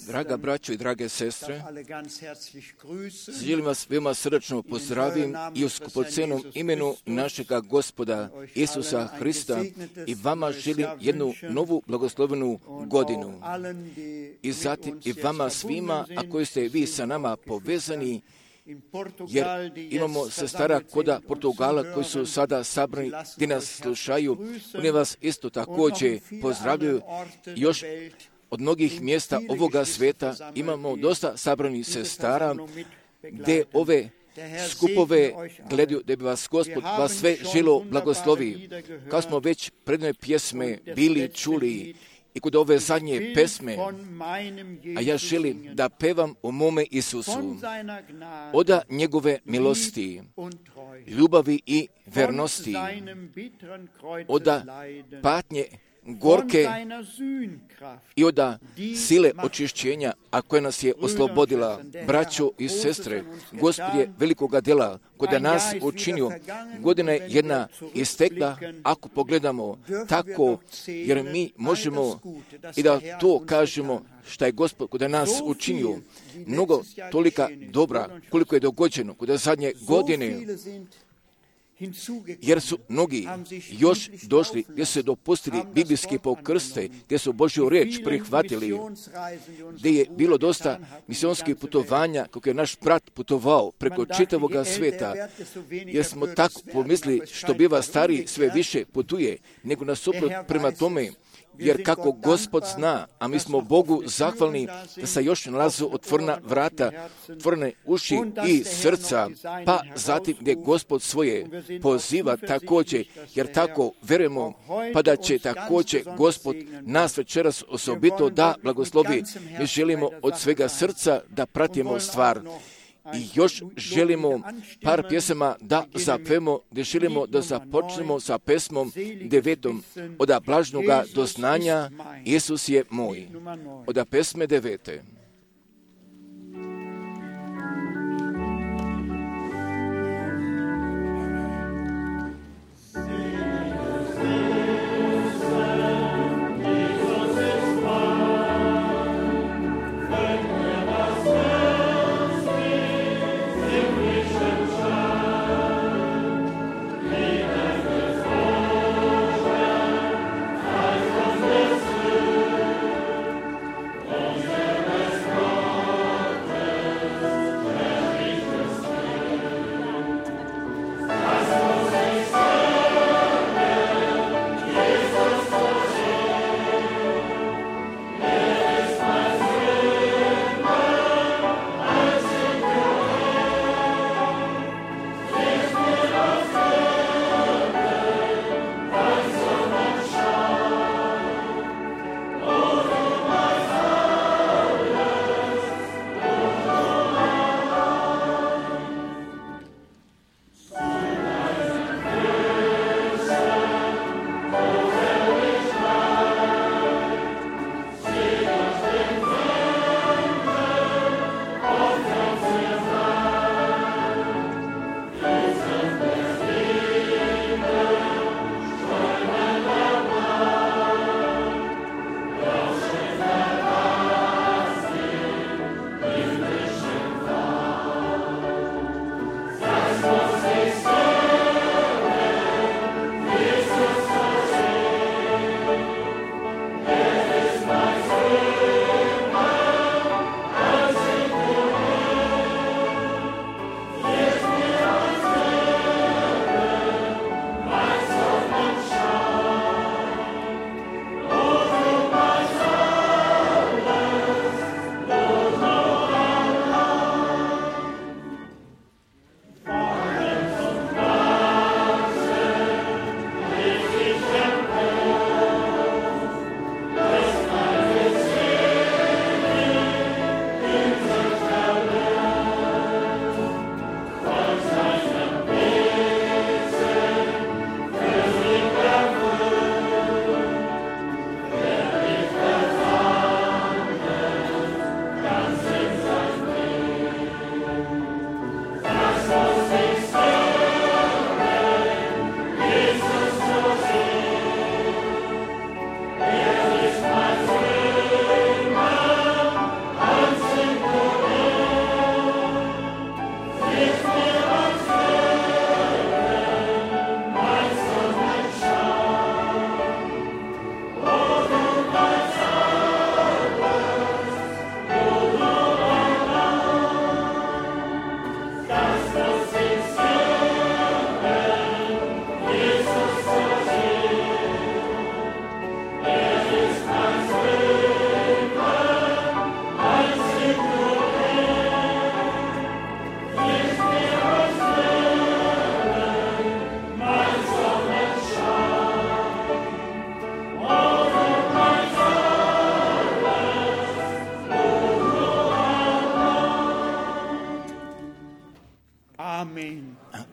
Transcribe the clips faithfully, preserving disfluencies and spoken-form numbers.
Draga braćo i drage sestre, želim vas veoma srdačno pozdravim i u skupocenom imenu našega Gospoda Isusa Hrista i vama želim jednu novu blagoslovenu godinu. I zatim i vama svima, a koji ste vi sa nama povezani, jer imamo sestara koda Portugala koji su sada sabrani gdje nas slušaju. Oni vas isto također pozdravljaju. Još od mnogih mjesta ovoga sveta imamo dosta sabranih sestara gdje ove skupove gledaju da bi vas Gospod vas sve želo blagoslovi. Kao smo već predne pjesme bili čuli i kod ove zadnje pesme, a ja želim da pevam o mome Isusu, oda njegove milosti, ljubavi i vernosti, oda patnje gorke i oda sile očišćenja, a koja nas je oslobodila. Braćo i sestre, Gospod je velikoga dela kod nas učinio. Godina je jedna istekla, ako pogledamo tako, jer mi možemo i da to kažemo šta je Gospod kod nas učinio. Mnogo tolika dobra koliko je dogođeno kod zadnje godine, jer su mnogi još došli gdje su dopustili biblijski pokrste, gdje su Božju riječ prihvatili, gdje je bilo dosta misionskih putovanja kako je naš brat putovao preko čitavoga sveta, jer smo tako pomislili što biva stariji sve više putuje, nego nasuprot prema tome, jer kako Gospod zna, a mi smo Bogu zahvalni da se još nalazu otvorena vrata, otvorene uši i srca, pa zatim gdje Gospod svoje poziva također, jer tako verujemo, pa da će također Gospod nas večeras osobito da blagoslovi. Mi želimo od svega srca da pratimo stvar. I još želimo par pjesama da zapemo, gdje želimo da započnemo sa pesmom devetom, oda blažnoga doznanja, Isus je moj, oda pesme devete. Yes.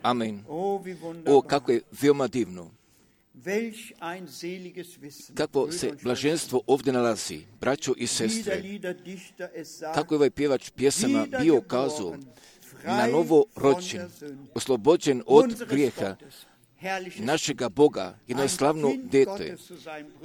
Amen. O, kako je veoma divno. Kakvo se blaženstvo ovdje nalazi, braćo i sestre. Kako je ovaj pjevač pjesama bio kazao, na novo rođen, oslobođen od grijeha, našega Boga, jedno slavno dete,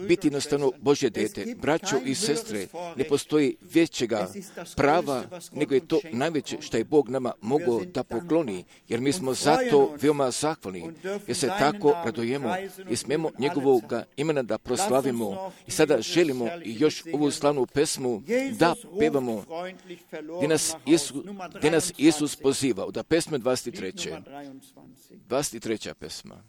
biti jednostavno Božje dete. Braćo i sestre, ne postoji većega prava, nego je to najveće što je Bog nama mogao da pokloni, jer mi smo zato veoma zahvalni, jer se tako radujemo i smemo njegovog imena da proslavimo. I sada želimo još ovu slavnu pesmu da pevamo, gdje nas Isus, gdje nas Isus pozivao, da pesme dvadeset tri. dvadeset tri. pesma.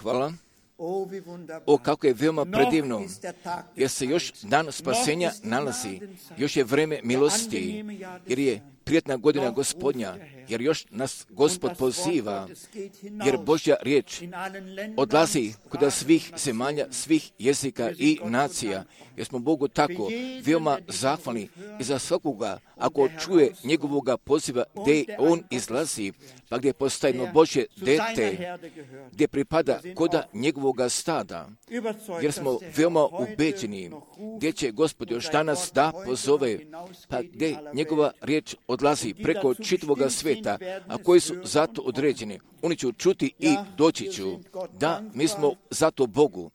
Hvala. O, kako je veoma predivno, jer se još dan spasenja nalazi, još je vreme milosti, jer je prijetna godina Gospodnja, jer još nas Gospod poziva, jer Božja riječ odlazi kuda svih zemalja, svih jezika i nacija, jer smo Bogu tako veoma zahvalni i za svakoga, ako čuje njegovoga poziva gdje on izlazi, pa gdje postaje jedno Božje dete, gdje pripada koda njegovoga stada, jer smo veoma ubeđeni gdje će Gospod još danas da pozove, pa gdje njegova riječ odlazi preko čitavoga sveta, a koji su zato određeni. oni će čuti i doći ću. Da, mi smo zato Bogu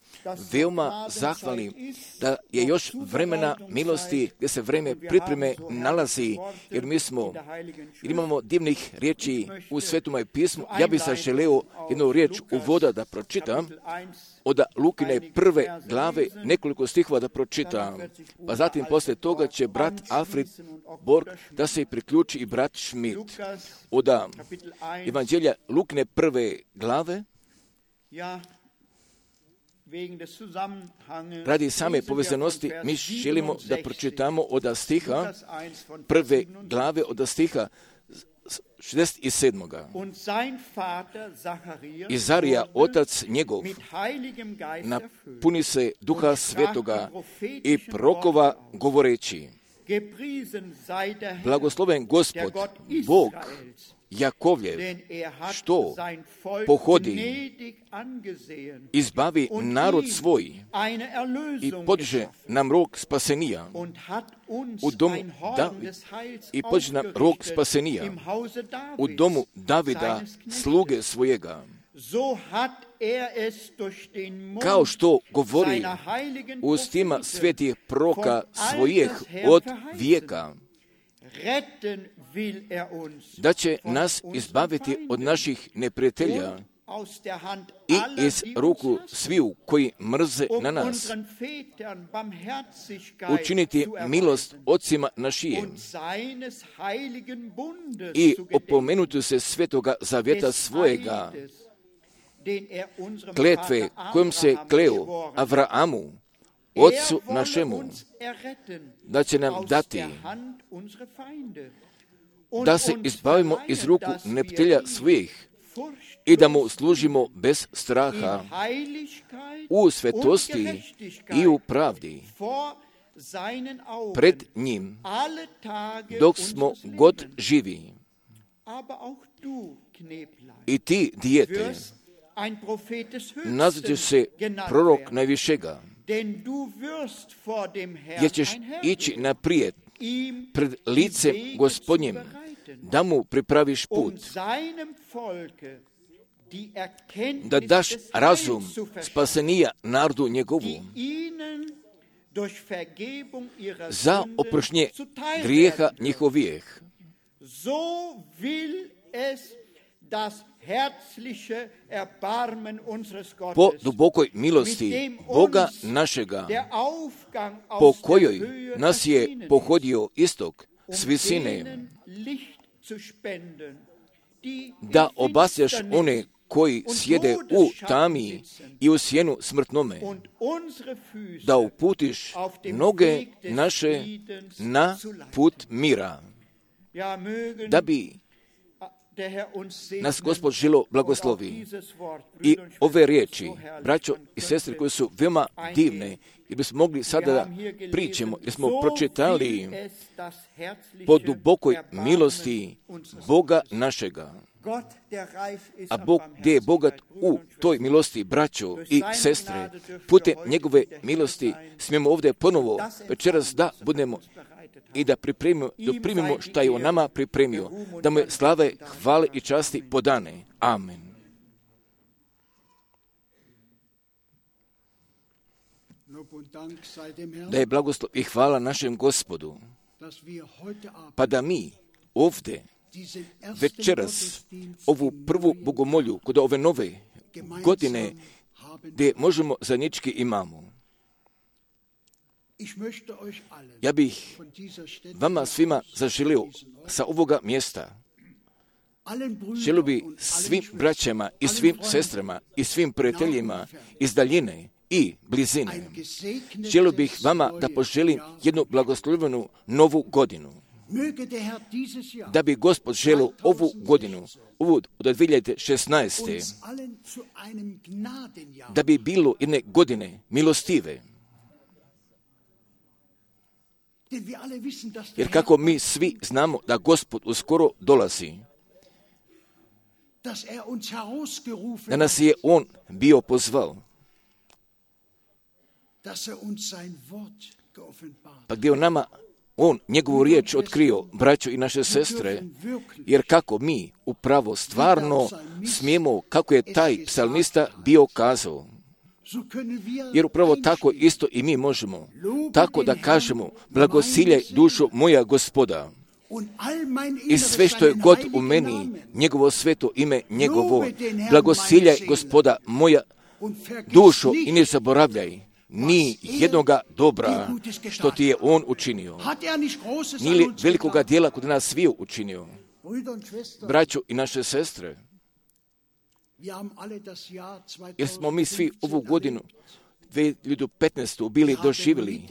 veoma zahvalni da je još vremena milosti gdje se vreme pripreme nalazi, jer mi smo, jer imamo divnih riječi u Svetome pismu. Ja bih sad želeo jednu riječ uvoda da pročitam, od Lukine prve glave nekoliko stihova da pročitam, pa zatim poslije toga će brat Alfred Borg da se priključi i brat Schmidt. Od Evanđelja Lukine prve glave, radi same povezanosti, mi želimo da pročitamo od stiha prve glave, od stiha šezdeset sedam. I Zarija, otac njegov, napuni se Duha Svetoga i prokova govoreći: blagosloven Gospod, Bog Jakovljev, što pohodi, izbavi narod svoj i podiže nam rog spasenija u domu David, i podiže nam rog spasenija u domu Davida, sluge svojega, kao što govori ustima svetih proka svojih od vijeka, da će nas izbaviti od naših neprijatelja i iz ruku sviju koji mrze na nas, učiniti milost ocima našijim i opomenuti se svetoga zavjeta svojega, kletve kojom se kleo Avraamu, Otcu našemu, da će nam dati da se izbavimo iz ruku neprijatelja svih i da mu služimo bez straha, u svetosti i u pravdi pred njim, dok smo god živi. I ti, dijete, nazvat se prorok najvišega, jer ćeš ići naprijed pred licem Gospodnjim, da mu pripraviš put, da daš razum spasenija narodu njegovu, za oproštenje grijeha njihovih. Po dubokoj milosti Boga našega, po kojoj nas je pohodio istok s visine, da obasjaš one koji sjede u tami i u sjenu smrtnome, da uputiš noge naše na put mira, da bi nas Gospod želo blagoslovi. I ove riječi, braćo i sestre, koje su veoma divne, jer bismo mogli sada da pričamo, jer smo pročitali po dubokoj milosti Boga našega. A Bog gdje je bogat u toj milosti, braćo i sestre, putem njegove milosti smijemo ovdje ponovo večeras da budemo i da pripremimo, da primimo šta je on nama pripremio, da mu je slave, hvale i časti podane. Amen. Da je blagoslov i hvala našem Gospodu, pa da mi ovdje večeras ovu prvu bogomolju kod ove nove godine gdje možemo zajednički imamo. Ja bih vama svima zaželio sa ovoga mjesta, želio bi svim braćama i svim sestrama i svim prijateljima iz daljine i blizine, želio bih vama da poželim jednu blagoslovenu novu godinu. Da bi Gospod želio ovu godinu, ovu od dvije hiljade šesnaeste. da bi bilo jedne godine milostive. Jer kako mi svi znamo da Gospod uskoro dolazi, da nas je On bio pozvao, pa gdje On nama on njegovu riječ otkrio, braćo i naše sestre, jer kako mi upravo stvarno smijemo, kako je taj psalmista bio kazao, jer upravo tako isto i mi možemo, tako da kažemo, blagosiljaj dušo moja Gospoda, i sve što je god u meni, njegovo sveto ime njegovo, blagosiljaj Gospoda moja dušo i ne zaboravljaj ni jednoga dobra što ti je on učinio. Nije li velikoga dijela kod nas sviju učinio? Braćo i naše sestre, jer smo mi svi ovu godinu dvije hiljade petnaestu bili doživjeli,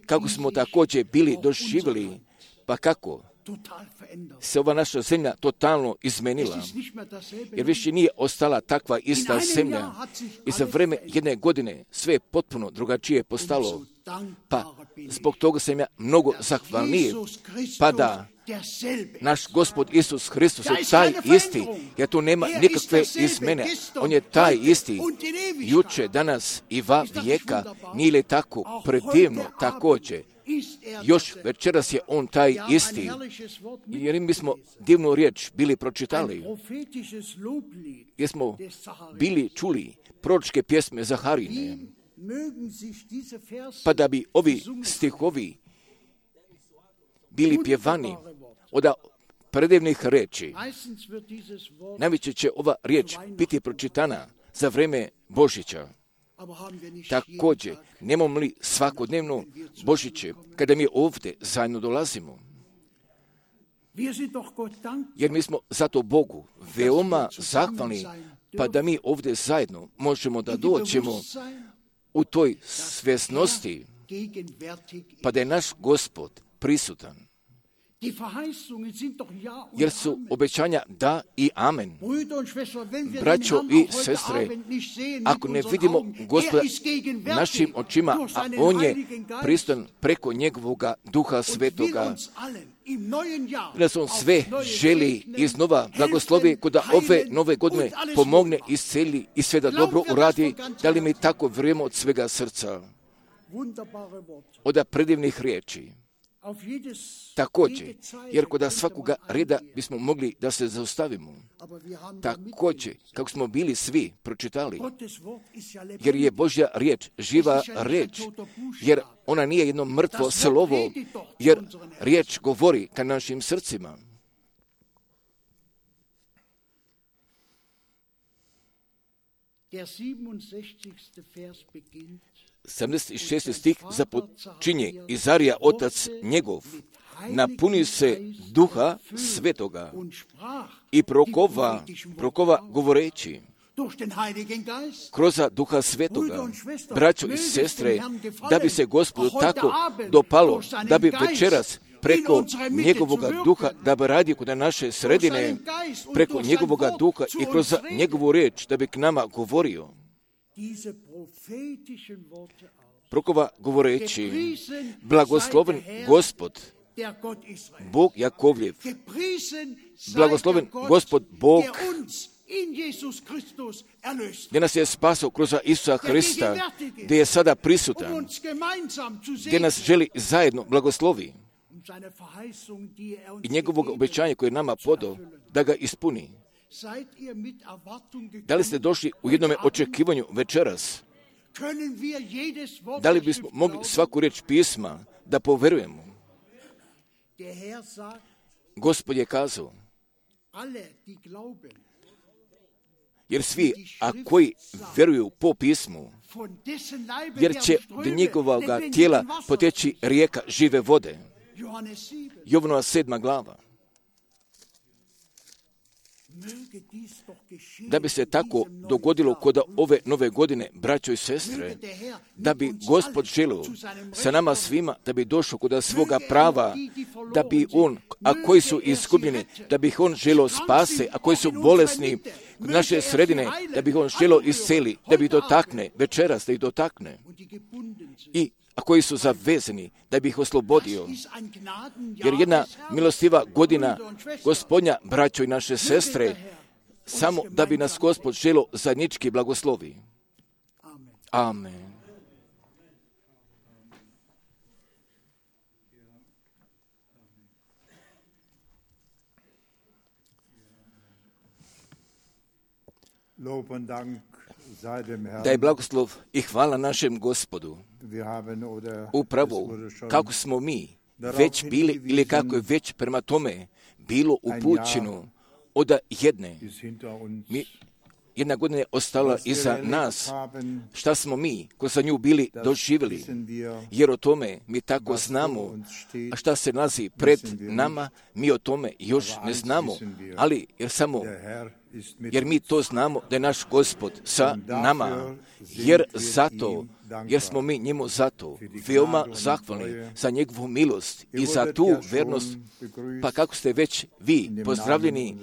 kako smo također bili doživjeli, pa kako se ova naša zemlja totalno izmenila, jer više nije ostala takva ista zemlja i za vreme jedne godine sve je potpuno drugačije postalo, pa zbog toga sam ja mnogo zahvalniji, pa da naš Gospod Isus Hristos je taj isti, jer tu nema nikakve izmjene, on je taj isti, juče, danas i va vijeka, nije li tako predivno također. Još večeras je on taj isti, jer mi smo divnu riječ bili pročitali, jer smo bili čuli proročke pjesme Zaharine, pa da bi ovi stihovi bili pjevani od predivnih riječi. Najveće će ova riječ biti pročitana za vreme Božića. Također, nemamo li svakodnevno Božiće, kada mi ovdje zajedno dolazimo? Jer mi smo zato Bogu veoma zahvalni, pa da mi ovdje zajedno možemo da dođemo u toj svjesnosti, pa da je naš Gospod prisutan. Jer su obećanja da i amen. Braćo i sestre, ako ne vidimo Gospoda našim očima, a on je prisutan preko njegovog Duha Svetoga, da on sve želi iznova blagoslovi kod ove nove godine pomogne, isceli i sve da dobro uradi, da li mi tako vjerujemo od svega srca, od predivnih riječi. Također, jer kod svakoga reda bismo mogli da se zaustavimo. Također, kako smo bili svi pročitali, jer je Božja riječ živa riječ, jer ona nije jedno mrtvo slovo, jer riječ govori ka našim srcima. sedamdeset šesti stih započinje: Izarija, otac njegov, napuni se Duha Svetoga i prokova, prokova govoreći kroz Duha Svetoga. Braćo i sestre, da bi se Gospodu tako dopalo, da bi večeras preko njegovog duha, da bi radio kod naše sredine, preko njegovog duha i kroz njegovu riječ, da bi k nama govorio. Prokova govoreći: blagosloven Gospod, Bog Jakovljev, blagosloven Gospod Bog, gdje nas je spasao kroz Isusa Hrista, gdje je sada prisutan, gdje nas želi zajedno blagoslovi i njegovog obećanja koje je nama podao da ga ispuni. Da li ste došli u jednome očekivanju večeras? Da li bismo mogli svaku riječ pisma da poverujemo? Gospod je kazao, jer svi, a koji vjeruju po pismu, jer će od njegovog tijela poteći rijeka žive vode. Jovanova sedma glava. Da bi se tako dogodilo kod ove nove godine, braćo i sestre, da bi Gospod želio sa nama svima, da bi došao kod svoga prava, da bi on, a koji su izgubljeni, da bi ih on želio spase, a koji su bolesni kod naše sredine, da bi ih on želio isceli, da bi dotakne, večeras da ih dotakne. I a koji su zavezani, da bi ih oslobodio. Jer jedna milostiva godina Gospodnja, braćo i naše sestre, samo da bi nas Gospod želio zajednički blagoslovi. Amen. Da je blagoslov i hvala našem Gospodu. Upravo kako smo mi već bili ili kako je već prema tome bilo upućeno od jedne. Mi, jedna godina je ostala iza nas. Šta smo mi, ko sa nju bili, doživjeli? Jer o tome mi tako znamo. A šta se nalazi pred nama, mi o tome još ne znamo. Ali jer samo, jer mi to znamo da je naš Gospod sa nama. Jer zato, jer smo mi njemu zato veoma zahvalni za njegovu milost i za tu vernost. Pa kako ste već vi pozdravljeni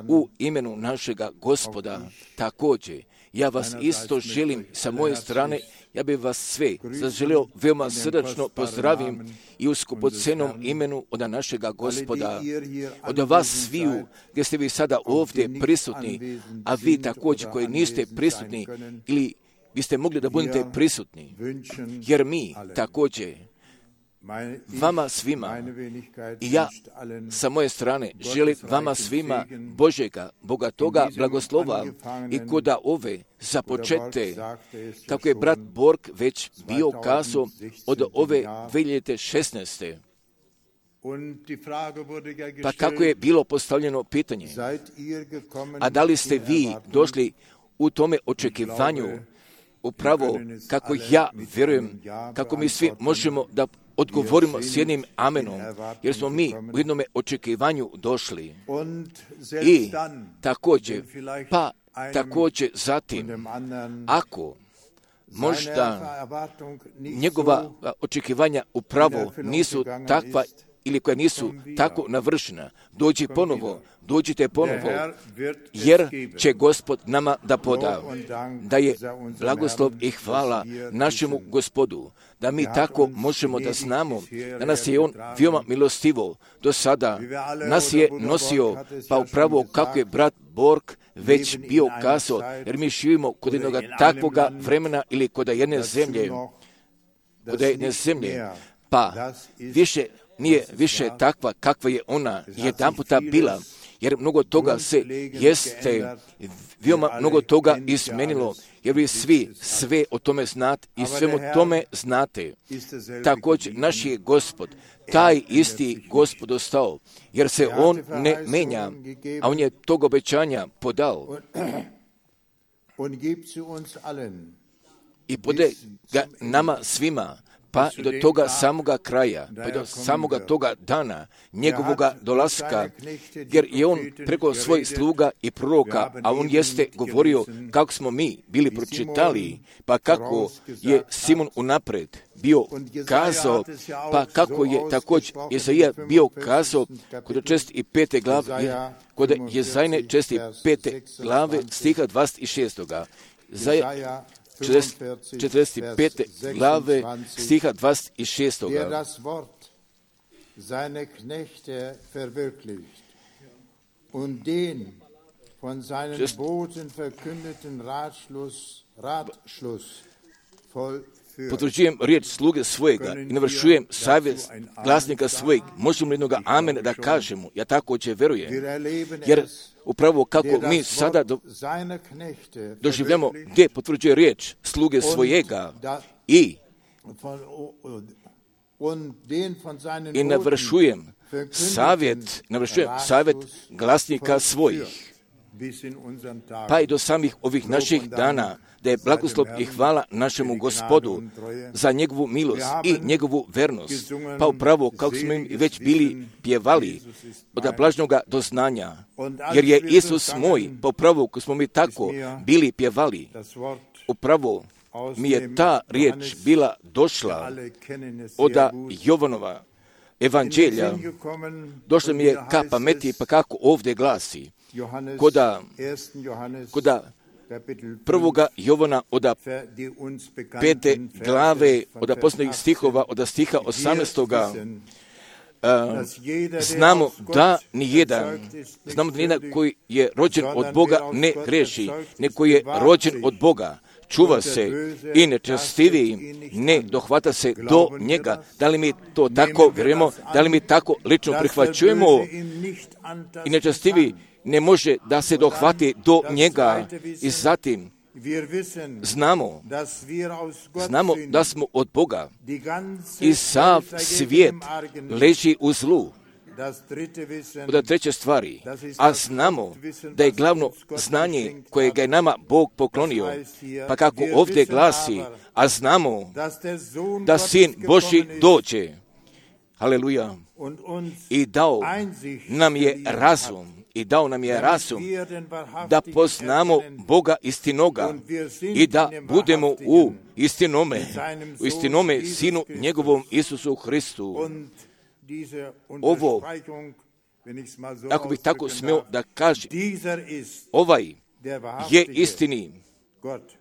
u imenu našega Gospoda, također, ja vas isto želim sa moje strane, ja bih vas sve zaželio veoma srdačno pozdravim i u skupocenom imenu od našega Gospoda, od vas sviju, gdje ste vi sada ovdje prisutni, a vi također koji niste prisutni ili biste mogli da budete prisutni, jer mi također vama svima i ja sa moje strane želim vama svima Božjega, bogatoga blagoslova i koda ove započete, kako je brat Borg već bio kazao od ove dvije hiljade šesnaeste. Pa kako je bilo postavljeno pitanje, a da li ste vi došli u tome očekivanju, upravo kako ja vjerujem, kako mi svi možemo da odgovorimo s jednim amenom, jer smo mi u jednom očekivanju došli. I također, pa također zatim, ako možda njegova očekivanja upravo nisu takva ili koja nisu tako navršena, dođi ponovo, dođite ponovo, jer će Gospod nama da poda, da je blagoslov i hvala našemu Gospodu, da mi tako možemo da znamo, da nas je On veoma milostivo do sada, nas je nosio, pa upravo kako je brat Borg već bio kazao, jer mi živimo kod jednog takvoga vremena ili kod jedne zemlje, kod jedne zemlje, pa više nije više takva kakva je ona jedan puta bila, jer mnogo toga se jeste, veoma mnogo toga izmenilo, jer vi svi sve o tome znate i svemu tome znate. Također naš je Gospod, taj isti Gospod ostao, jer se On ne menja, a On je tog obećanja podao. I pode ga nama svima, pa i do toga samoga kraja, pa i do samoga toga dana, njegovoga dolaska, jer je On preko svojih sluga i proroka, a On jeste govorio kako smo mi bili pročitali, pa kako je Simon unapred bio kazao, pa kako je također Jezaja bio kazao kod četiri pete glave, kod Jezajne četiri pete glave stiha dvadeset šest. Jezaja četrdeset pete glave stiha dvadeset šest. Der das Wort seine Knechte verwirklicht und den von seinen Boten verkündeten Ratschluss, Ratschluss vollführt. Potvrđujem riječ sluge svojega i navršujem savjet glasnika svojeg. Možemo li jednoga amen da kažemo? Ja također verujem. Jer upravo kako mi sada do, doživljamo gdje potvrđuje riječ sluge svojega i i navršujem savjet, navršujem savjet glasnika svojih. Pa i do samih ovih naših dana, da je blagoslov i hvala našemu Gospodu za njegovu milost i njegovu vernost. Pa upravo kako smo im već bili pjevali od blažnoga doznanja, jer je Isus moj, pa upravo kako smo mi tako bili pjevali, upravo mi je ta riječ bila došla od Jovanova evanđelja, došla mi je ka pameti, pa kako ovdje glasi, koda, koda prvoga Jovana od pete glave, od posljednjih stihova, od stiha osamnaestoga. Uh, znamo da nijedan, znamo da nijedan koji je rođen od Boga ne greši, neko je rođen od Boga, čuva se i nečestivi, ne dohvata se do njega. Da li mi to tako vjerujemo, da li mi tako lično prihvaćujemo i nečestivi ne može da se dohvati do njega. I zatim znamo, znamo da smo od Boga i sav svijet leži u zlu. Od treće stvari, a znamo da je glavno znanje koje ga je nama Bog poklonio, pa kako ovdje glasi, a znamo da Sin Božji dođe, haleluja, i dao nam je razum, i dao nam je razum da poznamo Boga istinoga i da budemo u istinome, u istinome Sinu njegovom Isusu Hristu. Ovo, ako bih tako smio da kažem, ovaj je istini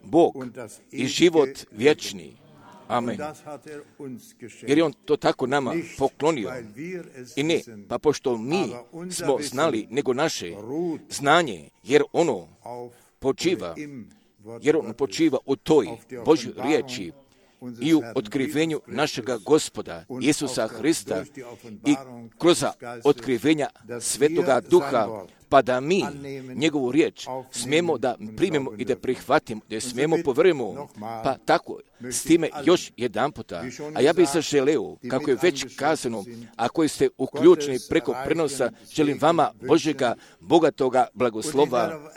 Bog i život vječni. Amen. Jer je on to tako nama poklonio. I ne, pa pošto mi smo znali nego naše znanje, jer ono počiva, jer ono počiva u toj Božjoj riječi i u otkrivenju našega Gospoda Isusa Hrista i kroz otkrivenja Svetoga Duha, pa da mi njegovu riječ smijemo da primimo i da prihvatimo, da smijemo povjerujemo, pa tako, s time još jedan puta. A ja bih se želeo, kako je već kazano, a koji ste uključeni preko prenosa, želim vama Božjega, bogatoga blagoslova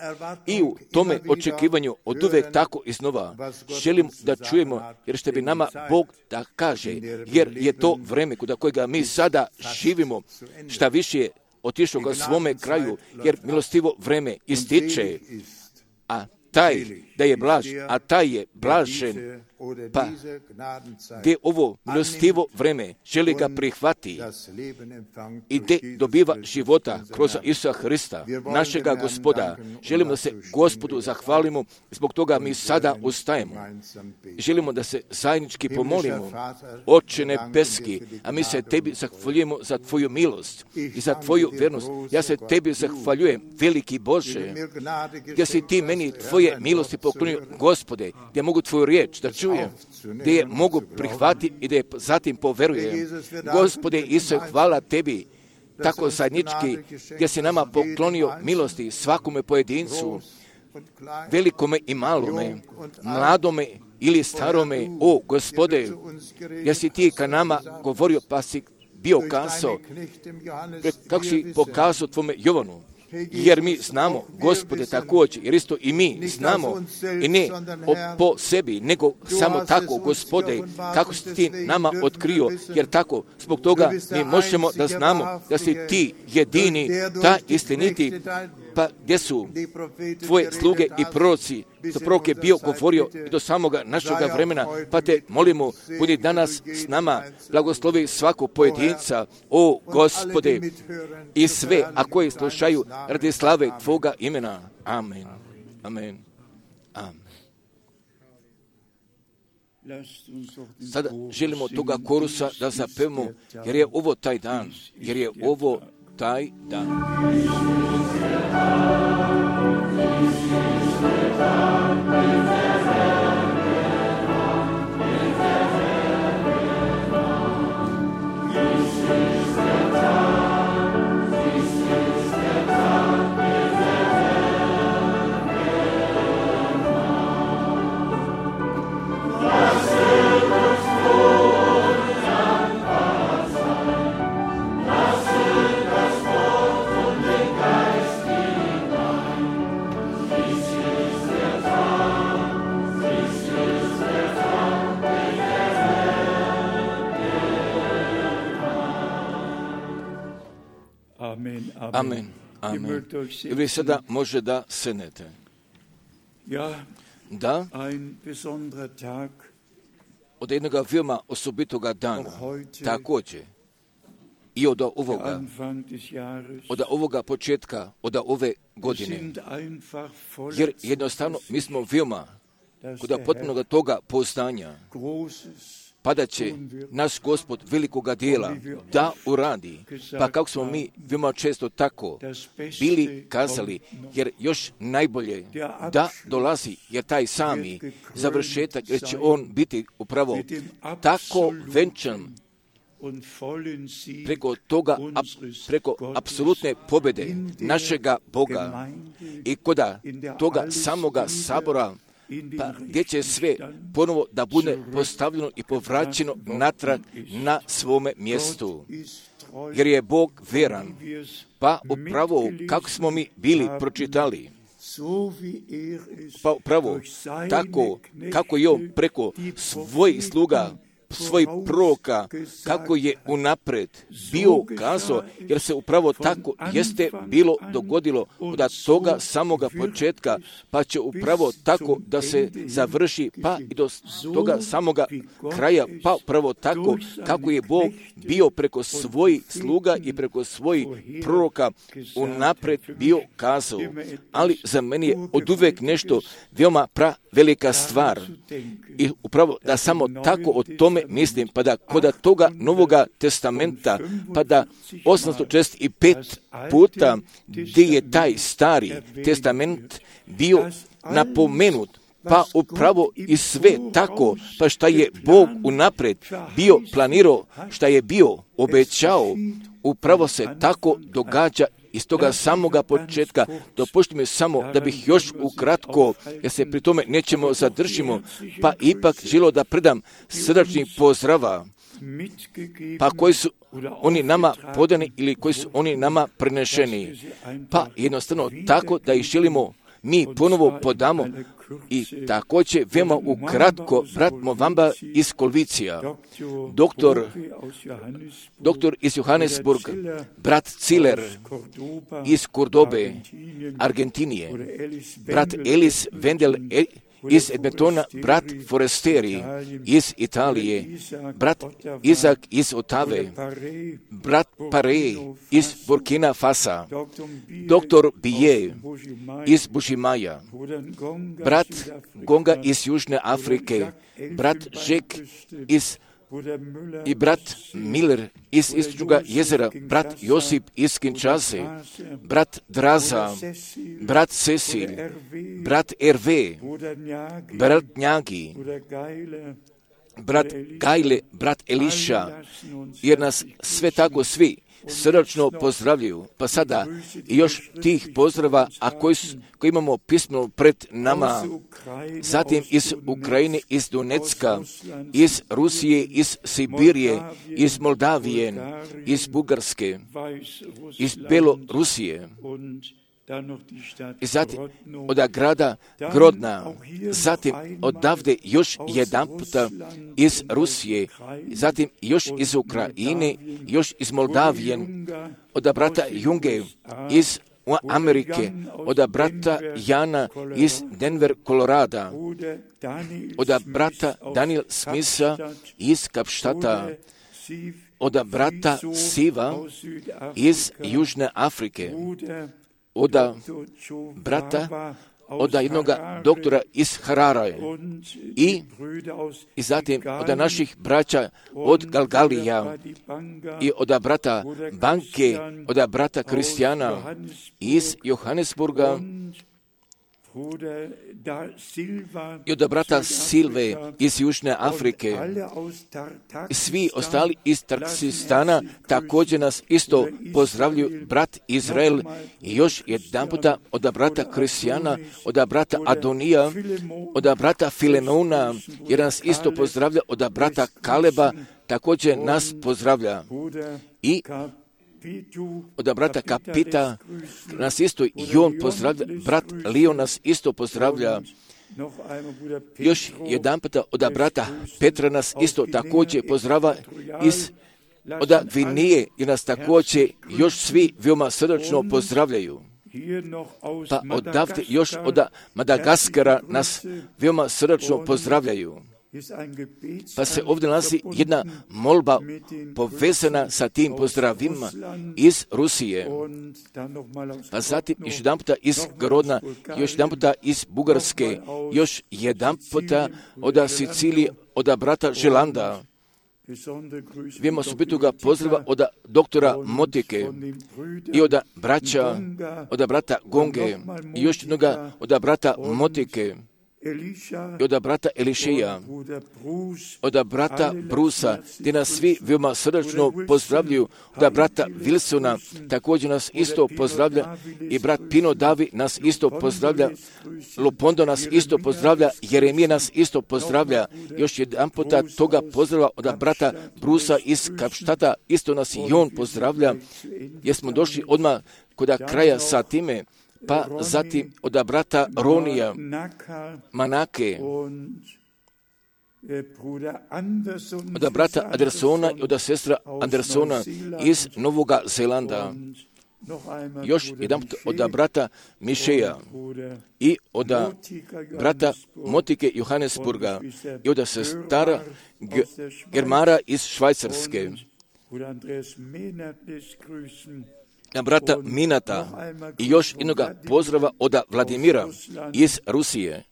i u tome očekivanju od uvek tako iznova. Želim da čujemo, jer što bi nama Bog da kaže, jer je to vreme kod kojega mi sada živimo, šta više je otišao ga svome kraju, jer milostivo vreme ističe, a taj da je blaž, a taj je blažen, pa gdje ovo milostivo vreme želi ga prihvati i gdje dobiva života kroz Isusa Hrista, našega Gospoda. Želimo da se Gospodu zahvalimo, zbog toga mi sada ustajemo. Želimo da se zajednički pomolimo, Oče nebeski, a mi se tebi zahvaljujemo za tvoju milost i za tvoju vjernost. Ja se tebi zahvaljujem, veliki Bože, gdje si ti meni tvoje milosti poklonio, Gospode, gdje mogu tvoju riječ da čujem, gdje je mogu prihvatiti i da je zatim poverujem. Gospode Isuse, hvala tebi, tako zajednički, gdje si nama poklonio milosti svakome pojedincu, velikome i malome, mladome ili starome. O, Gospode, gdje si ti ka nama govorio, pa si bio kazao, kako si pokazao tvome Jovanu. Jer mi znamo, Gospode, također, jer isto i mi znamo, i ne po sebi, nego samo tako, Gospode, kako si ti nama otkrio, jer tako, zbog toga mi možemo da znamo da si ti jedini, ta istiniti, pa gdje su tvoje sluge i proroci, što prorok je bio govorio i do samoga našega vremena, pa te molimo, budi danas s nama, blagoslovi svakog pojedinca, o Gospode, i sve, a koji slušaju radi slave tvoga imena. Amen. Amen. Amen. Sada želimo toga korusa da zapevamo, jer je ovo taj dan, jer je ovo taj dan. Amen. Amen. I vi sada može da sednete. Da, od jednoga veoma osobitoga dana, također, i od ovoga, od ovoga početka, od ove godine, jer jednostavno mi smo veoma kod potpunog toga poznanja, pa da će naš Gospod velikoga dijela da uradi. Pa kako smo mi veoma često tako bili kazali, jer još najbolje da dolazi, jer taj sami završetak, jer će on biti upravo tako venčan preko toga, ap, preko apsolutne pobjede našega Boga i koda toga samoga sabora, pa gdje će sve ponovo da bude postavljeno i povraćeno natrag na svome mjestu. Jer je Bog veran, pa upravo kako smo mi bili pročitali, pa upravo tako kako je on preko svojih sluga, svojih proroka, kako je unapred bio kazao, jer se upravo tako jeste bilo dogodilo od toga samoga početka, pa će upravo tako da se završi, pa i do toga samoga kraja, pa upravo tako kako je Bog bio preko svojih sluga i preko svojih proroka unapred bio kazao. Ali za mene je oduvek nešto veoma pra velika stvar. I upravo da samo tako o tome mislim, pa da kod toga Novoga testamenta, pa da osamsto četrdeset pet puta gdje je taj stari testament bio napomenut, pa upravo i sve tako, pa šta je Bog unapred bio planirao, šta je bio obećao, upravo se tako događa iz toga samoga početka. Dopušti mi samo da bih još ukratko, jer se pri tome nećemo zadržimo, pa ipak želio da predam srdačnih pozdrava, pa koji su oni nama podani ili koji su oni nama prenešeni. Pa jednostavno tako da ih želimo mi ponovo podamo i također veoma ukratko brat Movamba iz Kolvicija, doktor, doktor iz Johannesburg, brat Ciller iz Kordobe, Argentinije, brat Elis Wendel iz Edmontona, brat Foresteri iz Italije, brat Izak iz Otave, brat Pare iz Burkina Fasa, doktor Bije iz Bušimaja, brat Gonga iz Južne Afrike, brat Žek iz i brat Miller iz Istočnoga jezera, brat Josip iz Kinshase, brat Draza, brat Cecil, brat Erve, brat Njagi, brat Gajle, brat Eliša, jer nas sve tako svi srdačno pozdravljaju. Pa sada još tih pozdrava, a koji, koji imamo pismeno pred nama, zatim iz Ukrajine, iz Donecka, iz Rusije, iz Sibirije, iz Moldavije, iz Bugarske, iz Belorusije, i zatim od grada Grodna, zatim odavde još jedan puta iz Rusije, zatim još iz Ukrajine, još iz Moldavije, od brata Junge iz Amerike, od brata Jana iz Denver, Kolorada, od brata Daniel Smitha iz Kapštata, od brata Siva iz Južne Afrike, od brata, od jednog doktora iz Hararaje i, i zatim od naših braća od Galgalija i od brata Banke, od brata Kristijana iz Johannesburga i od brata Silve iz Južne Afrike. Svi ostali iz Tarksistana također nas isto pozdravljuju, brat Izrael i još jedan puta od brata Kristijana, od brata Adonija, od brata Filemona, jer nas isto pozdravlja, od brata Kaleba također nas pozdravlja. I od brata Kapita nas isto i on pozdravlja, brat Lio nas isto pozdravlja. Još jedan puta od brata Petra nas isto također pozdrava iz od Gvineje i nas također još svi veoma srdačno pozdravljaju. Pa odavde još od Madagaskara nas veoma srdačno pozdravljaju. Pa se ovdje nalazi jedna molba povezana sa tim pozdravima iz Rusije. Pa zatim još jedan puta iz Grodna, još jedan puta iz Bugarske, još jedan puta od Sicilije, od brata Želanda. Vijemo osobitoga pozdrava od doktora Motike i od braća, od brata Gonge i još jednoga od brata Motike. i od brata Elišeja, od brata Brusa, gdje nas svi veoma srdačno pozdravljaju, od brata Wilsona, također nas isto pozdravlja, i brat Pino Davi nas isto pozdravlja, Lopondo nas isto pozdravlja, Jeremija nas isto pozdravlja, još jedan puta toga pozdrava od brata Brusa iz Kapštata, isto nas i on pozdravlja, jer smo došli odmah kod kraja sa time, pa zatim od brata Ronija, Manake, od brata Andersona i od sestra Andersona iz Novoga Zelanda, još jedan od brata Mišeja i od brata Motike Johannesburga i od sestara Germara iz Švajcarske, na brata Minata i još jednoga pozdrava od Vladimira iz Rusije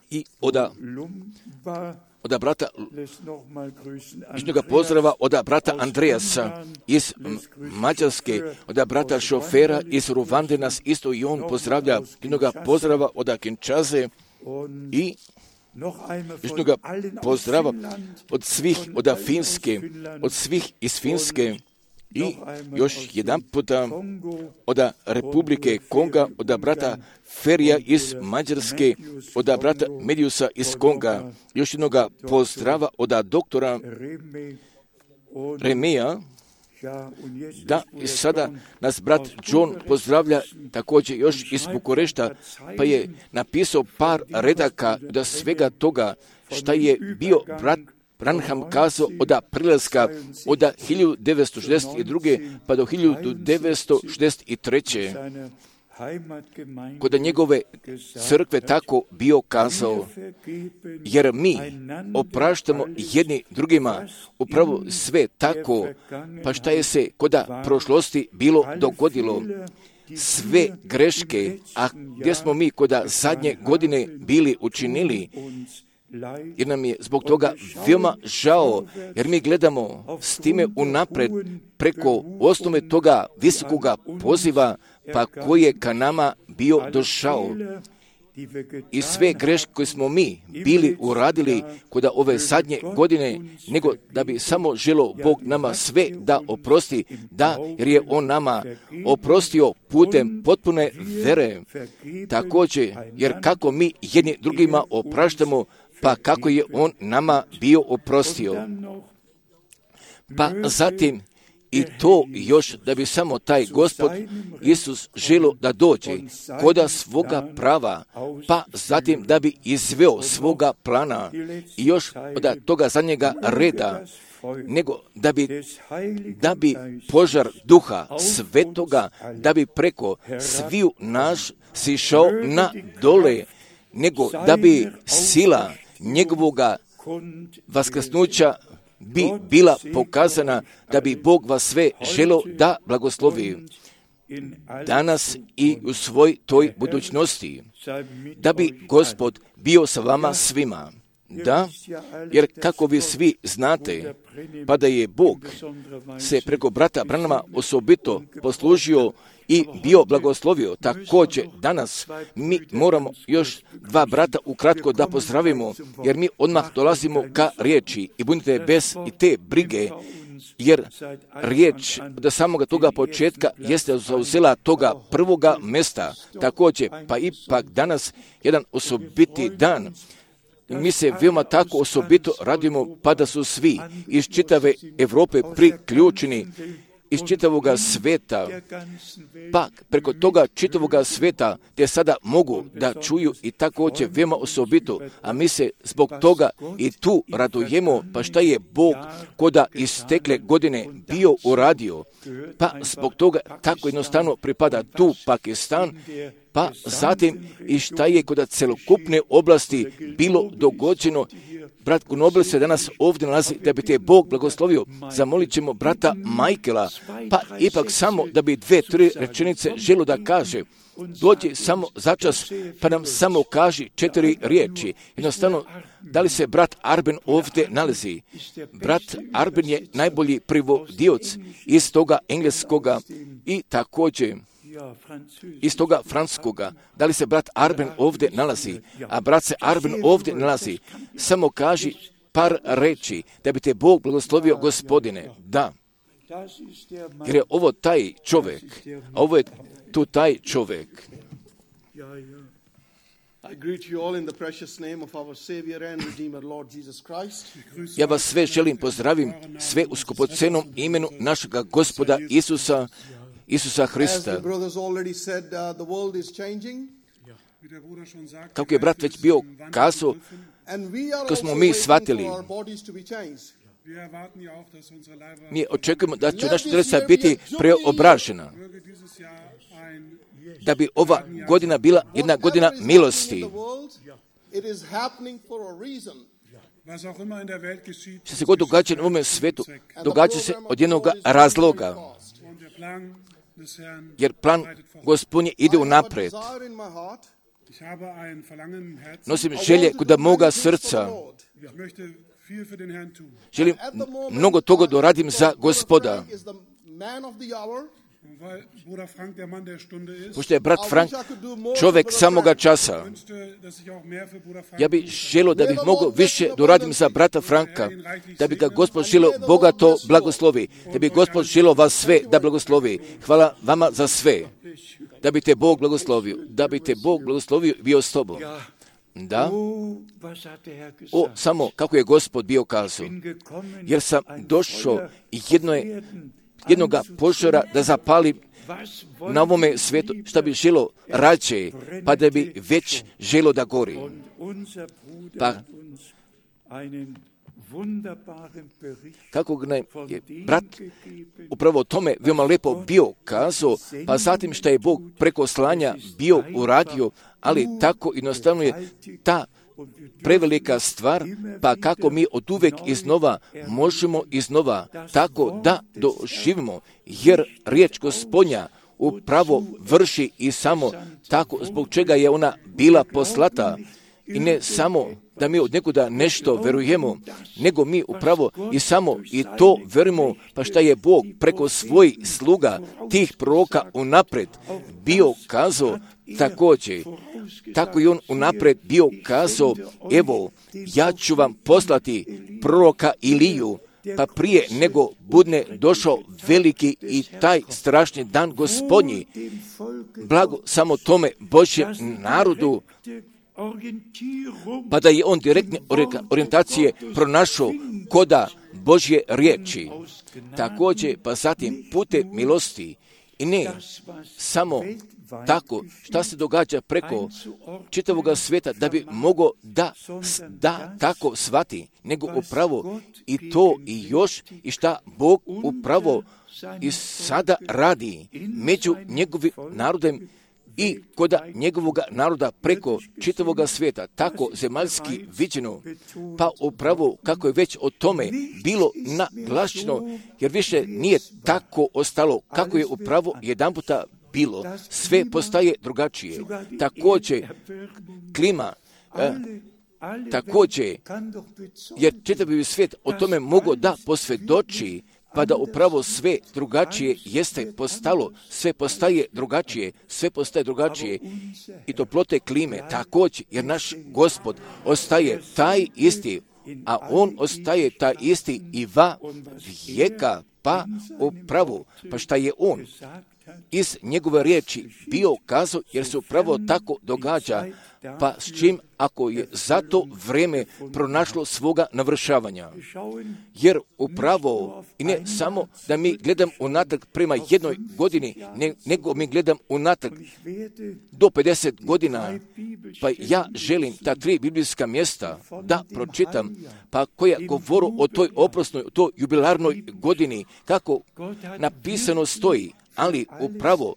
i od, od brata jednoga pozdrava od brata Andreasa iz Mađarske, od brata šofera iz Ruvande nas isto i on pozdravlja, jednoga pozdrava od Kinshase i jednoga pozdrava od svih od Finske, od svih iz Finske, i još jedan puta od Republike Konga, od brata Ferija iz Mađarske, od brata Mediusa iz Konga, još jednog pozdrava od doktora Remeja, da i sada nas brat John pozdravlja također još iz Bukurešta, pa je napisao par redaka od svega toga šta je bio brat Branham kazao od prilaska od hiljadu devetsto šezdeset druge pa do hiljadu devetsto šezdeset treće kod njegove crkve tako bio kazao, jer mi opraštamo jedni drugima upravo sve tako, pa šta je se kod prošlosti bilo dogodilo, sve greške, a gdje smo mi kod zadnje godine bili učinili, jer nam je zbog toga veoma žao, jer mi gledamo s time unapred preko osnove toga visokoga poziva, pa koji je ka nama bio došao. I sve greške koje smo mi bili uradili kod ove zadnje godine, nego da bi samo želo Bog nama sve da oprosti, da, jer je On nama oprostio putem potpune vere. Također, jer kako mi jedni drugima opraštamo, pa kako je On nama bio oprostio. Pa zatim i to još da bi samo taj Gospod Isus želio da dođe koda svoga prava, pa zatim da bi izveo svoga plana i još od toga zadnjega reda, nego da bi, da bi požar duha svetoga, da bi preko sviju naš sišao na dole, nego da bi sila njegovoga vaskrsnuća bi bila pokazana, da bi Bog vas sve želio da blagoslovi danas i u svoj toj budućnosti, da bi Gospod bio sa vama svima. Da, jer kako vi svi znate, pa da je Bog se preko brata Branhama osobito poslužio i bio blagoslovio. Također danas mi moramo još dva brata ukratko da pozdravimo, jer mi odmah dolazimo ka riječi i budite bez i te brige, jer riječ od samoga toga početka jeste zauzela toga prvoga mjesta. Također, pa ipak danas jedan osobiti dan. Mi se veoma tako osobito radimo, pa da su svi iz čitave Europe priključeni, iz čitavoga sveta, pa preko toga čitavoga sveta te sada mogu da čuju i također veoma osobito, a mi se zbog toga i tu radujemo, pa šta je Bog koda istekle godine bio uradio, pa zbog toga tako jednostavno pripada tu Pakistan, pa zatim i šta je kod celokupne oblasti bilo dogođeno. Brat Gunobel se danas ovdje nalazi da bi te Bog blagoslovio. Zamolit ćemo brata Michaela, pa ipak samo da bi dve, tri rečenice želo da kaže. Dođi samo začas, pa nam samo kaži četiri riječi. Jednostavno, da li se brat Arben ovdje nalazi? Brat Arben je najbolji privodioc iz toga engleskoga i također iz toga francuskoga. Da li se brat Arben ovdje nalazi? A brat se Arben ovdje nalazi. Samo kaži par reči da bi te Bog blagoslovio, gospodine. Da. Jer je ovo taj čovjek, a ovo je tu taj čovjek. Ja vas sve želim pozdravim, sve u skupocenom imenu našega Gospoda Isusa, Isusa Hrista. Kako je brat već bio kazao, ko smo mi shvatili, mi očekujemo da će naša telesa biti preobražena, da bi ova godina bila jedna godina milosti. Što se god događa na ovome svijetu, događa se od jednog razloga, jer plan Gospodnje ide unaprijed. Nosim želje kod moga srca. Želim mnogo toga da radim za Gospoda. Pošto je brat Frank čovjek samoga časa, ja bih želio da bih mogao više doradim za brata Franka, da bi ga Gospod želio bogato blagoslovi, da bi Gospod želio vas sve da blagoslovi. Hvala vama za sve, da bi te Bog blagoslovio, da bi te Bog blagoslovio i bio s tobom. Da, o, samo kako je Gospod bio kazao, jer sam došao jedno je, jednoga požara da zapali na ovome svijetu, što bi želo rađe, pa da bi već želo da gori. Pa, kako nam je brat upravo o tome veoma lepo bio kazao, pa zatim što je Bog preko slanja bio uradio, ali tako jednostavno je ta prevelika stvar, pa kako mi od uvek iznova možemo iznova tako da doživimo, jer riječ Gospodnja upravo vrši i samo tako zbog čega je ona bila poslata. I ne samo da mi od nekuda nešto verujemo, nego mi upravo i samo i to verujemo, pa šta je Bog preko svojih sluga, tih proroka unapred bio kazao također. Tako i on unapred bio kazao, evo, ja ću vam poslati proroka Iliju, pa prije nego budne došao veliki i taj strašni dan Gospodnji. Blago samo tome Božjem narodu, pa da je on direktne orijentacije pronašao koda Božje riječi. Također, pa zatim putem milosti i ne samo tako šta se događa preko čitavog svijeta da bi mogao da, da tako shvati, nego upravo i to i još i šta Bog upravo i sada radi među njegovim narodem i kod njegovog naroda preko čitavog svijeta, tako zemaljski viđeno, pa upravo kako je već o tome bilo naglašeno, jer više nije tako ostalo kako je upravo jedan puta bilo. Sve postaje drugačije. Također, klima, eh, također, jer čitavi svijet o tome mogu da posvjedoči, pa da upravo sve drugačije jeste postalo, sve postaje drugačije, sve postaje drugačije i toplote klime također, jer naš Gospod ostaje taj isti, a on ostaje taj isti i va vijeka, pa upravo, pa šta je on iz njegove riječi bio kazao, jer se upravo tako događa, pa s čim ako je za to vrijeme pronašlo svoga navršavanja. Jer upravo, i ne samo da mi gledam unatrag prema jednoj godini, ne, nego mi gledam unatrag do pedeset godina, pa ja želim ta tri biblijska mjesta da pročitam, pa koja govoru o toj oprosnoj, o toj jubilarnoj godini, kako napisano stoji. Ali upravo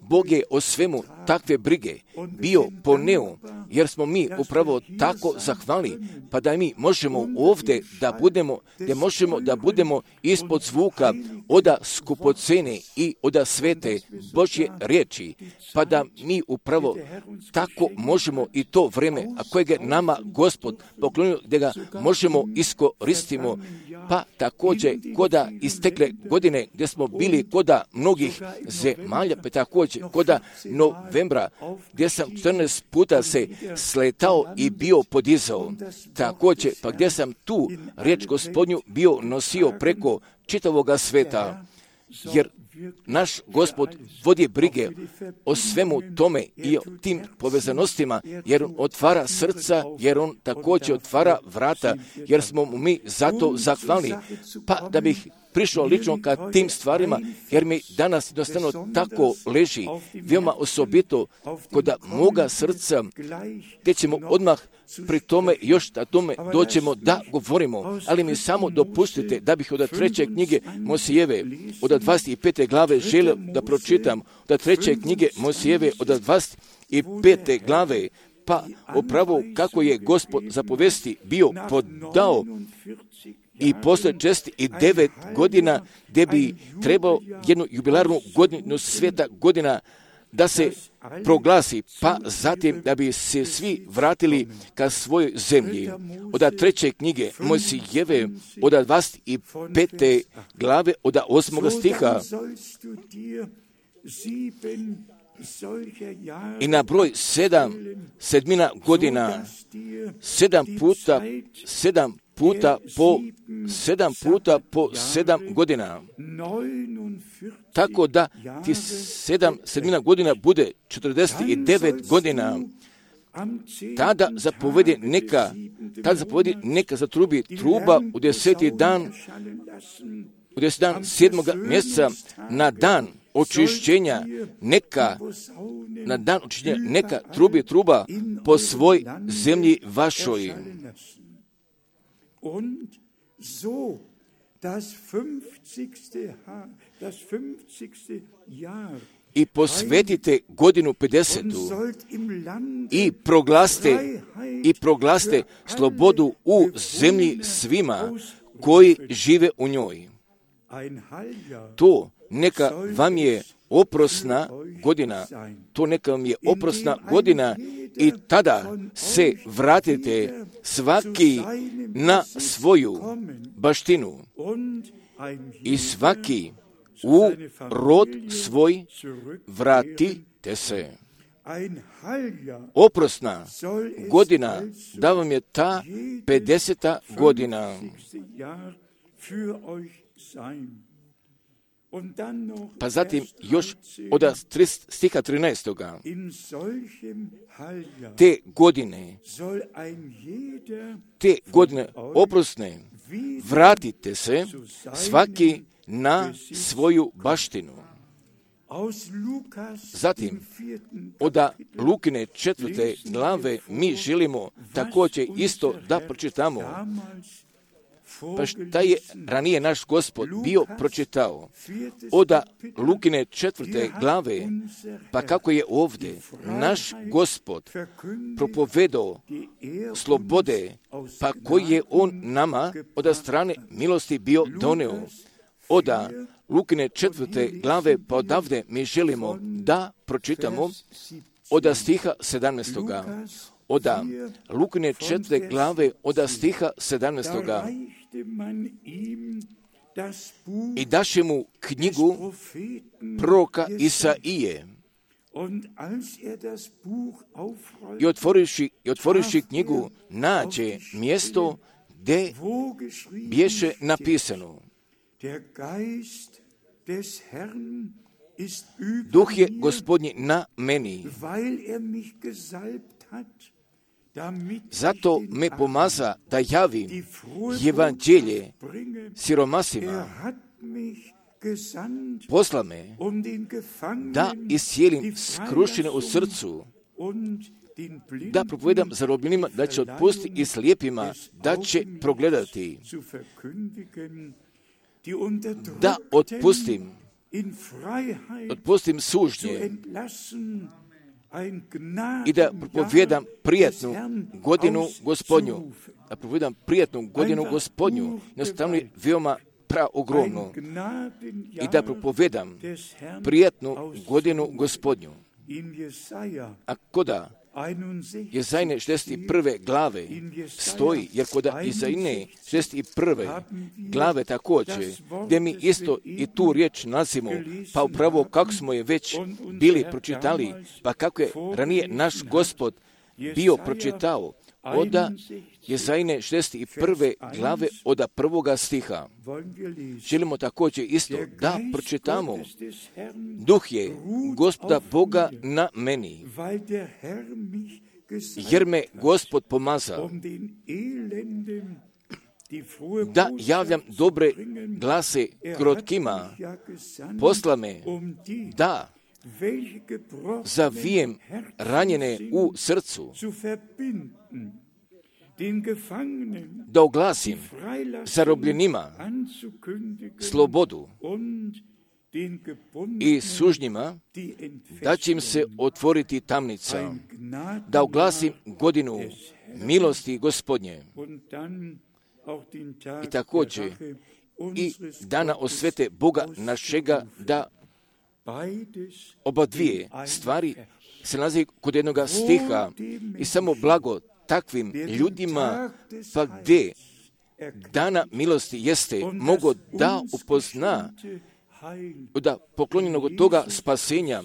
Bog je o svemu takve brige bio poneo, jer smo mi upravo tako zahvali, pa da mi možemo ovdje da budemo, da možemo da budemo ispod zvuka oda skupocene i oda svete Božje riječi, pa da mi upravo tako možemo i to vrijeme, a kojeg je nama Gospod poklonio, da ga možemo iskoristimo, pa također koda istekle godine gdje smo bili koda mnogi drugih zemalja, pa također kod novembra, gdje sam četrnaest puta se sletao i bio podizao. Također, pa gdje sam tu riječ Gospodnju bio nosio preko čitavoga sveta, jer naš Gospod vodi brige o svemu tome i o tim povezanostima, jer on otvara srca, jer on također otvara vrata, jer smo mu mi zato zahvalni. Pa da bih prišao lično ka tim stvarima, jer mi danas jednostavno tako leži, veoma osobito kod moga srca, gdje ćemo odmah pri tome još da tome doćemo da govorimo, ali mi samo dopustite da bih od treće knjige Mosijeve, od dvadeset pete glave želio da pročitam, od treće knjige Mosijeve, od dvadeset pete glave, pa upravo kako je Gospod zapovesti bio podao i posle čest i devet godina, gdje bi trebao jednu jubilarnu godinu sveta godina da se proglasi, pa zatim da bi se svi vratili ka svojoj zemlji. Od treće knjige Mojsijeve, od dvadeset pete glave, od osmog stiha. I na broj sedam, sedmina godina, sedam puta, sedam puta po sedam puta po sedam godina. Tako da ti sedam sedmina godina bude četrdeset devet godina. Tada zapovedi neka, tada zapovedi neka zatrubi truba u deseti dan, u deseti dan sedmoga mjeseca na dan očišćenja, neka, na dan očišćenja, neka trubi truba po svoj zemlji vašoj. Und so das fünfzigste das fünfzigste Jahr i posvetite godinu pedesetu i proglaste i proglaste slobodu u zemlji svima koji žive u njoj. To neka vam je oprosna godina, to neka vam je oprosna godina i tada se vratite svaki na svoju baštinu i svaki u rod svoj vratite se. Oprosna godina, da vam je ta pedeseta godina. Pa zatim još od stiha trinaestoga. Te godine, te godine oprosne, vratite se svaki na svoju baštinu. Zatim, od Lukine četvrte glave mi želimo također isto da pročitamo. Pa šta je ranije naš Gospod bio pročitao? Od Lukine četvrte glave, pa kako je ovdje naš Gospod propovedao slobode, pa koji je on nama od strane milosti bio doneo. Od Lukine četvrte glave, pa odavde mi želimo da pročitamo od stiha sedamnaestoga. Od Lukine četvrte glave, od stiha sedamnaestoga. I daše mu knjigu proroka Isaije. I otvoriši, i otvoriši knjigu nađe mjesto gdje bješe napisano: Duh je Gospodnji na meni, zato me pomaza da javim evanđelje siromasima. Posla me da iscijelim skrušene u srcu, da propovedam zarobljenima da će otpustiti i slijepima da će progledati, da otpustim, otpustim sužnje i da propovedam prijatnu godinu Gospodnju. Da propovedam prijatnu godinu Gospodnju. Jednostavno je veoma praogromno. I da propovedam prijatnu godinu Gospodnju. A koda Jezajne šezdeset prve glave stoji, jer kod Jezajne šezdeset prve glave također, gdje mi isto i tu riječ nalazimo, pa upravo kako smo je već bili pročitali, pa kako je ranije naš Gospod bio pročitao, oda Jezajne šezdeset prve glave od prvoga stiha. Želimo također isto da pročitamo. Duh je Gospoda Boga na meni, jer me Gospod pomazao da javljam dobre glase krotkima, posla me da zavijem ranjene u srcu, da oglasim zarobljenima slobodu i sužnjima, da će im se otvoriti tamnica, da oglasim godinu milosti Gospodnje. I također i dana osvete Boga našega, da oba dvije stvari se nalazi kod jednoga stiha i samo blago takvim ljudima, pa gdje dana milosti jeste, mogo da upozna da poklonjenog od toga spasenja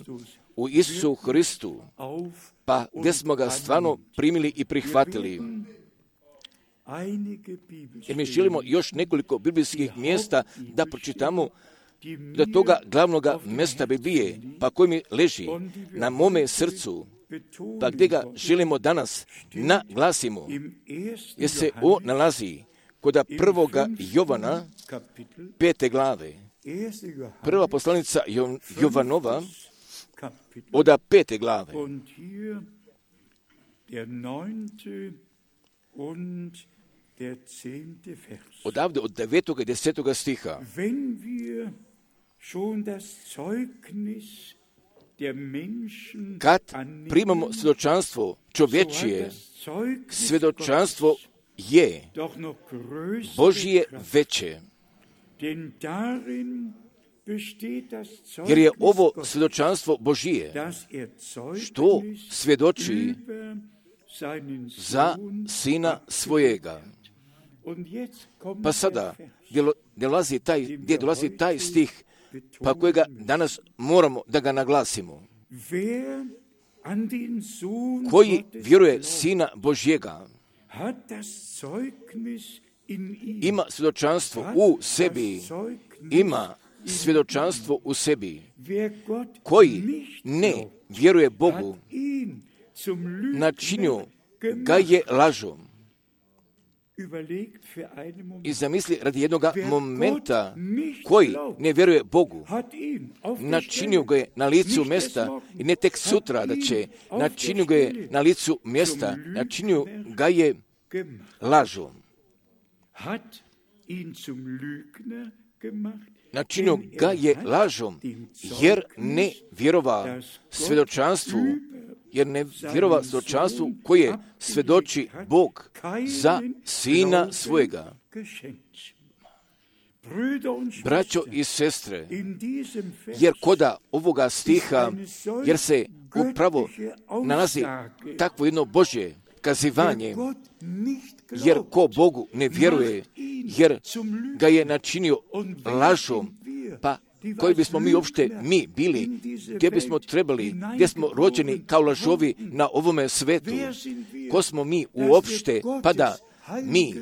u Isusu Hristu, pa gdje smo ga stvarno primili i prihvatili. Jer mi želimo još nekoliko biblijskih mjesta da pročitamo do toga glavnoga mjesta Biblije, pa koji mi leži na mome srcu, pa gdje ga želimo danas naglasimo, jer se on nalazi kod prvoga Jovana, pete glave. Prva poslanica Jovanova, od pete glave. Odavde od devetoga i desetoga stiha. Kad primamo svjedočanstvo čovječije, svjedočanstvo je Božije veće. Jer je ovo svjedočanstvo Božije, što svjedoči za sina svojega. Pa sada, gdje dolazi taj, gdje dolazi taj stih, pa kojega danas moramo da ga naglasimo. Koji vjeruje sina Božjega, ima svjedočanstvo u sebi, ima svjedočanstvo u sebi. Koji ne vjeruje Bogu, načinio ga je lažom. I zamisli radi jednog momenta, koji ne vjeruje Bogu, načinio ga je na licu mjesta, i ne tek sutra da će, načinio ga je na licu mjesta, načinio ga je lažom. Načinio ga je lažom, jer ne vjerova svjedočanstvu, jer ne vjerova svjedočanstvu koje svjedoči Bog za sina svojega. Braćo i sestre, jer koda ovoga stiha, jer se upravo nalazi takvo jedno Božje kazivanje, jer ko Bogu ne vjeruje, jer ga je načinio lažom, pa koji bismo mi uopšte mi bili, gdje bismo trebali, gdje smo rođeni kao lažovi na ovome svetu, ko smo mi uopšte, pa da mi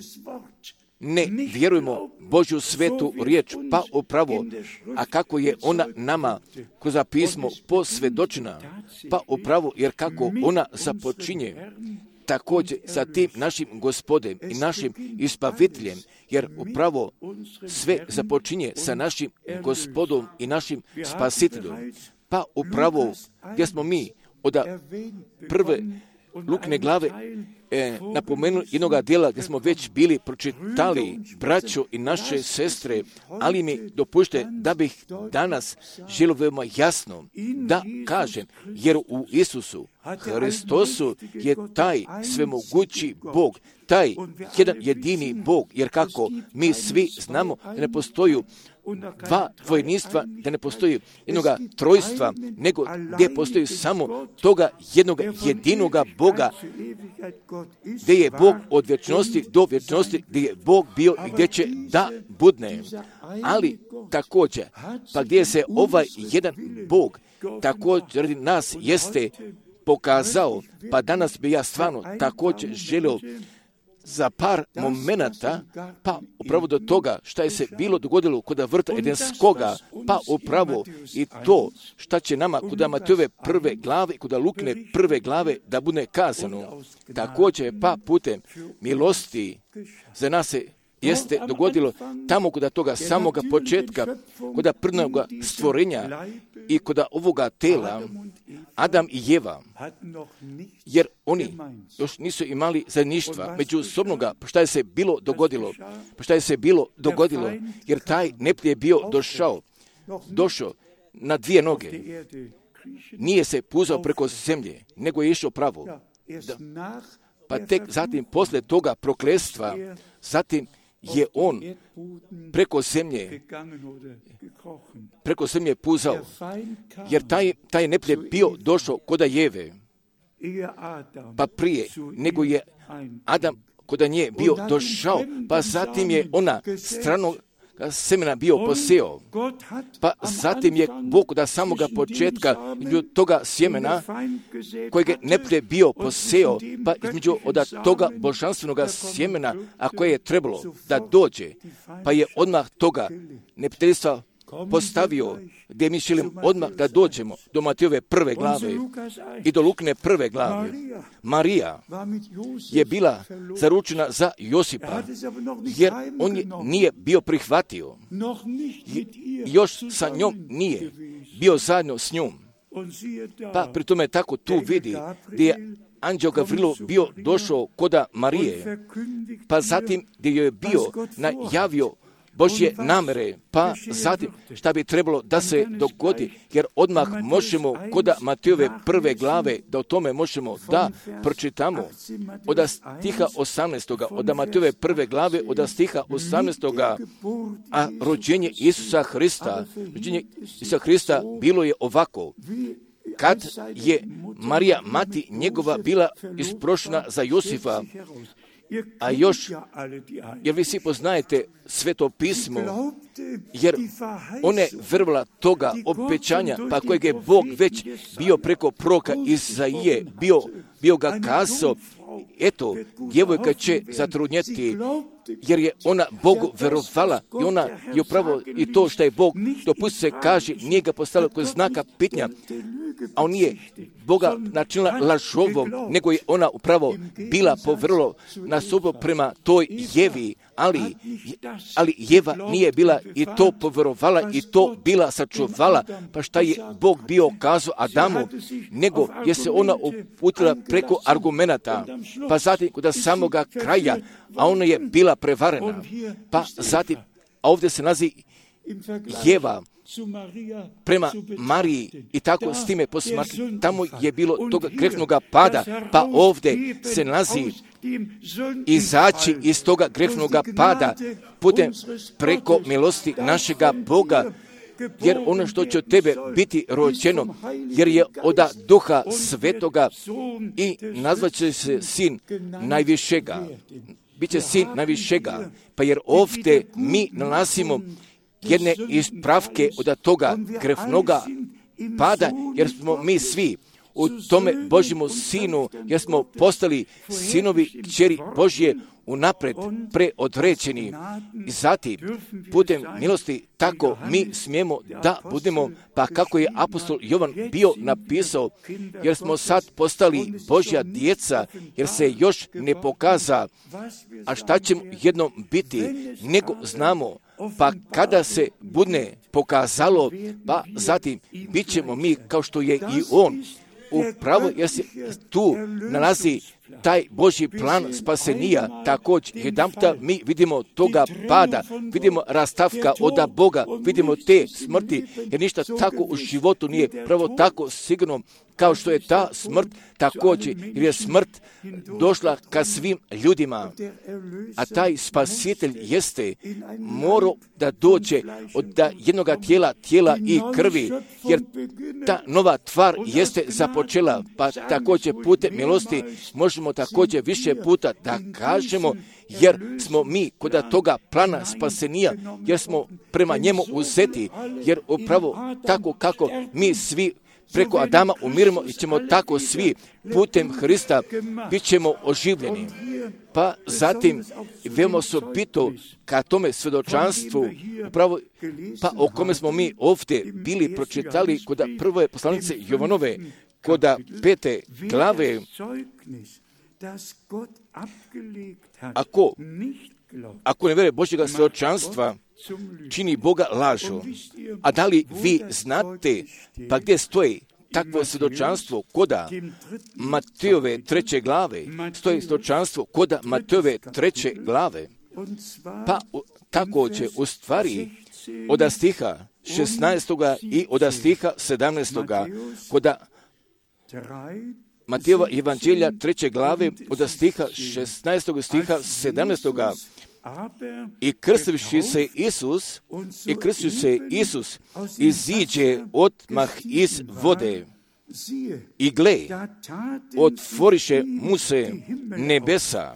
ne vjerujemo Božju svetu riječ, pa upravo, a kako je ona nama kroz pismo posvjedočena, pa upravo, jer kako ona započinje također sa tim našim Gospodem i našim ispaviteljem, jer upravo sve započinje sa našim Gospodom i našim Spasiteljem. Pa upravo gdje smo mi od prve Lukine glave e, napomenuli jednoga dijela gdje smo već bili pročitali, braćo i naše sestre, ali mi dopušte da bih danas želio veoma jasno da kažem, jer u Isusu Hristosu je taj svemogući Bog, taj jedan jedini Bog, jer kako mi svi znamo da ne postoji dva dvojništva, da ne postoji jednoga trojstva, nego gdje postoji samo toga jednoga jedinoga Boga, gdje je Bog od vječnosti do vječnosti, gdje je Bog bio i gdje će da budne. Ali također, pa gdje se ovaj jedan Bog također radi nas jeste pokazao, pa danas bi ja stvarno također želio za par momenata, pa upravo do toga šta je se bilo dogodilo kod vrta Edenskoga, pa upravo i to šta će nama kod Matejove prve glave i kod Lukine prve glave da bude kazano. Također pa putem milosti za nas se jeste dogodilo tamo kod toga samoga početka, kod prvnoga stvorenja i kod ovoga tela, Adam i Jeva, jer oni još nisu imali zajedništva međusobnoga, pa šta je se bilo dogodilo, pa šta je se bilo dogodilo, jer taj neprijatelj je bio došao, došao na dvije noge, nije se puzao preko zemlje, nego je išao pravo. Da. Pa tek zatim, posle toga prokletstva, zatim je on preko zemlje, preko zemlje puzao, jer taj, taj neprijatelj bio došao koda Jeve, pa prije nego je Adam koda nje bio došao, pa zatim je ona stranog semena bio poseo, pa zatim je Bog od samoga početka između toga sjemena kojeg je neprijatelj bio poseo, pa između od toga božanstvenog sjemena, a koje je trebalo da dođe, pa je odmah toga neprijateljstva postavio, gdje mi želim odmah da dođemo do Matejove prve glave i do Lukine prve glave. Marija je bila zaručena za Josipa, jer on je nije bio prihvatio, još sa njom nije bio zajedno s njom. Pa pri tome tako tu vidi gdje je anđeo Gavrilo bio došao koda Marije, pa zatim gdje joj je bio najavio Božje namere, pa zatim šta bi trebalo da se dogodi, jer odmah možemo koda Matejove prve glave, da o tome možemo da pročitamo od stiha osamnaestoga, od Matejove prve glave, od stiha osamnaestoga, a rođenje Isusa Hrista, rođenje Isusa Hrista bilo je ovako. Kad je Marija, mati njegova, bila isprošena za Josifa, a još, jer vi svi poznajete Sveto pismo, jer ona je verovala toga obećanja, pa kojeg je Bog već bio preko proroka Izaije, bio, bio ga kazao, eto, djevojka će zatrudnjeti, jer je ona Bogu verovala i ona je upravo i to što je Bog, dopusti se kaže, nije ga postavila kod znaka pitanja, a on nije Boga načinila lažovom, nego je ona upravo bila povrlo na sobu prema toj Jevi, ali, ali Jeva nije bila i to poverovala i to bila sačuvala, pa šta je Bog bio kazao Adamu, nego je se ona uputila preko argumenata, pa zatim kod samoga kraja, a ona je bila prevarena, pa zatim, a ovdje se nalazi Jeva prema Mariji i tako s time posmatri, tamo je bilo toga grehnoga pada, pa ovdje se nalazi izaći iz toga grehnoga pada putem preko milosti našega Boga, jer ono što će od tebe biti rođeno, jer je od Duha Svetoga i nazvaće se sin najvišega. Biće sin najvišega, pa jer ovdje mi nalazimo jedne ispravke od toga grehnoga pada, jer smo mi svi u tome Božjemu sinu, jer smo postali sinovi kćeri Božje unapred preodređeni. I zatim, putem milosti, tako mi smijemo da budemo, pa kako je apostol Jovan bio napisao, jer smo sad postali Božja djeca, jer se još ne pokaza, a šta ćemo jednom biti, nego znamo, pa kada se bude pokazalo, pa zatim bit ćemo mi kao što je i on. Upravo jer se tu nalazi taj Božji plan spasenija, također jedan puta mi vidimo toga pada, vidimo rastavka od Boga, vidimo te smrti, jer ništa tako u životu nije pravo tako sigurno kao što je ta smrt također, jer je smrt došla ka svim ljudima, a taj spasitelj jeste morao da dođe od jednog tijela, tijela i krvi, jer ta nova tvar jeste započela, pa također putem milosti možemo također više puta da kažemo, jer smo mi kod toga plana spasenija, jer smo prema njemu uzeti, jer upravo tako kako mi svi preko Adama umiremo i ćemo tako svi putem Hrista bit ćemo oživljeni. Pa zatim veoma osobito ka tome svjedočanstvu, upravo pa o kome smo mi ovdje bili pročitali kod prve poslanice Jovanove, kod pete glave. Ako, ako ne vjeruje Božjega svjedočanstva, čini Boga lažu. A da li vi znate, pa gdje stoji takvo svjedočanstvo koda Matejove treće glave? Stoji svjedočanstvo koda Matejove treće glave. Pa također u stvari od stiha šesnaestoga i od stiha sedamnaestoga koda Matejova evanđelja treće glave od stiha šesnaestoga stiha sedamnaestoga. I krstivši se Isus, i krstivši se Isus, iziđe odmah iz vode. I gle, otvoriše mu se nebesa.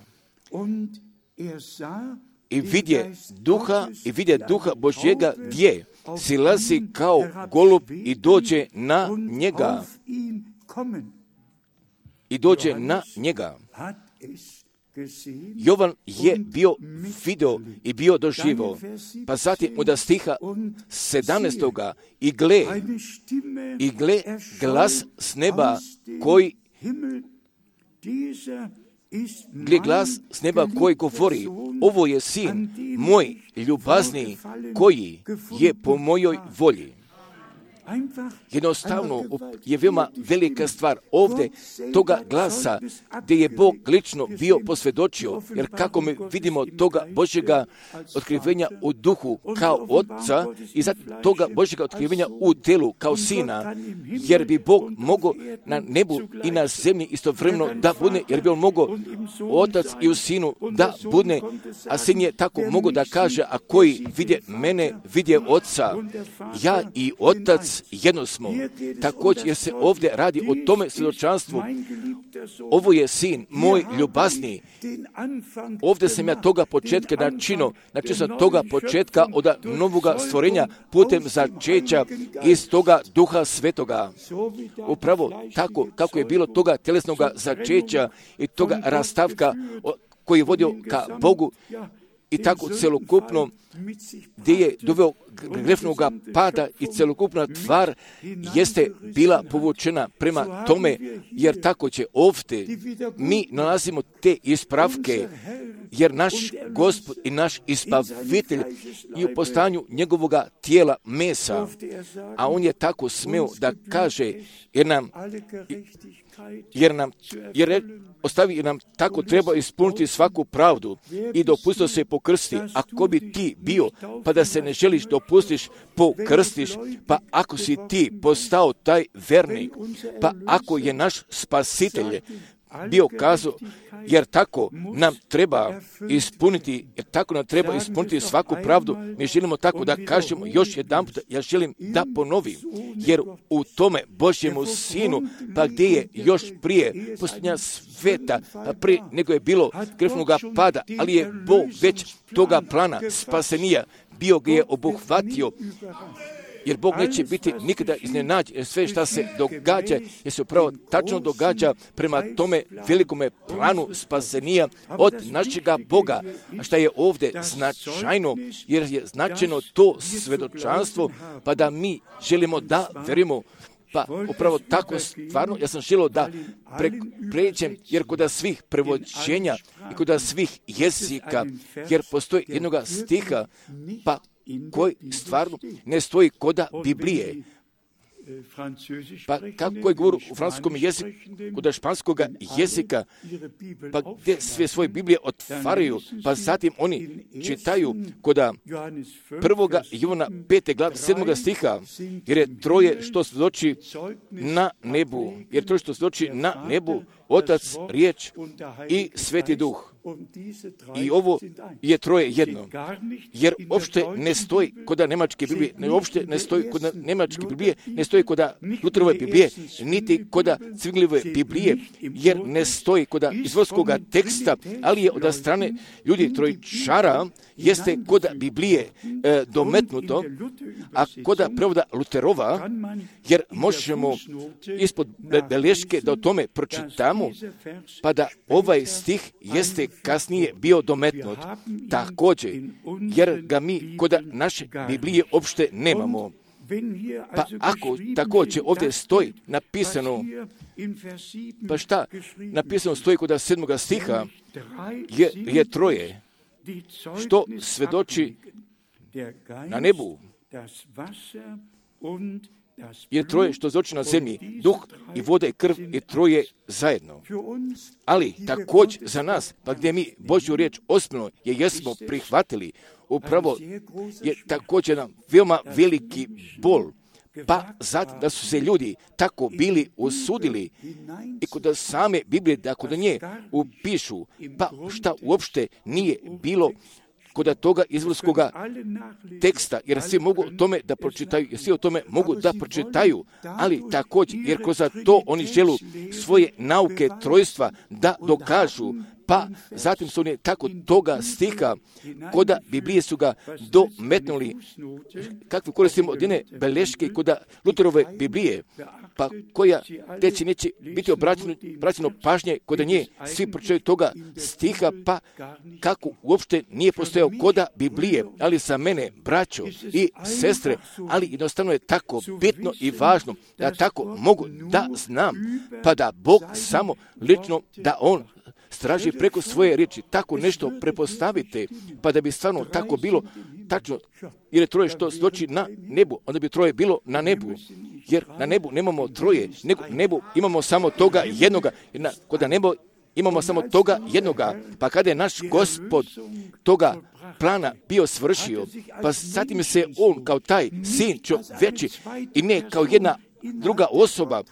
I vidje duha, i vidje duha Božjega gdje silazi kao golub i dođe na njega. I dođe na njega. Jovan je bio video i bio doživo. Pa zatim od stiha sedamnaestoga i gle, i gle glas s neba koji gle glas s neba koji govori, ovo je sin moj ljubazni koji je po mojoj volji. Jednostavno je veoma velika stvar ovdje toga glasa gdje je Bog lično bio posvjedočio, jer kako mi vidimo toga Božjega otkrivenja u duhu kao oca i zatim toga Božjega otkrivenja u telu kao sina, jer bi Bog mogao na nebu i na zemlji istovremeno da budne, jer bi on mogao otac i u sinu da budne, a sin je tako mogao da kaže, a koji vidje mene, vidje oca, ja i otac jedno smo. Također jer se ovdje radi o tome svjedočanstvu. Ovo je sin moj ljubazni. Ovdje sam ja toga početka načino, znači sam toga početka od novoga stvorenja putem začeća iz toga duha svetoga. Upravo tako kako je bilo toga tjelesnoga začeća i toga rastavka koji je vodio ka Bogu i tako celokupno gdje je doveo grešnog pada i celokupna tvar jeste bila povučena prema tome, jer tako će ovdje mi nalazimo te ispravke, jer naš Gospod i naš Ispavitelj i u postanju njegovoga tijela mesa, a on je tako smeo da kaže, jer nam jer nam jer ostavi jer nam tako treba ispuniti svaku pravdu i dopustio se pokrsti. Ako bi ti bio, pa da se ne želiš dopustiš, pokrstiš, pa ako si ti postao taj vernik, pa ako je naš spasitelj bio kazao, jer tako nam treba ispuniti, jer tako nam treba ispuniti svaku pravdu, mi želimo tako da kažemo još jedan put, ja želim da ponovim, jer u tome Božjemu sinu, pa gdje je još prije posljednja sveta, pa prije nego je bilo grešnoga pada, ali je Bog već toga plana spasenija bio ga je obuhvatio, jer Bog neće biti nikada iznenađen, jer sve što se događa, jer se upravo tačno događa prema tome velikome planu spasenija od našega Boga. A šta je ovdje značajno, jer je značajno to svjedočanstvo, pa da mi želimo da verimo. Pa upravo tako stvarno, ja sam želio da pre, pređem, jer kod svih prevođenja i kod svih jezika, jer postoji jednoga stiha, pa koji stvarno ne stoji koda Biblije. Pa kako je govor u francuskom jeziku, kod španskog jezika, pa gdje sve svoje Biblije otvaraju, pa zatim oni čitaju kod prvoga Jovana pete glave sedmoga stiha, jer je troje što svjedoči na nebu, jer troje što svjedoči na nebu, Otac, Riječ i Sveti Duh. I ovo je troje jedno, jer uopšte ne stoji kod nemačke Biblije, ne uopšte ne stoji kod nemačke Biblije, ne stoji kod Lutherove Biblije, niti kod Cvinglijeve Biblije, jer ne stoji kod izvorskog teksta, ali je od strane ljudi trojčara, jeste kod Biblije e, dometnuto, a kod prevoda Luterova, jer možemo ispod beleške da o tome pročitamo, pa da ovaj stih jeste kasnije bio dometnut također, jer ga mi kod naše Biblije uopšte nemamo. Pa ako također ovdje stoji napisano, pa šta napisano stoji kod sedmoga stiha, je, je troje, što svedoči na nebu, je troje što svedoči na zemlji, duh i voda i krv je troje zajedno. Ali također za nas, pa gdje mi Božju riječ osnovno je jesmo prihvatili, upravo je također nam veoma veliki bol, pa zatim da su se ljudi tako bili usudili i kod same Biblije, da kod nje upišu, pa šta uopšte nije bilo kod toga izvorskog teksta, jer svi mogu o tome da pročitaju, jer svi o tome mogu da pročitaju, ali također, jer kroz to oni želu svoje nauke trojstva da dokažu, pa zatim su oni tako toga stiha, kod Biblije su ga dometnuli, kakve koristimo od jedne beleške kod Luterove Biblije, pa koja teći neće biti obraćeno, obraćeno pažnje kod nje, svi pročitaju toga stiha, pa kako uopšte nije postojao kod Biblije, ali za mene, braćo i sestre, ali jednostavno je tako bitno i važno da tako mogu da znam, pa da Bog samo lično, da On straži preko svoje riječi, tako nešto prepostavite, pa da bi stvarno tako bilo tačno, jer je troje što svjedoči na nebu, onda bi troje bilo na nebu, jer na nebu nemamo troje, nego nebu imamo samo toga jednoga, jer na, kod nebu imamo samo toga jednoga, pa kada je naš Gospod toga plana bio svršio, pa zatim se On kao taj sin čovječi i ne kao jedna druga osoba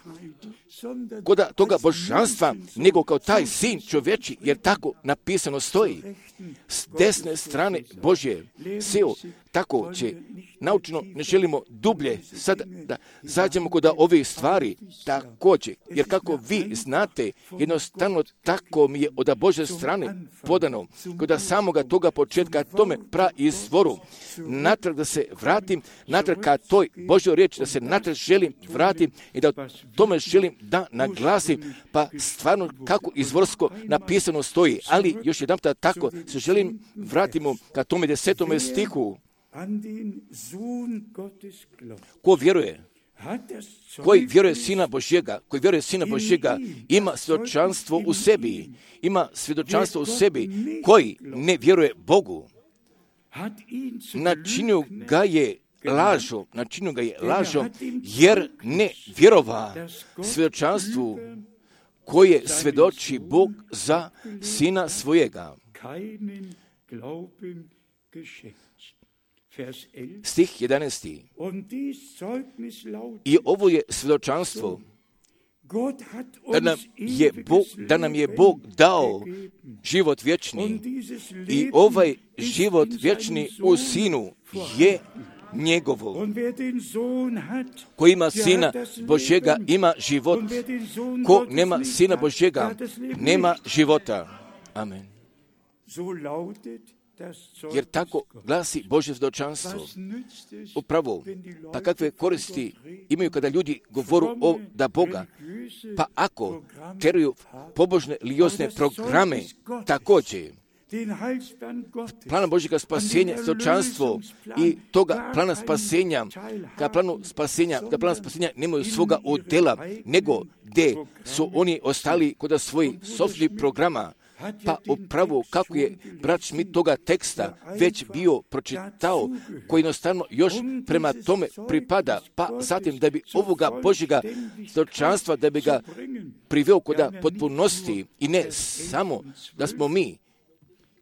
kod toga božanstva, nego kao taj sin čovječi, jer tako napisano stoji. S desne strane Božje seo, tako će naučno, ne želimo dublje sad da zađemo kod ovih stvari također, jer kako vi znate, jednostavno tako mi je od Božje strane podano, kod samoga toga početka tome praizvoru, natrag da se vratim, natrag ka toj Božjoj riječi, da se natrag želim vratim i da tome želim da naglasim, pa stvarno kako izvorsko napisano stoji, ali još jedan puta tako se želim vratimo ka tome desetome stihu. Ko vjeruje, koji vjeruje Sina Božjega, koji vjeruje Sina Božjega, ima svjedočanstvo u sebi, ima svjedočanstvo u sebi, koji ne vjeruje Bogu, načinio ga je lažom, načinio ga je lažom, jer ne vjerova svjedočanstvu koje svjedoči Bog za Sina svojega. Stih jedanaesti. I ovo je svjedočanstvo da nam je Bog, da nam je Bog dao život vječni i ovaj život vječni u Sinu je njegovo. Ko ima Sina Božjega, ima život. Ko nema Sina Božjega, nema života. Amen. Jer tako glasi Božje svjedočanstvo. Upravo, pa kakve koristi imaju kada ljudi govoru o da Boga, pa ako teruju pobožne religiozne programe, također, plana Božjega spasenja, svjedočanstvo i toga plana spasenja, ka planu spasenja, da plana spasenja nemaju svoga udjela, nego gdje su oni ostali kod svojih sopstvenih programa, Pa upravo kako je brat Schmidt toga teksta već bio pročitao, koji jednostavno još prema tome pripada, pa zatim da bi ovoga Božjega svjedočanstva, da bi ga priveo koda potpunosti, i ne samo da smo mi,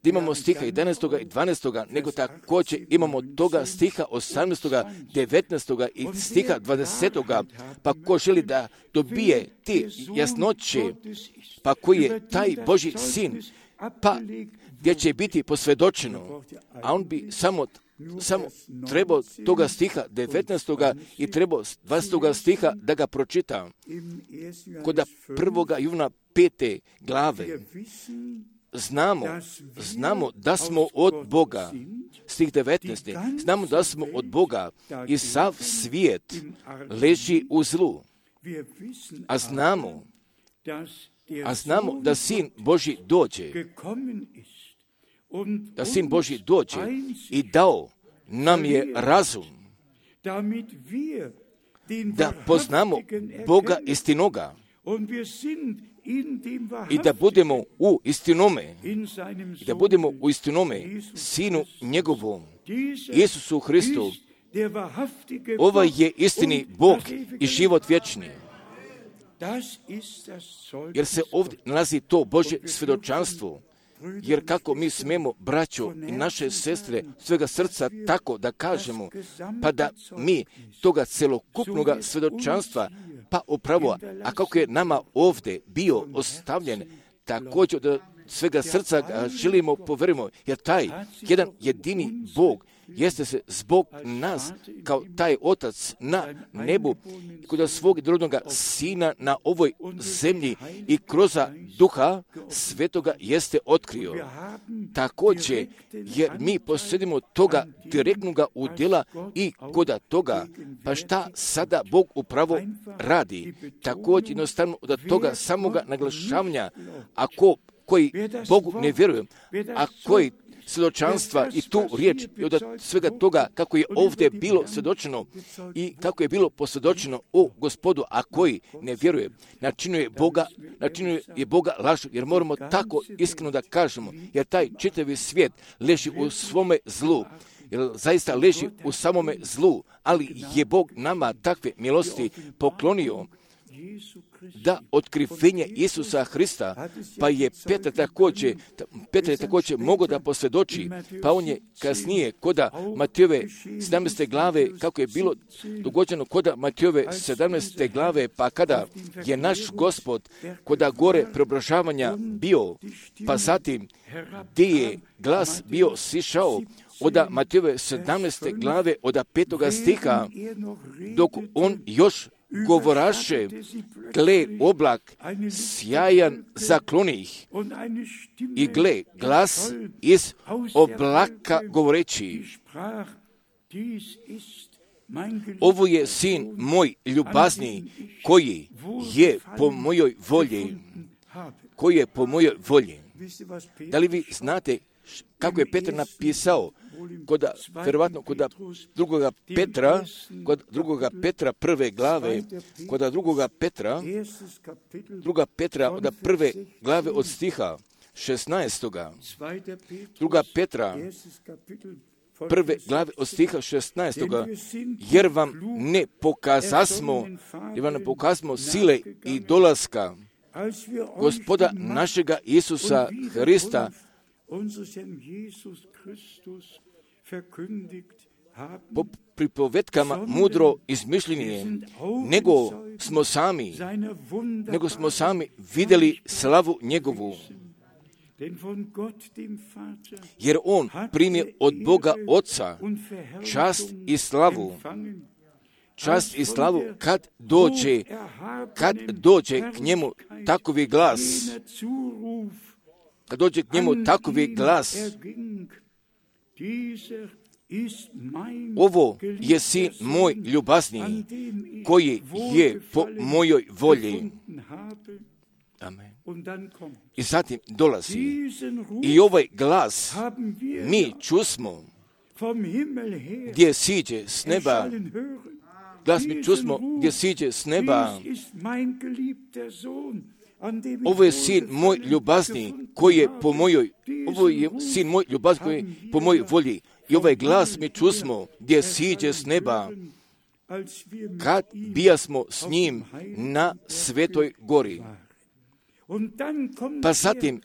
da imamo stiha jedanaestog i dvanaestog, nego također imamo toga stiha osamnaestog, devetnaestog i stiha dvadesetog, pa ko želi da dobije ti jasnoće, pa koji je taj Božji sin, pa gdje će biti posvjedočeno, a on bi samo samo trebao toga stiha devetnaestog i trebao dvadesetog stiha da ga pročita. Kod prvoga Jovana pete glave znamo, znamo da smo od Boga, stih devetnaest. Znamo da smo od Boga i sav svijet leži u zlu. A znamo, a znamo da Sin Božji dođe, da Sin Božji dođe i dao nam je razum da poznamo Boga istinoga i da budemo u istinome, i da budemo u istinome Sinu njegovom, Isusu Hristu. Ovaj je istini Bog i život vječni. Jer se ovdje nalazi to Božje svjedočanstvo. Jer kako mi smemo, braćo i naše sestre, svega srca tako da kažemo, pa da mi toga celokupnog svjedočanstva, pa upravo, a kako je nama ovdje bio ostavljen, također da svega srca ga želimo poverimo, jer taj jedan jedini Bog jeste se zbog nas, kao taj Otac na nebu, kod svog drugog Sina na ovoj zemlji i kroz Duha Svetoga jeste otkrio. Također, jer mi posjedimo toga direktnog udjela i kod toga, pa šta sada Bog upravo radi? Također, jednostavno od toga samoga naglašavanja, ako koji Bogu ne vjeruju, a koji svjedočanstva i tu riječ i od svega toga kako je ovdje bilo svjedočeno i kako je bilo posvjedočeno o Gospodu, a koji ne vjeruje, načinuje Boga, načinuje je Boga lažu, jer moramo tako iskreno da kažemo, jer taj čitavi svijet leži u svome zlu, jer zaista leži u samome zlu, ali je Bog nama takve milosti poklonio da otkrivenje Isusa Hrista, pa je Petar također, Petar je također mogao da posvjedoči, pa on je kasnije koda Matejove sedamnaeste glave, kako je bilo dogođeno koda Matejove sedamnaeste glave, pa kada je naš Gospod koda gore preobražavanja bio, pa zatim gdje je glas bio sišao, od Matejove sedamnaeste glave, od petoga stiha, dok on još govoraše, gle oblak sjajan zaklonih i gle glas iz oblaka govoreći, ovo je sin moj ljubazni koji je po mojoj volji, koji je po mojoj volji. Da li vi znate kako je Petar napisao kod, vjerovatno kod drugoga Petra, kod drugoga Petra prve glave, kod drugoga Petra, druga Petra od prve glave od stiha šesnaestoga, druga Petra prve glave od stiha šesnaestoga, jer vam ne pokazasmo, jer vam ne pokazasmo sile i dolaska Gospoda našega Isusa Hrista, po pripovetkama mudro izmišljenje, nego smo sami, nego smo sami vidjeli slavu njegovu. Jer on primio od Boga Oca čast i slavu, čast i slavu kad dođe, kad dođe k njemu takovi glas, kad dođe k njemu takovi glas, ovo je sin moj ljubazni, koji je po mojoj volji. Amen. I zatim dolazi i ovaj glas mi čusmo, gdje siđe s neba, glas mi čusmo gdje siđe s neba. Ovo je sin moj ljubazni, koji je po mojoj, ovo je sin moj, ljubav koji je po mojoj volji. I ovaj glas mi čusmo gdje siđe s neba, kad bijasmo s njim na Svetoj gori. Pa zatim,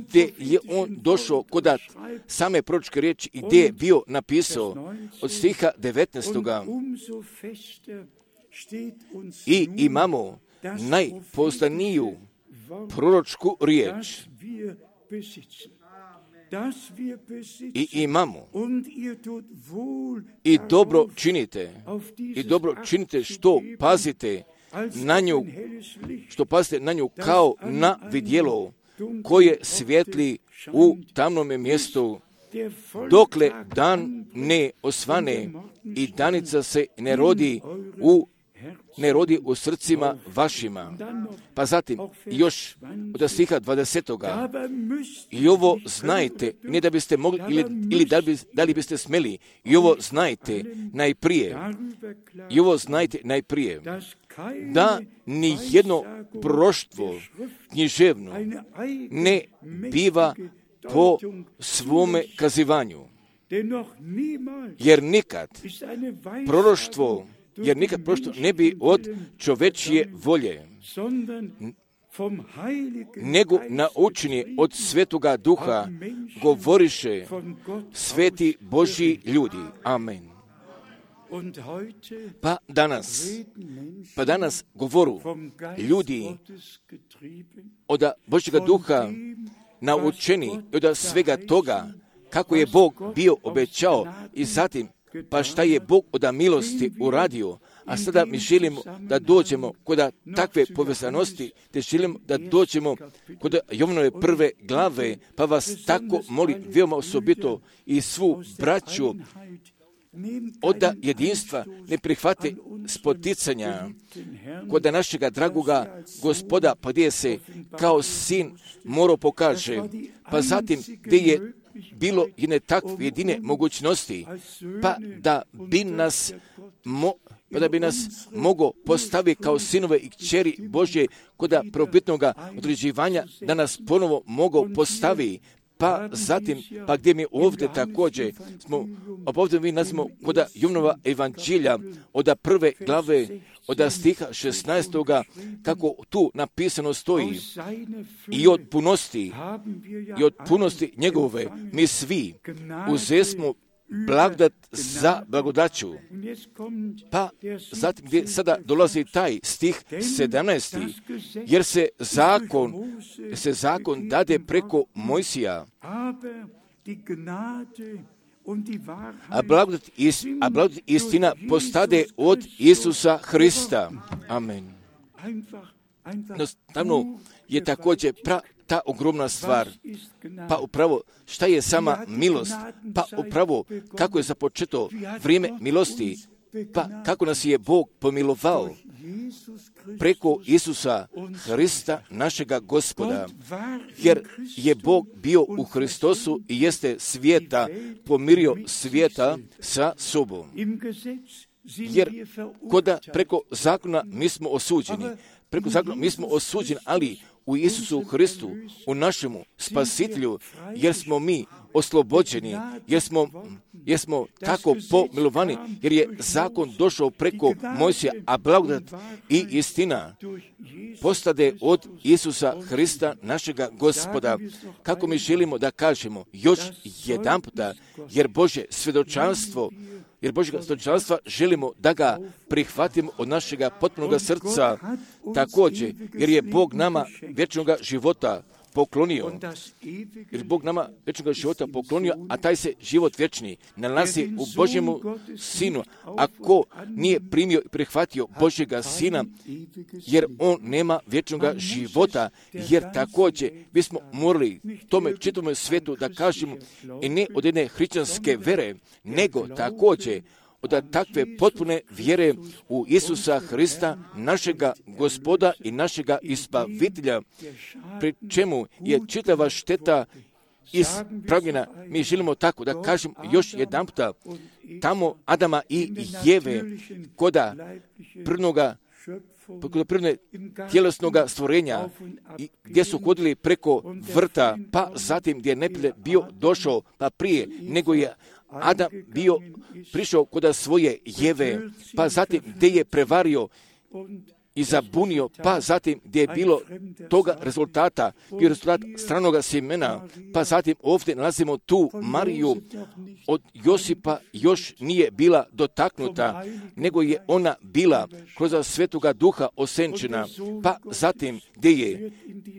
gdje je on došao kod same proročke riječi i gdje je bio napisao od stiha devetnaestoga. I imamo najpouzdaniju proročku riječ. I imamo i dobro činite i dobro činite što pazite na nju, što pazite na nju kao na vidjelo koje svijetli u tamnome mjestu, dokle dan ne osvane i danica se ne rodi u ne rodi u srcima vašima. Pa zatim, još od stiha dvadesetoga. I ovo znajte, ne da biste mogli, ili, ili da, bi, da li biste smeli, i ovo znajte najprije, i ovo znajte najprije, da ni jedno proroštvo književno ne biva po svome kazivanju. Jer nikad proroštvo Jer nikad prošto ne bi od čovečije volje, nego naučeni od Svetoga Duha govoriše sveti Božji ljudi. Amen. Pa danas, pa danas govoru ljudi od Božjega Duha naučeni od svega toga kako je Bog bio obećao i zatim pa šta je Bog od milosti uradio, a sada mi želimo da dođemo kod takve povezanosti, te želimo da dođemo kod Jovanove prve glave, pa vas tako molim veoma osobito i svu braću od jedinstva ne prihvate spoticanja kod našega dragoga Gospoda, pa gdje se kao sin morao pokaže, pa zatim gdje je bilo jedne takve jedine mogućnosti, pa da bi nas mo, pa da bi nas mogo postaviti kao sinove i kćeri Božje kod probitnoga određivanja, da nas ponovo mogo postavi. Pa zatim, pa gdje mi ovdje također smo, ovdje mi nazimo kod Jovanova evanđelja od prve glave, od stiha šesnaestoga, kako tu napisano stoji, i od punosti, i od punosti njegove, mi svi uzesmo blagodat za blagodaću. Pa zatim gdje sada dolazi taj stih sedamnaesti, jer se zakon, se zakon dade preko Mojsija, a blagodat, is, a blagodat istina postade od Isusa Hrista. Amen. Jednostavno je također pra, ta ogromna stvar. Pa upravo šta je sama milost? Pa upravo kako je započeto vrijeme milosti? Pa kako nas je Bog pomilovao? Preko Isusa Hrista našega Gospoda. Jer je Bog bio u Hristosu i jeste svijeta, pomirio svijeta sa sobom. Jer koda preko zakona mi smo osuđeni. Preko zakona mi smo osuđeni, ali u Isusu Hristu, u našemu spasitelju, jer smo mi oslobođeni, jer smo, jer smo tako pomilovani, jer je zakon došao preko Mojsija, a blagodat i istina postade od Isusa Hrista, našega Gospoda. Kako mi želimo da kažemo još jedan puta, jer Božje svjedočanstvo, jer Božjega svjedočanstva želimo da ga prihvatimo od našega potpunog srca, također, jer je Bog nama vječnog života poklonio, jer Bog nama vječnog života poklonio, a taj se život vječni nalazi u Božjemu Sinu. Ako nije primio i prihvatio Božjega Sina, jer on nema vječnog života, jer također bismo morali tome čitavome svijetu da kažemo i ne od jedne hrišćanske vere, nego također od takve potpune vjere u Isusa Hrista, našega Gospoda i našega Izbavitelja, pri čemu je čitava šteta ispravljena. Mi želimo tako da kažem još jedan puta, tamo Adama i Jeve, koda prvnoga poljoprivredne tjelesnog stvorenja, i gdje su hodili preko vrta, pa zatim gdje je neprijatelj bio došao, pa prije nego je Adam bio prišao kod svoje Jeve, pa zatim gdje je prevario i zabunio, pa zatim gdje je bilo toga rezultata, bio rezultat stranoga sjemena, pa zatim ovdje nalazimo tu Mariju, od Josipa još nije bila dotaknuta, nego je ona bila kroz Svetoga Duha osenčena, pa zatim gdje je,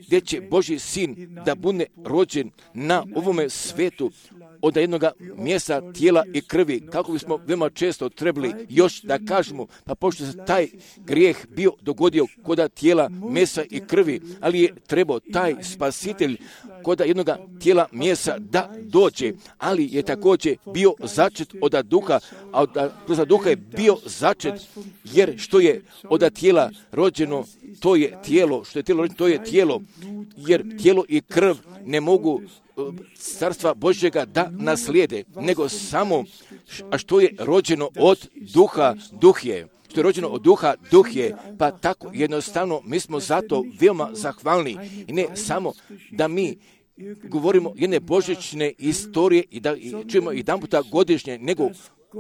gdje će Božji sin da bude rođen na ovome svetu, od jednog mjesta tijela i krvi, kako bismo veoma često trebali još da kažemo, pa pošto se taj grijeh bio dogodio kod tijela, mesa i krvi, ali je trebao taj spasitelj kod jednog tijela, mjesa da dođe, ali je također bio začet od duha, a od kroz duha je bio začet, jer što je od tijela rođeno, to je tijelo, što je tijelo rođeno, to je tijelo, jer tijelo i krv ne mogu Carstva Božjega da naslijede, nego samo a što je rođeno od duha, duh je. Što je rođeno od duha, duh je. Pa tako jednostavno mi smo zato veoma zahvalni. I ne samo da mi govorimo jedne božićne istorije i da i čujemo jedan puta godišnje, nego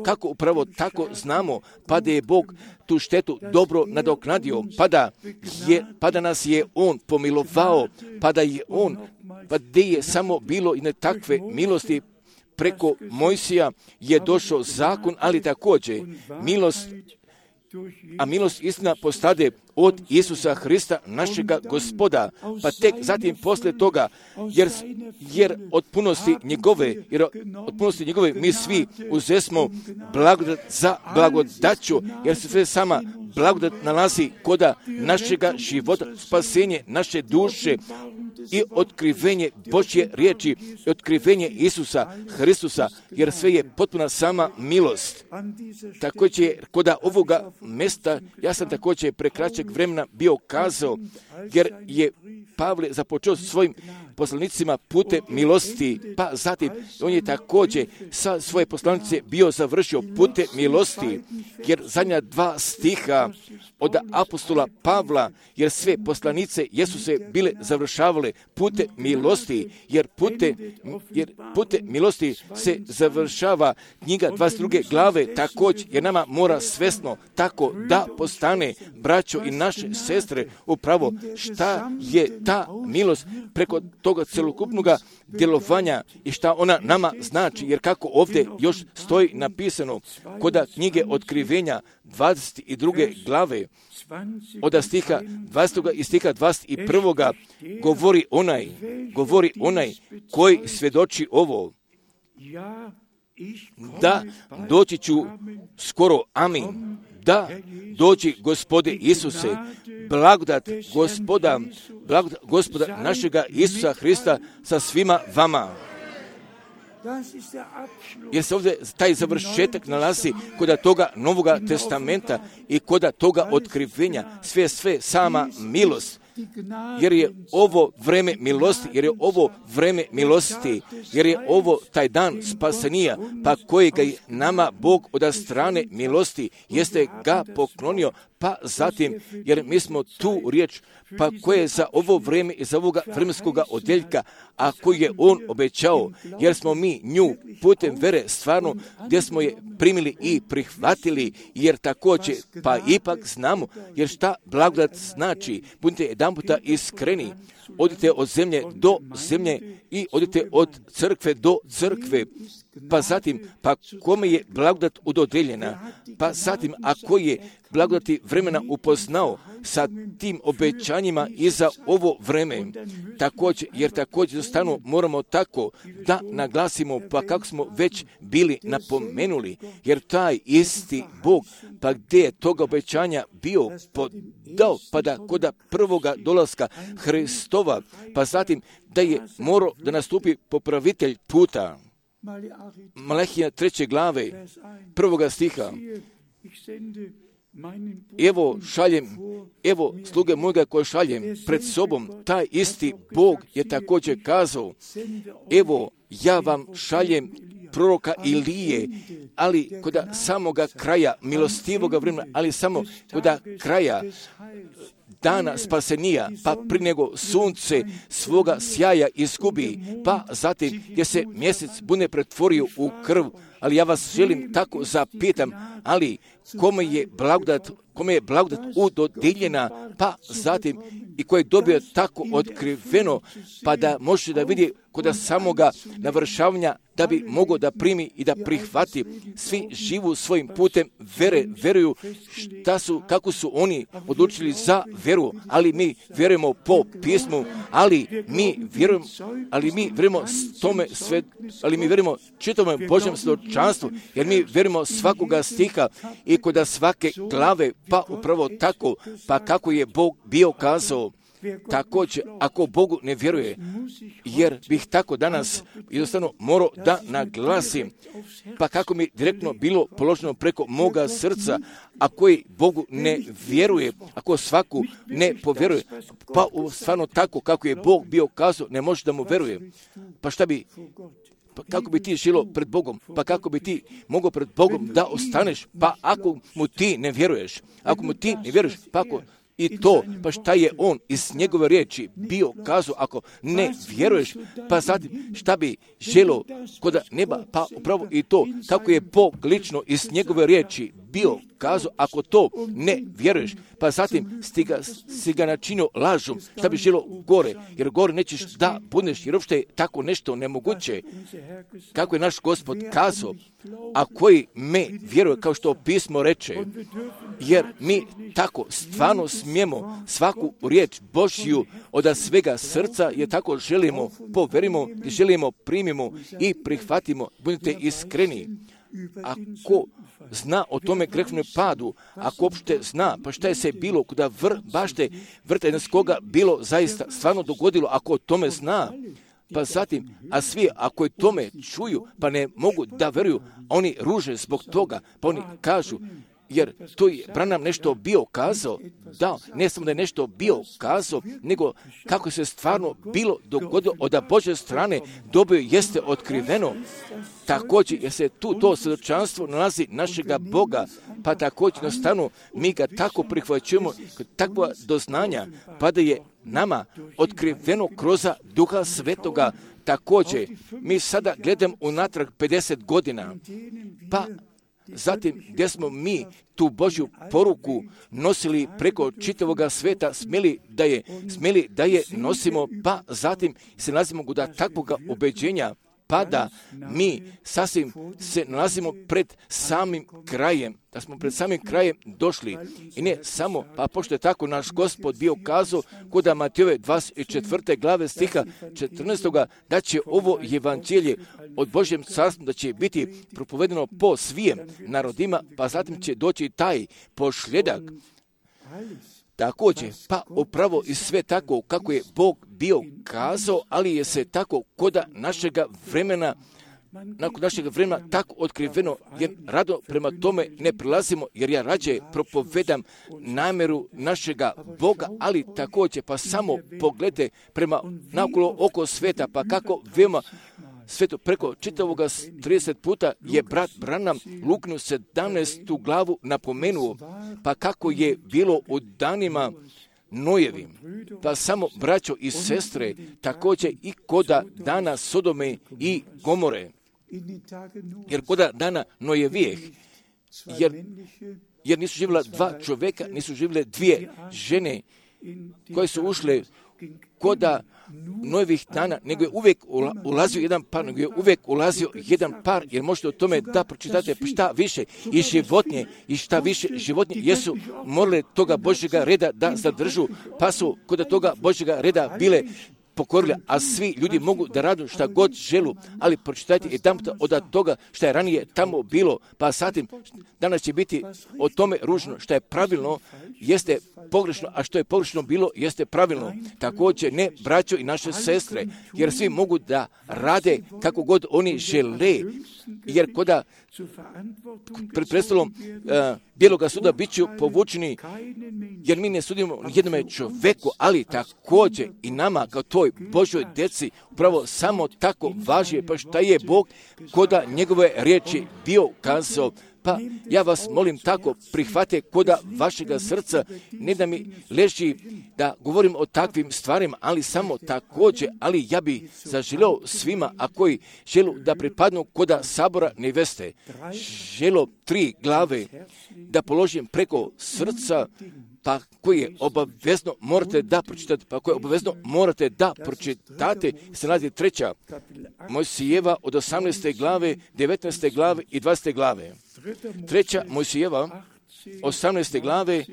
kako upravo tako znamo, pa da je Bog tu štetu dobro nadoknadio, pa da, je, pa da nas je On pomilovao, pa da je On, pa da je samo bilo i ne takve milosti preko Mojsija je došao zakon, ali također milost, a milost istina postade od Isusa Hrista, našega Gospoda, pa tek zatim poslije toga, jer, jer od punosti njegove, jer od punosti njegove mi svi uzesmo blagodat za blagodaću, jer se sve sama blagodat nalazi koda našega života, spasenje naše duše i otkrivenje Božje riječi i otkrivenje Isusa Hristusa, jer sve je potpuna sama milost. Također, koda ovoga mesta, ja sam također prekraćeg vremena bio kazao, jer je Pavle započeo svojim poslanicima putem milosti, pa zatim on je također sa svoje poslanice bio završio putem milosti, jer zadnja dva stiha od apostola Pavla, jer sve poslanice jesu se bile završavale putem milosti, jer putem, jer putem milosti se završava knjiga dvadeset druge glave također, jer nama mora svesno tako da postane, braćo i naše sestre, upravo šta je ta milost preko toga celokupnog djelovanja i šta ona nama znači, jer kako ovdje još stoji napisano kod knjige Otkrivenja dvadeset druge glave od stiha dvadesetog i stiha dvadeset prvog govori onaj, govori onaj koji svjedoči ovo, da doći ću skoro, amin. Da dođi Gospode Isuse, blagodat Gospoda, blagodat Gospoda našega Isusa Hrista sa svima vama. Jer se ovdje taj završetak nalazi kod toga Novoga testamenta i kod toga otkrivenja, sve sve sama milost. Jer je ovo vreme milosti, jer je ovo vreme milosti, jer je ovo taj dan spasenija, pa kojega je nama Bog od strane milosti jeste ga poklonio, pa zatim, jer mi smo tu riječ, pa koje je za ovo vrijeme i za ovoga vremenskoga odjeljka, a koji je On obećao, jer smo mi nju putem vere stvarno, gdje smo je primili i prihvatili, jer također, pa ipak znamo, jer šta blagodat znači, budite jedan puta iskreni, odite od zemlje do zemlje i odite od crkve do crkve, pa zatim, pa kome je blagodat udodeljena, pa zatim, ako je blagodati vremena upoznao sa tim obećanjima i za ovo vreme, također, jer također stanu moramo tako da naglasimo, pa kako smo već bili napomenuli, jer taj isti Bog, pa gdje je toga obećanja bio podao, pa da kod prvoga dolaska Hristova, pa zatim da je morao da nastupi popravitelj puta. Malahija treće glave, prvoga stiha. Evo šaljem, evo sluge mojega koje šaljem pred sobom, taj isti Bog je također kazao, evo ja vam šaljem proroka Ilije, ali kod samoga kraja milostivoga vremena, ali samo kod kraja dana spasenija, pa pri nego sunce svoga sjaja izgubi, pa zatim gdje se mjesec bude pretvorio u krv. Ali ja vas želim tako zapitam, ali kome je blagodat, kome je blagodat udodijeljena, pa zatim i koji je dobio tako otkriveno, pa da može da vidi kod samoga navršavanja, da bi mogao da primi i da prihvati. Svi živu svojim putem vere, veruju šta su, kako su oni odlučili za veru, ali mi vjerujemo po pismu, ali mi vjerujemo, ali mi vjerujemo tome sve, ali mi vjerujemo čitavome Božjem svjedočanstvu, jer mi vjerujemo svakoga stiha i kod svake glave, pa upravo tako, pa kako je Bog bio kazao. Također, ako Bogu ne vjeruje, jer bih tako danas jednostavno morao da naglasim, pa kako mi direktno bilo položeno preko moga srca, a koji Bogu ne vjeruje, ako svaku ne povjeruje, pa stvarno tako kako je Bog bio kazao, ne može da mu vjeruje. Pa šta bi, pa kako bi ti žilo pred Bogom, pa kako bi ti mogao pred Bogom da ostaneš, pa ako mu ti ne vjeruješ, ako mu ti ne vjeruješ, pa ako i to, pa šta je on iz njegove riječi bio kazao, ako ne vjeruješ, pa zatim šta bi želo kod neba, pa upravo i to, kako je Bog lično iz njegove riječi bio kazao, ako to ne vjeruješ, pa zatim si ga, si ga načinio lažom, šta bi želo gore, jer gore nećeš da budeš, jer uopšte je tako nešto nemoguće, kako je naš Gospod kazao, a koji me vjeruje, kao što pismo reče, jer mi tako stvarno smijemo svaku riječ Božju od svega srca, jer tako želimo, poverimo, želimo, primimo i prihvatimo, budite iskreni. Ako zna o tome grešnome padu, ako uopšte zna, pa šta je se bilo, kuda vr, bašte vrtenskoga bilo zaista stvarno dogodilo, ako o tome zna, pa zatim, a svi ako je tome čuju, pa ne mogu da veruju, oni ruže zbog toga, pa oni kažu, jer to je Branham nešto bio kazao, da, ne samo da je nešto bio kazao, nego kako se stvarno bilo dogodilo od Božje strane dobio jeste otkriveno. Također, jer se tu to svjedočanstvo nalazi našega Boga, pa također jednostavno mi ga tako prihvaćujemo, takva doznanja, pa da je nama otkriveno kroz Duha Svetoga. Također, mi sada gledam unatrag pedeset godina, pa zatim gdje smo mi tu Božju poruku nosili preko čitavoga sveta, smjeli da je, smjeli da je nosimo, pa zatim se nalazimo kod takvoga ubeđenja, pa da mi sasvim se nalazimo pred samim krajem, da smo pred samim krajem došli. I ne samo, pa pošto je tako naš Gospod bio kazao kod Matejove dvadeset četvrte glave stiha četrnaestoga da će ovo evanđelje od Božjem carstvu da će biti propovedeno po svijem narodima, pa zatim će doći taj pošljedak. Također, pa upravo i sve tako kako je Bog bio kazao, ali je se tako koda našega vremena, nakon našeg vremena tako otkriveno, jer rado prema tome ne prilazimo, jer ja rađe propovedam namjeru našega Boga, ali također pa samo pogledajte prema naokolo oko sveta, pa kako veoma sveto preko čitavoga trideset puta je brat Branham Lukinu sedamnaestu glavu napomenuo, pa kako je bilo u danima Nojevim, pa samo braćo i sestre, također i koda dana Sodome i Gomore, jer koda dana Nojevijeh, jer, jer nisu živjela dva čovjeka, nisu živjele dvije žene koje su ušle koda Nojevih dana, nego je uvijek ulazio jedan par, nego je uvijek ulazio jedan par, jer možete o tome da pročitate šta više i životinje, i šta više životinje jesu morale toga Božjega reda da zadržu, pa su kod toga Božjega reda bile pokorili, a svi ljudi mogu da radu šta god želu, ali pročitajte i tamo od toga šta je ranije tamo bilo, pa zatim danas će biti o tome ružno, šta je pravilno, jeste pogrešno, a što je pogrešno bilo, jeste pravilno. Također ne braćo i naše sestre, jer svi mogu da rade kako god oni žele, jer koda pred predstavom uh, bijeloga suda bit ću povučeni, jer mi ne sudimo jednome čoveku, ali također i nama kao toj svakoj Božoj djeci upravo samo tako važi, pa šta je Bog koda njegove riječi bio kazao. Pa ja vas molim tako, prihvate koda vašega srca, ne da mi leži da govorim o takvim stvarima, ali samo također, ali ja bi zaželio svima, a koji želu da pripadnu koda sabora neveste, želo tri glave da položim preko srca, pa koje obavezno morate da pročitate, pa koje obavezno morate da pročitate, se nalazi treća Mojsijeva od osamnaeste glave, devetnaeste glave i dvadesete glave. Treća Mojsijeva, osamnaeste glave,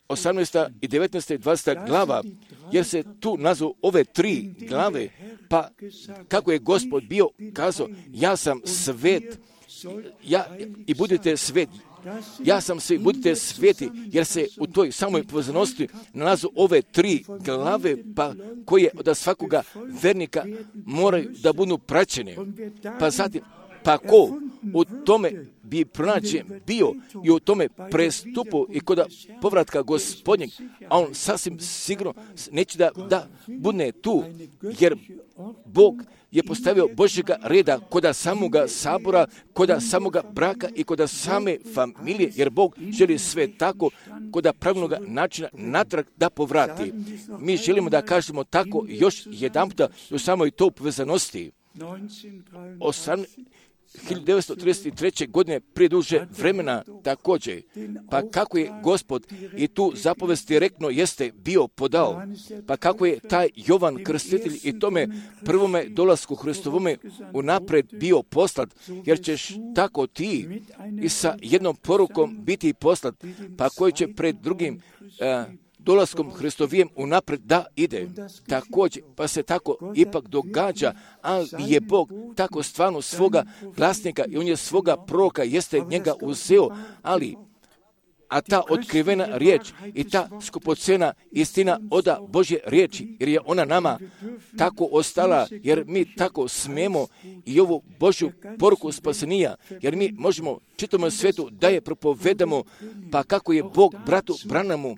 osamnaesta i devetnaesta i dvadeseta glava, jer se tu nazvu ove tri glave, pa kako je Gospod bio kazao, ja sam svet, ja, i budite svet, ja sam svi, budite sveti, jer se u toj samoj povezanosti nalazu ove tri glave, pa koje od svakoga vernika moraju da budu praćene. Pa zatim, pa ko u tome bi pronađen bio i u tome prestupu i kod povratka Gospodnjeg, a on sasvim sigurno neće da, da bude tu, jer Bog je postavio Božjega reda koda samoga sabora, koda samoga braka i koda same familije, jer Bog želi sve tako koda pravilnog načina natrag da povrati. Mi želimo da kažemo tako još jedanputa u samoj to povezanosti. hiljadu devetsto trideset treće. godine prije duže vremena također. Pa kako je Gospod i tu zapovest direktno jeste bio podao, pa kako je taj Jovan Krstitelj i tome prvome dolasku Hristovome unapred bio poslat, jer ćeš tako ti i sa jednom porukom biti poslat, pa koji će pred drugim uh, dolaskom Hristovijem unapred da ide. Također, pa se tako ipak događa, ali je Bog tako stvarno svoga glasnika i on je svoga proroka, jeste njega uzeo, ali a ta otkrivena riječ i ta skupocena istina oda Božje riječi, jer je ona nama tako ostala, jer mi tako smemo i ovu Božju poruku spasenija, jer mi možemo čitavom svijetu da je propovedamo, pa kako je Bog bratu Branamu,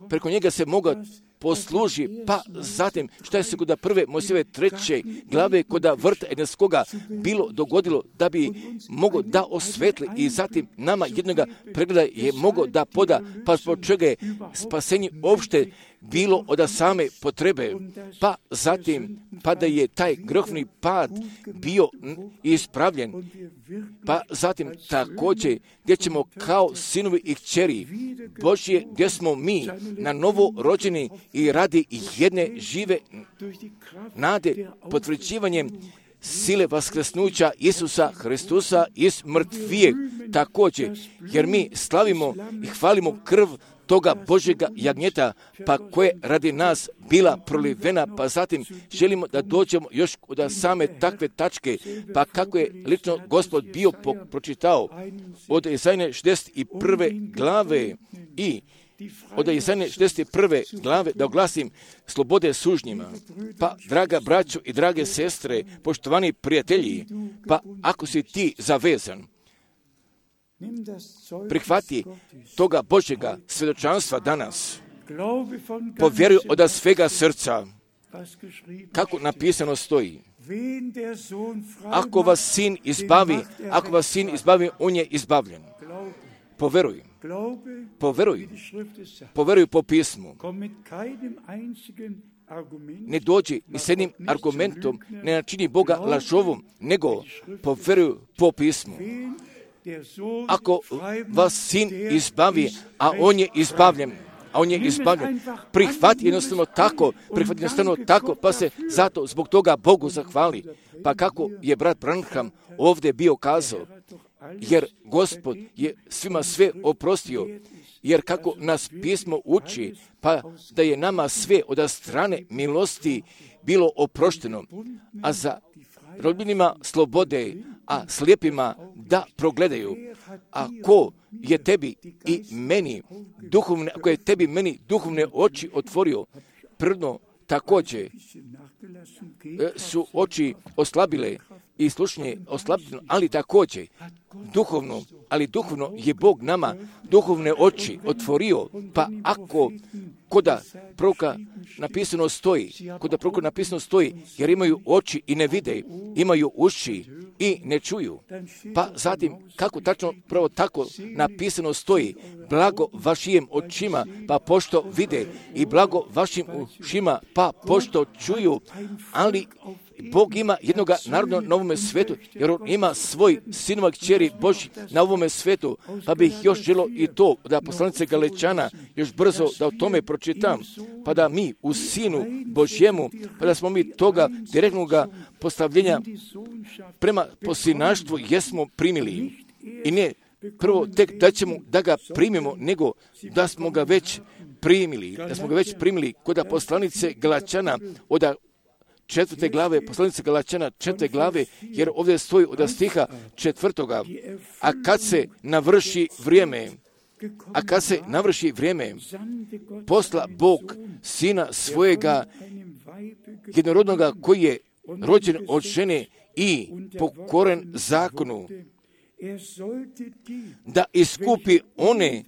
preko njega se moga posluži, pa zatim šta je se kod prve Mojsijeve treće glave koda vrta Edenskoga bilo dogodilo da bi mogo da osvetli i zatim nama jednoga pregleda je mogo da poda, pa zbog čega je spasenje opšte bilo od same potrebe, pa zatim pa da je taj grehni pad bio ispravljen, pa zatim također gdje ćemo kao sinovi i kćeri Božje, gdje smo mi na novo rođeni i radi jedne žive nade potvrđivanjem sile vaskrsnuća Isusa Hristusa iz mrtvijeg također, jer mi slavimo i hvalimo krv toga Božjega jagnjeta, pa koje radi nas bila prolivena, pa zatim želimo da dođemo još od same takve tačke, pa kako je lično Gospod bio po- pročitao od Izaije šezdeset prve glave i od Izaije šezdeset prve glave da oglasim slobode sužnjima. Pa, draga braćo i drage sestre, poštovani prijatelji, pa ako si ti zavezan, prihvati toga Božjega svjedočanstva danas, povjeruj od svega srca, kako napisano stoji. Ako vas sin izbavi, ako vas sin izbavi, on je izbavljen. Poveruj. Poveruj. Poveruj po pismu. Ne dođi ni s jednim argumentom, ne načini Boga lažovom, nego poveruj po pismu. Ako vas sin izbavi, a on je izbavljen, a on je izbavljen, prihvati jednostavno tako, prihvati jednostavno tako, pa se zato zbog toga Bogu zahvali. Pa kako je brat Branham ovdje bio kazao, jer Gospod je svima sve oprostio, jer kako nas pismo uči, pa da je nama sve od strane milosti bilo oprošteno, a za rodbinima slobode, a slijepima da progledaju. A ko je tebi i meni duhovne, ako je tebi meni duhovne oči otvorio, prvno također su oči oslabile i slušanje oslabljeno, ali također duhovno, ali duhovno je Bog nama duhovne oči otvorio, pa ako koda proroka napisano stoji, kod proroka napisano stoji, jer imaju oči i ne vide, imaju uši i ne čuju. Pa zatim, kako tačno, pravo tako napisano stoji, blago vašim očima, pa pošto vide, i blago vašim ušima, pa pošto čuju, ali Bog ima jednoga naroda na ovome svetu, jer on ima svoj sinova kćeri Božji na ovome svetu, pa bih još želio i to da poslanice Galečana još brzo da o tome pročitam, pa da mi u Sinu Božjemu, pa da smo mi toga direktnog postavljenja prema posinaštvu jesmo primili. I ne prvo tek da ćemo da ga primimo, nego da smo ga već primili, da smo ga već primili kod poslanice Galačana od četvrte glave, poslanice Galačana četvrte glave, jer ovdje stoji od stiha četvrtoga, a kad se navrši vrijeme, a kad se navrši vrijeme, posla Bog sina svojega jednorodnoga koji je rođen od žene i pokoren zakonu, da iskupi one,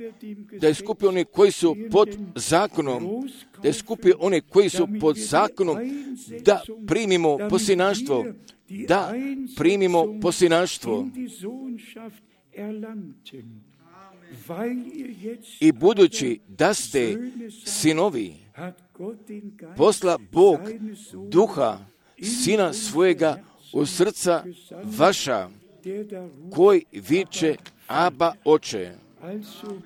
da iskupi one koji su pod zakonom, da iskupi one koji su pod zakonom, da primimo posinaštvo, da primimo posinaštvo. I budući da ste sinovi, posla Bog duha sina svojega u srca vaša, koji viče Aba oče.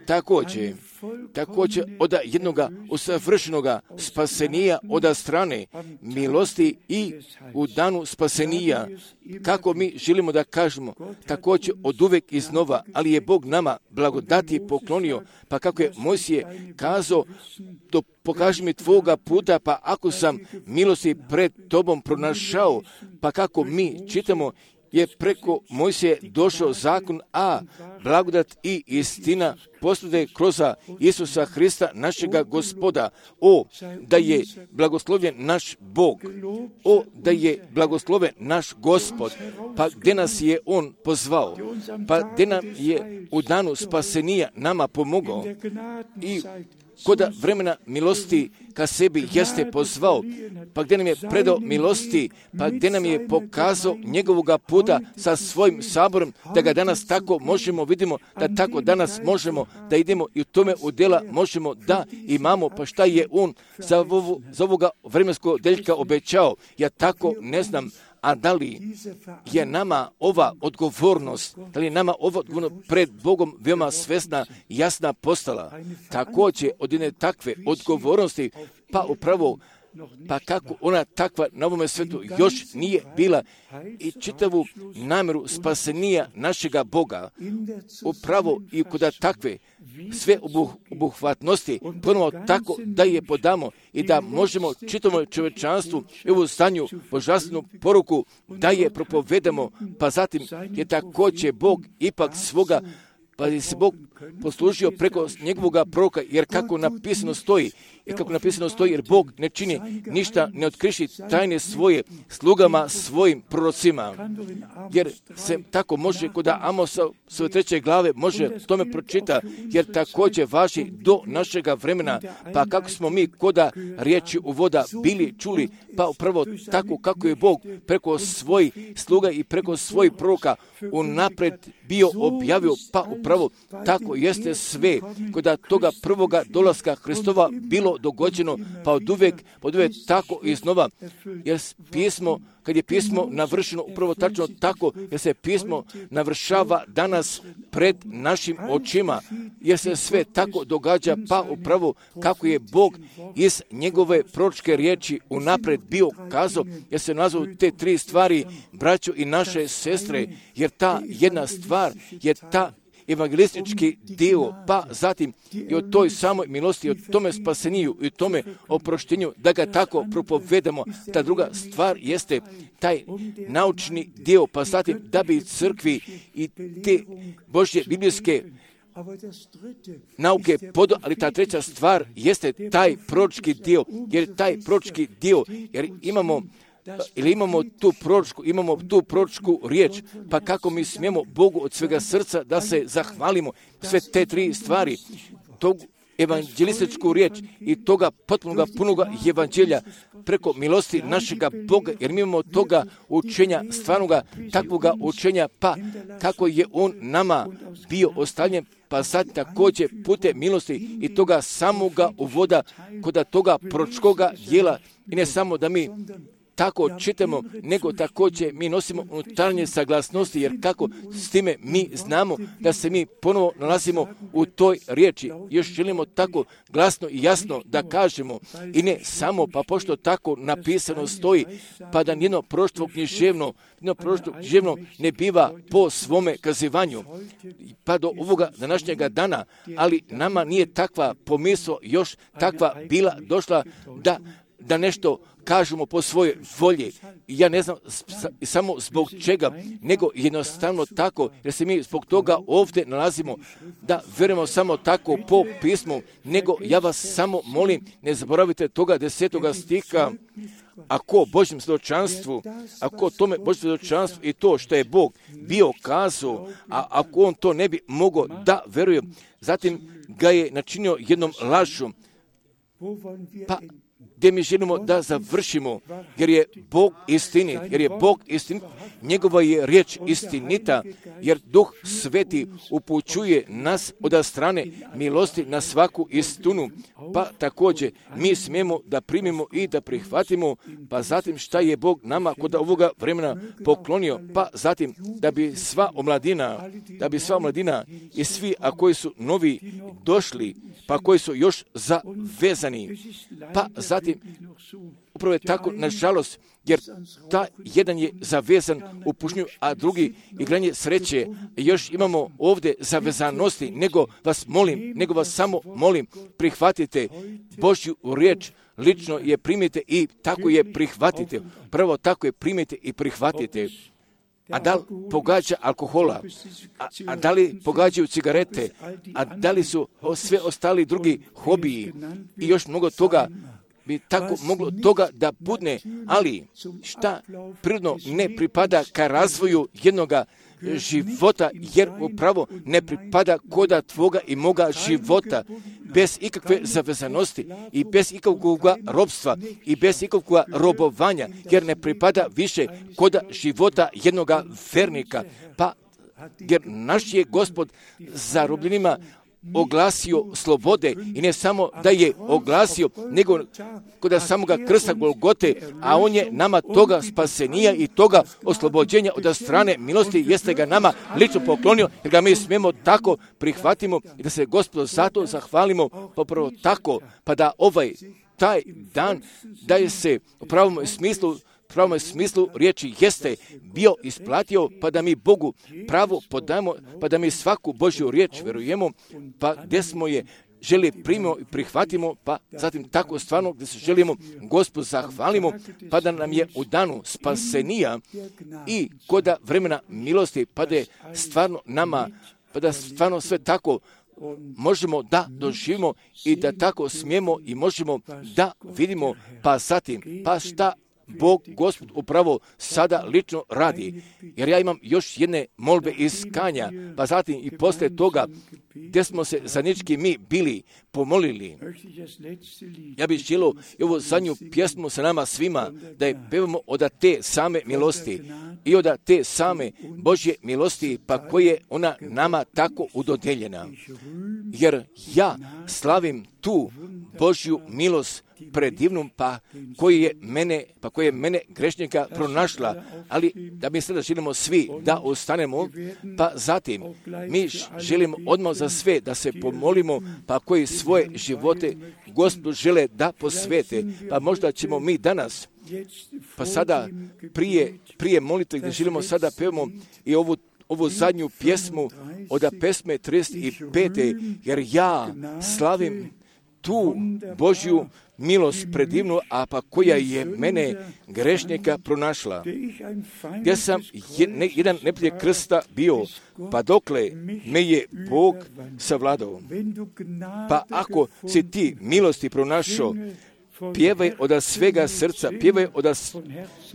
Također, također od jednoga usavršenoga spasenija od strane milosti i u danu spasenija, kako mi želimo da kažemo, također od uvek iznova, ali je Bog nama blagodati poklonio, pa kako je Mojsije kazao, to pokaži mi tvoga puta, pa ako sam milosti pred tobom pronašao, pa kako mi čitamo, je preko Mojsije došao zakon, a blagodat i istina poslude kroz Isusa Hrista, našega Gospoda. O, da je blagoslovljen naš Bog, o, da je blagosloven naš Gospod, pa gdje nas je On pozvao, pa gdje nam je u danu spasenija nama pomogao i kod vremena milosti ka sebi jeste pozvao, pa gdje nam je predao milosti, pa gdje nam je pokazao njegovoga puta sa svojim saborom, da ga danas tako možemo, vidimo da tako danas možemo da idemo i u tome u djela možemo da imamo, pa šta je on za, ovu, za ovoga vremenskog deljka obećao, ja tako ne znam. A da li je nama ova odgovornost, da li je nama ova odgovornost pred Bogom veoma svesna, jasna postala? Također od jedne takve odgovornosti, pa upravo, pa kako ona takva na ovome svetu još nije bila i čitavu namjeru spasenija našega Boga, upravo i kod takve sve obuh, obuhvatnosti, ponovo tako da je podamo i da možemo čitavom čovječanstvu ovu stanju božanstvenu poruku da je propovedamo, pa zatim je također Bog ipak svoga, pa je se Bog poslužio preko njegovoga proroka, jer kako napisano stoji, jer kako napisano stoji, jer Bog ne čini ništa, ne otkriši tajne svoje slugama svojim prorocima. Jer se tako može kod Amosa svoje treće glave može tome pročita, jer također važi do našega vremena, pa kako smo mi koda riječi u voda bili čuli, pa upravo tako kako je Bog preko svojih sluga i preko svojih proroka unapred bio objavio, pa upravo tako jeste sve kod toga prvoga dolaska Hristova bilo dogođeno, pa od uvek, od uvek tako iznova, jer pismo, kad je pismo navršeno upravo tačno tako, jer se pismo navršava danas pred našim očima, jer se sve tako događa, pa upravo kako je Bog iz njegove proročke riječi unapred bio kazao, jer se nazvao te tri stvari, braćo i naše sestre, jer ta jedna stvar je ta evangelistički dio, pa zatim i o toj samoj milosti, o tome spaseniju i o tome oproštenju, da ga tako propovedamo. Ta druga stvar jeste taj naučni dio, pa zatim da bi crkvi i te Božje biblijske nauke podo, ali ta treća stvar jeste taj proročki dio, jer taj proročki dio, jer imamo ili imamo tu proročku, imamo tu proročku riječ, pa kako mi smijemo Bogu od svega srca da se zahvalimo sve te tri stvari, tog evanđelističku riječ i toga potpunoga punoga evanđelja preko milosti našega Boga, jer mi imamo toga učenja, stvarnoga takvoga učenja, pa kako je On nama bio ostavljen, pa sad također putem milosti i toga samoga uvoda kod toga proročkoga djela, i ne samo da mi tako čitamo, nego također mi nosimo unutarnje saglasnosti, jer kako s time mi znamo da se mi ponovo nalazimo u toj riječi. Još želimo tako glasno i jasno da kažemo, i ne samo, pa pošto tako napisano stoji, pa da nijedno proroštvo književno, nijedno proroštvo književno ne biva po svome kazivanju, pa do ovoga današnjega dana, ali nama nije takva pomisao još takva bila došla da da nešto kažemo po svojoj volji. Ja ne znam samo zbog čega, nego jednostavno tako, jer se mi zbog toga ovdje nalazimo, da vjerujemo samo tako po pismu, nego ja vas samo molim, ne zaboravite toga desetoga stiha, ako Božjem svjedočanstvu, ako tome Božjem svjedočanstvu i to što je Bog bio kazao, a ako on to ne bi mogao da veruje, zatim ga je načinio jednom lažom, pa gdje mi želimo da završimo, jer je Bog istinit, jer je Bog istinit, njegova je riječ istinita, jer Duh Sveti upućuje nas od strane milosti na svaku istinu, pa također mi smijemo da primimo i da prihvatimo, pa zatim šta je Bog nama kod ovoga vremena poklonio, pa zatim da bi sva omladina, da bi sva omladina i svi, a koji su novi došli, pa koji su još zavezani, pa zatim upravo je tako, nažalost, jer ta jedan je zavezan u pušnju, a drugi igranje sreće. Još imamo ovdje zavezanosti, nego vas molim, nego vas samo molim, prihvatite Božju riječ, lično je primite i tako je prihvatite. Prvo tako je primite i prihvatite. A da li pogađa alkohola, a, a da li pogađaju cigarete, a da li su sve ostali drugi hobiji i još mnogo toga, bi tako moglo toga da budne, ali šta prirodno ne pripada ka razvoju jednoga života, jer upravo ne pripada koda tvoga i moga života, bez ikakve zavezanosti i bez ikakvog robstva i bez ikakvog robovanja, jer ne pripada više koda života jednoga vernika, pa jer naš je Gospod zarobljenima oglasio slobode, i ne samo da je oglasio, nego kod samoga krsta Golgote, a on je nama toga spasenija i toga oslobođenja od strane milosti jeste ga nama lično poklonio, jer ga mi smijemo tako prihvatimo i da se Gospodu zato zahvalimo, popravo tako, pa da ovaj taj dan daje se u pravom smislu u pravom smislu riječi jeste bio isplatio, pa da mi Bogu pravo podamo, pa da mi svaku Božju riječ verujemo, pa gdje smo je želi primimo i prihvatimo, pa zatim tako stvarno gdje se želimo Gospodu zahvalimo, pa da nam je u danu spasenija i koda vremena milosti, pa da je stvarno nama, pa da stvarno sve tako možemo da doživimo i da tako smijemo i možemo da vidimo, pa zatim, pa šta Bog, Gospod, upravo sada lično radi. Jer ja imam još jedne molbe iz Kanja, pa zatim i poslije toga gdje smo se zajednički mi bili pomolili. Ja bih želio i ovu zadnju pjesmu sa nama svima da je pevamo od te same milosti i od te same Božje milosti, pa koje ona nama tako udodeljena. Jer ja slavim tu Božju milost predivnom, pa koji je mene, pa koji je mene grešnika pronašla, ali da mi sada želimo svi da ostanemo, pa zatim mi želimo odmah za sve da se pomolimo, pa koji svoje živote Gospodu žele da posvete, pa možda ćemo mi danas, pa sada prije, prije molitve gdje želimo sada pevamo i ovu ovu zadnju pjesmu od pesme trideset pet. Jer ja slavim tu Božju milost predivnu, a pa koja je mene grešnika pronašla. Gdje sam je, jedan neprijatelj krsta bio, pa dokle me je Bog savladao. Pa ako si ti milosti pronašao, pjevaj od svega srca, pjevaj od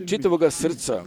čitavoga srca.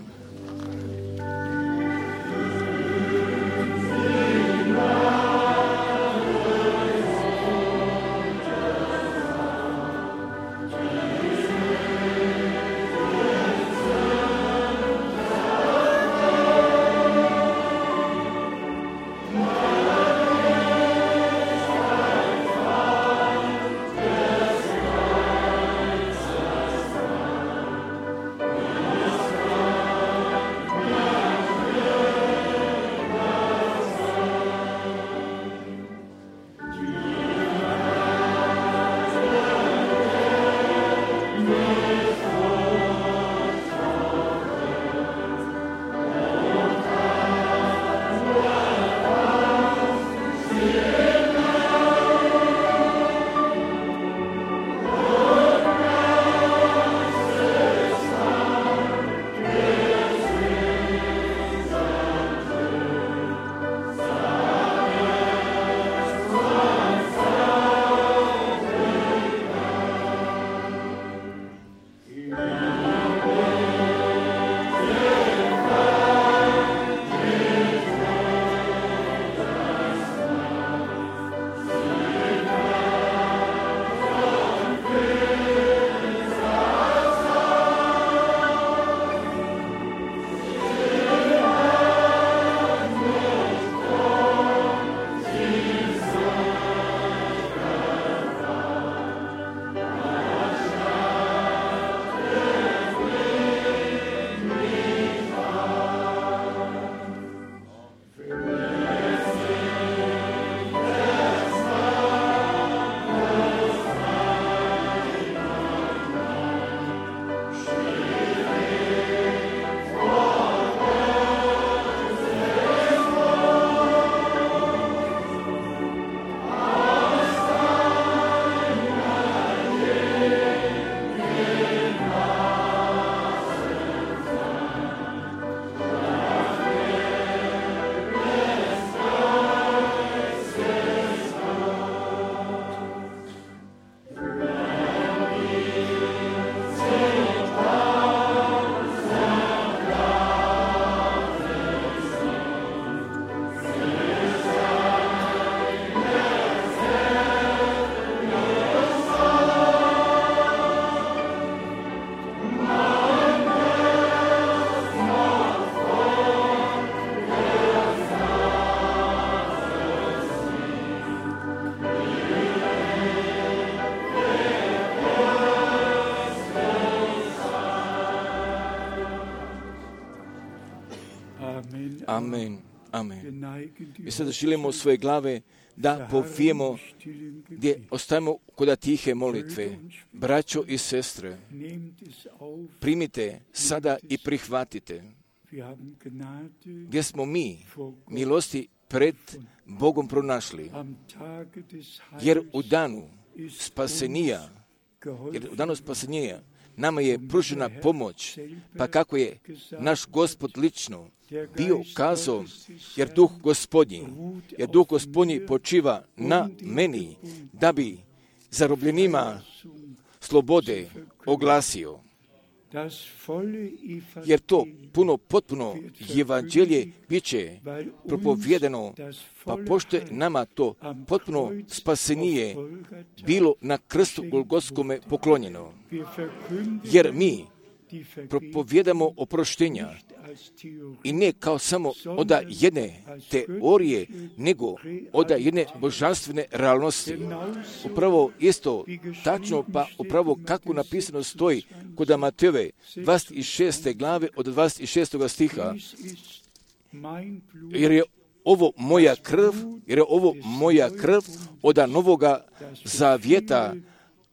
Amen. Amen. Mi sada želimo svoje glave da povijemo gdje ostajemo kod tihe molitve. Braćo i sestre, primite sada i prihvatite gdje smo mi milosti pred Bogom pronašli. Jer u danu spasenija, jer u danu spasenija nama je pružena pomoć, pa kako je naš Gospod lično bio kazao, jer duh Gospodnji, jer duh Gospodnji počiva na meni, da bi zarobljenima slobode oglasio. Jer to puno, potpuno evanđelje bit će propovjedano, pa pošto je nama to potpuno spasenije bilo na krstu Golgotskome poklonjeno. Jer mi propovjedamo oproštenja i ne kao samo od jedne teorije, nego od jedne božanstvene realnosti. Upravo isto tačno, pa upravo kako napisano stoji kod Matejove dvadeset šeste glave od dvadeset šestog stiha. Jer je ovo moja krv, jer je ovo moja krv od novoga zavjeta,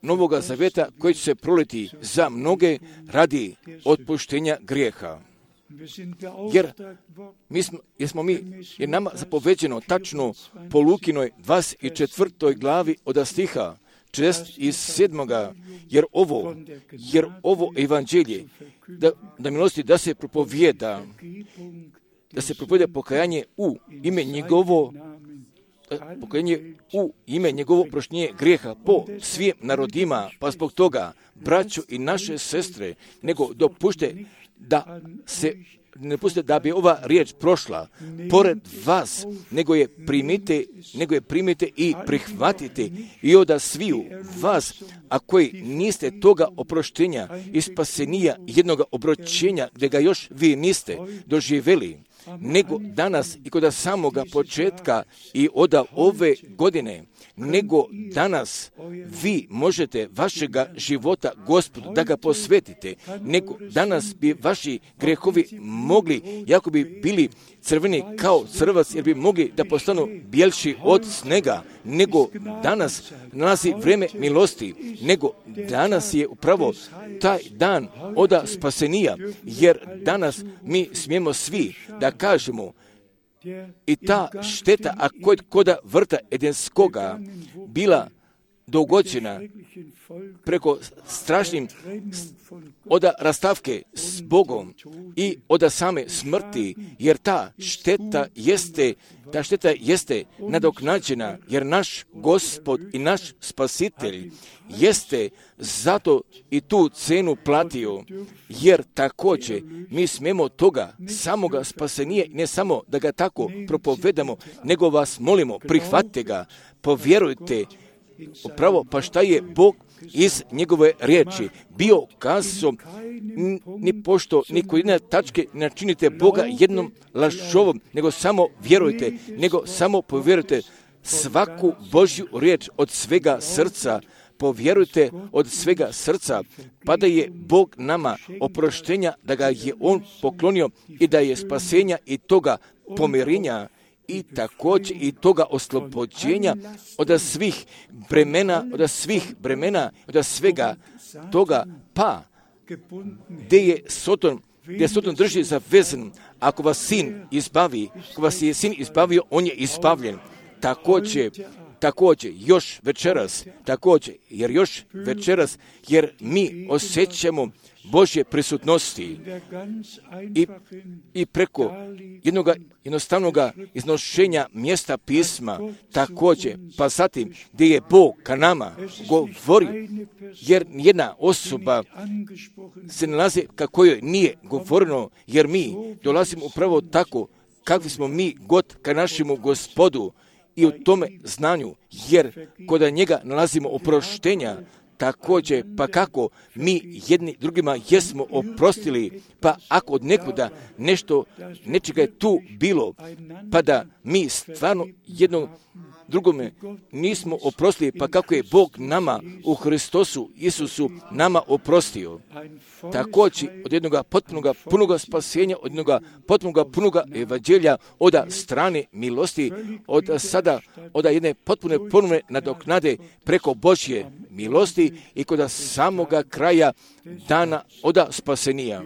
novoga zavjeta koji će se proliti za mnoge radi otpuštenja grijeha. Jer mi smo, jer smo mi, je nama zapoveđeno tačno po Lukinoj dvadeset četvrtoj glavi od stiha četrdeset sedmoga jer ovo, jer ovo evanđelje, da, da milosti da se propovijeda, da se propovijeda pokajanje u ime njegovo, pokajanje u ime njegovo oproštenje grijeha po svim narodima, pa zbog toga, braćo i naše sestre, nego dopušte da se ne pustite da bi ova riječ prošla pored vas, nego je primite, nego je primite i prihvatite i od sviju vas, a koji niste toga oproštenja i spasenija jednog obročenja, gdje ga još vi niste doživjeli, nego danas i kod samoga početka i od ove godine, nego danas vi možete vašega života Gospodu da ga posvetite, nego danas bi vaši grehovi mogli, jako bi bili crveni kao crvac, jer bi mogli da postanu bijelši od snega, nego danas nalazi vrijeme milosti, nego danas je upravo taj dan oda spasenija, jer danas mi smijemo svi da kažemo i ta šteta, a kod koda vrta Edenskoga bila dogođena preko strašnim oda rastavke s Bogom i oda same smrti, jer ta šteta jeste, ta šteta jeste nadoknađena, jer naš Gospod i naš Spasitelj jeste zato i tu cenu platio, jer također mi smemo toga samoga spasenije, ne samo da ga tako propovedamo, nego vas molimo, prihvatite ga, povjerujte upravo, pa šta je Bog iz njegove riječi bio kazao, ni pošto ni kod jedne tačke načinite Boga jednom lažovom, nego samo vjerujte, nego samo povjerujte svaku Božju riječ od svega srca, povjerujte od svega srca, pa da je Bog nama oproštenja, da ga je On poklonio i da je spasenja i toga pomirenja i također i toga oslobođenja od svih bremena, od svih bremena, od svega toga, pa gdje je Soton, gdje Soton drži zavezan, ako vas sin izbavi, ako vas je sin izbavio, on je izbavljen. Također, također, još večeras, također, jer još večeras, jer mi osjećamo Božje prisutnosti i, i preko jednog jednostavnog iznošenja mjesta pisma, također, pa zatim gdje je Bog ka nama govori, jer jedna osoba se nalazi kako joj nije govoreno, jer mi dolazimo upravo tako kakvi smo mi god ka našemu Gospodu i u tome znanju, jer kod njega nalazimo oproštenja, također, pa kako mi jedni drugima jesmo oprostili, pa ako od nekuda nešto, nečega je tu bilo, pa da mi stvarno jednom drugome nismo oprostili, pa kako je Bog nama u Hristosu Isusu nama oprostio. Također od jednoga potpunoga punoga spasenja, od jednoga potpunoga punoga evanđelja, od strane milosti, od sada, od jedne potpune ponovne nadoknade preko Božje milosti i kod samoga kraja dana od spasenija.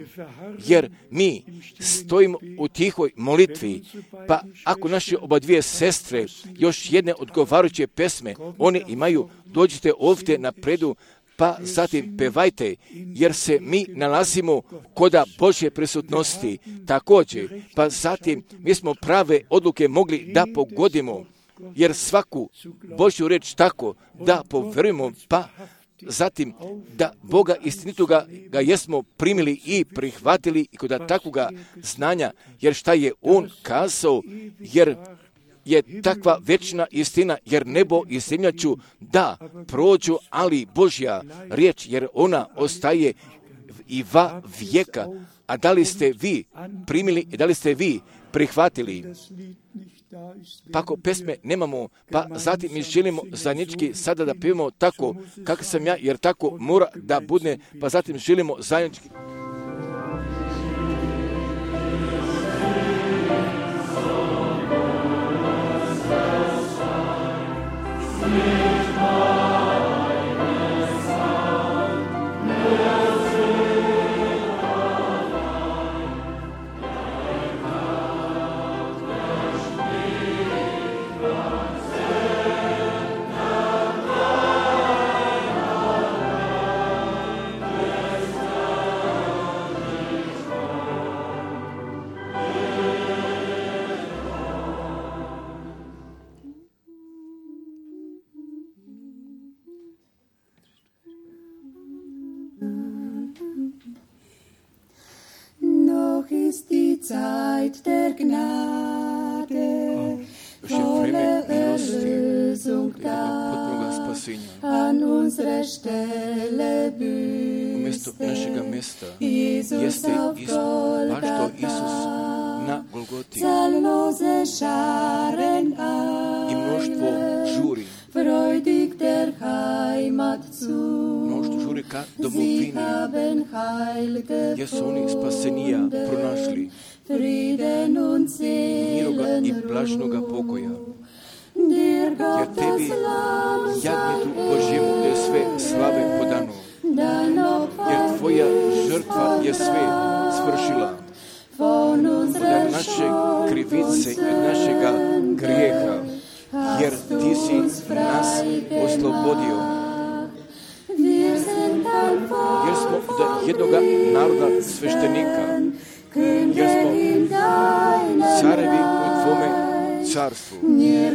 Jer mi stojimo u tihoj molitvi, pa ako naše oba dvije sestre još jedne odgovarajuće pesme, one imaju, dođite ovdje napredu, pa zatim pevajte, jer se mi nalazimo koda Božje prisutnosti. Također, pa zatim mi smo prave odluke mogli da pogodimo, jer svaku Božju reč tako da poverujemo, pa zatim da Boga istinitoga ga jesmo primili i prihvatili i kod takvoga znanja, jer šta je On kazao, jer je takva večna istina, jer nebo i zemlja ću da prođu, ali Božja riječ, jer ona ostaje i va vijeka. A da li ste vi primili i da li ste vi prihvatili? Pa ako pesme nemamo, pa zatim mi želimo zajednički sada da pevamo tako kako sam ja, jer tako mora da bude, pa zatim želimo zajednički. Zeit der Gnade, volle Erlösung da, an unsere Stelle büßte Jesus auf Golgatha, zahllose Scharen ein, freudig der Heimat zu. Sie haben Heil gefunden, Frieden und Seelenruhe. Dir Gottes Lamm sei dein Opfer gebracht, von unserer Schuld und Sünde hast du uns frei gemacht. Jer smo od jednoga naroda sveštenika, jer smo carevi u Tvome carstvu, jer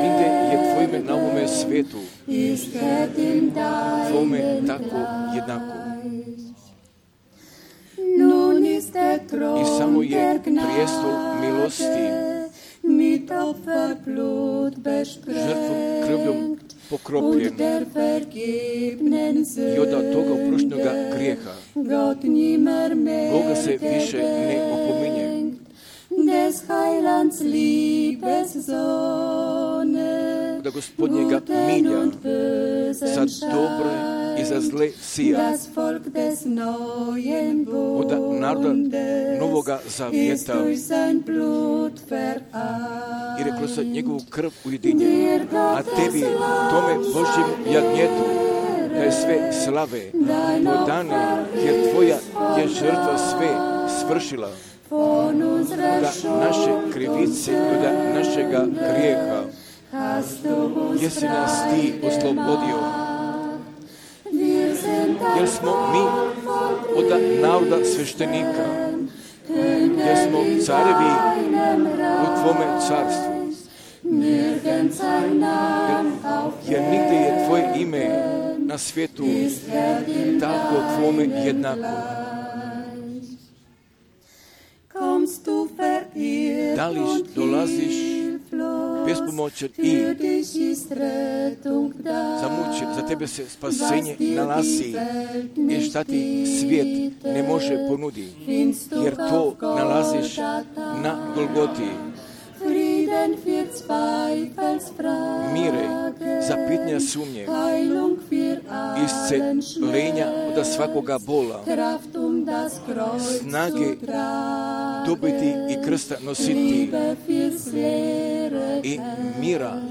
nigde je Tvoje ime na ovome svetu, Tvome tako jednako. I samo je prijestol milosti, žrtvom krvljom pokropljen i od toga oproštenoga grijeha. Boga se više ne opominje. Da Gospodnjega milja za dobre i za zle sija. Od naroda Novoga Zavjeta jer je kroz njegovu krv ujedinjen. A tebi, tome Božjem jagnjetu, da je sve slave podane, jer Tvoja je žrtva sve svršila. Da naše krivice, da našega grijeha, jesi nas Ti oslobodio. Jer smo mi od naroda sveštenika, jer smo carevi u Tvome carstvu. Jer nigde je Tvoje ime na svijetu tako Tvome jednako. Da li dolaziš bespomoćan i Zamuči, za tebe se spasenje nalazi i šta ti svijet ne može ponuditi, jer to nalaziš na Golgoti. Mire za pitanja sumnje, iscelenja od svakoga bola, snage dobiti i krsta nositi i mira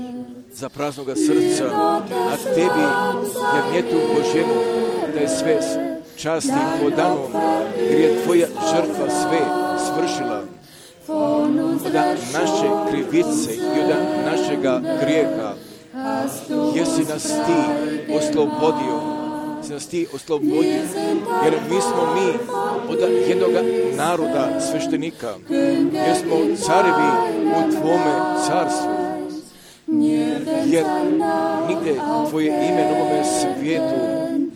za praznoga srca, a tebi jevnjetu Božjemu da je sve časti podanom, jer je tvoja žrtva sve svršila. Od naše krivice i od našega grijeha jesi nas ti oslobodio, jesi nas ti oslobodio, jer mi smo mi od jednog naroda sveštenika, jer smo carevi u tvome carstvu, jer nigde tvoje ime na ovome svijetu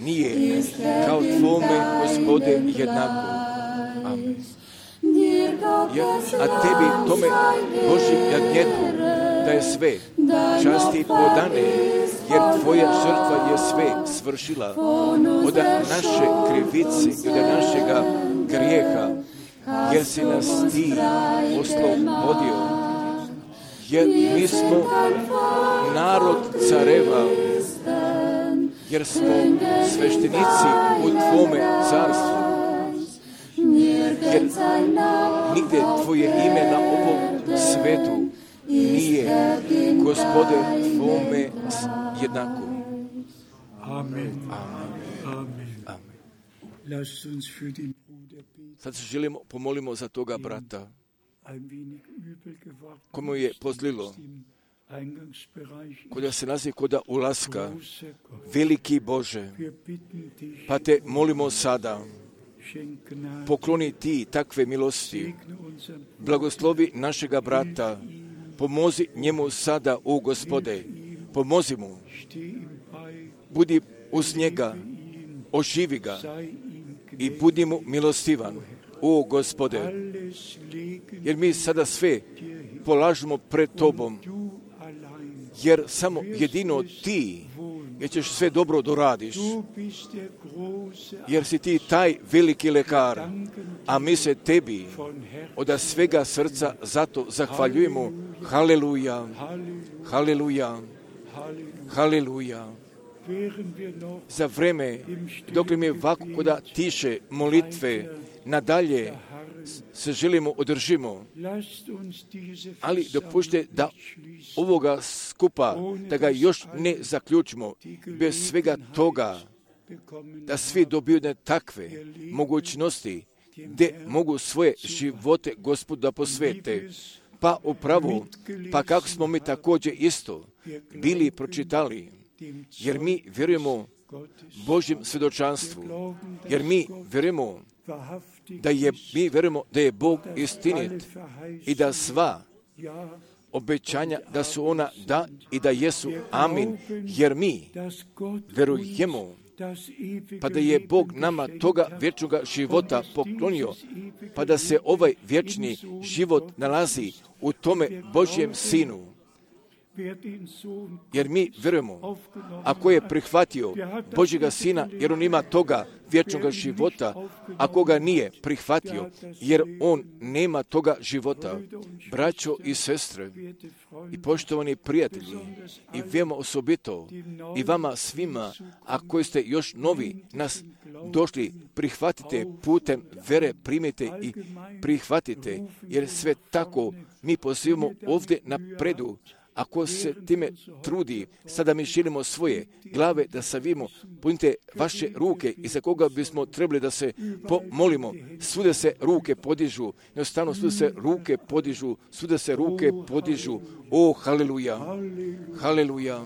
nije kao tvome, Gospode, jednako. Amen. Ja, a tebi, tome Božji jagnjetu, da je sve časti podane, jer tvoja žrtva je sve svršila od naše krivice i od našega grijeha, jer si nas ti oslobodio, jer mi smo narod careva, jer smo sveštenici u tvome carstvu, jer nigde tvoje ime na ovom svetu nije, Gospode, tvome jednako. Amen. Amen. Amen. Sad se želimo, pomolimo za toga brata, komu je pozlilo, koda se nalazi koda ulaska, veliki Bože, pa te molimo sada, pokloni ti takve milosti, blagoslovi našega brata, pomozi njemu sada, u Gospode, pomozi mu, budi uz njega, oživi ga i budi mu milostivan, u Gospode, jer mi sada sve polažemo pred tobom, jer samo jedino ti, jer ćeš sve dobro doradiš, jer si ti taj veliki lekar, a mi se tebi od svega srca zato zahvaljujemo. Haleluja, haleluja, haleluja. Za vreme, dok mi ovako koda tiše molitve, nadalje se želimo održimo, ali dopušte da ovoga skupa, da ga još ne zaključimo, bez svega toga, da svi dobiju takve mogućnosti, gdje mogu svoje živote Gospodu da posvete. Pa upravo, pa kako smo mi također isto bili pročitali, jer mi vjerujemo Božjem svjedočanstvu, jer mi vjerujemo da je, mi vjerujemo da je Bog istinit i da sva obećanja da su ona da i da jesu amin, jer mi vjerujemo pa da je Bog nama toga vječnoga života poklonio, pa da se ovaj vječni život nalazi u tome Božjem Sinu. Jer mi vjerujemo, ako je prihvatio Božjega Sina, jer on ima toga vječnoga života, ako ga nije prihvatio, jer on nema toga života. Braćo i sestre, i poštovani prijatelji, i vema osobito, i vama svima, a koji ste još novi nas došli, prihvatite putem vere, primite i prihvatite, jer sve tako mi pozivamo ovdje napredu. Ako se time trudi, sada mi želimo svoje glave da savimo, punite vaše ruke i za koga bismo trebali da se pomolimo. Svuda se ruke podižu, jednostavno svuda se ruke podižu, svuda se ruke podižu. O, haleluja, haleluja,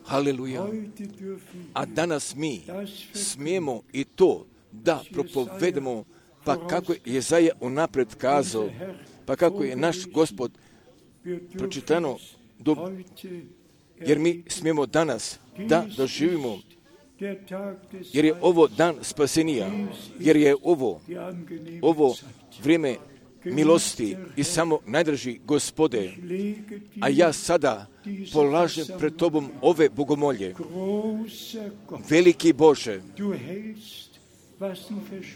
haleluja. A danas mi smijemo i to da propovedemo, pa kako je Jezaja unaprijed kazao, pa kako je naš Gospod pročitano, do, jer mi smijemo danas da doživimo, jer je ovo dan spasenija, jer je ovo, ovo vrijeme milosti i samo najdraži Gospode, a ja sada polažem pred Tobom ove bogomolje. Veliki Bože,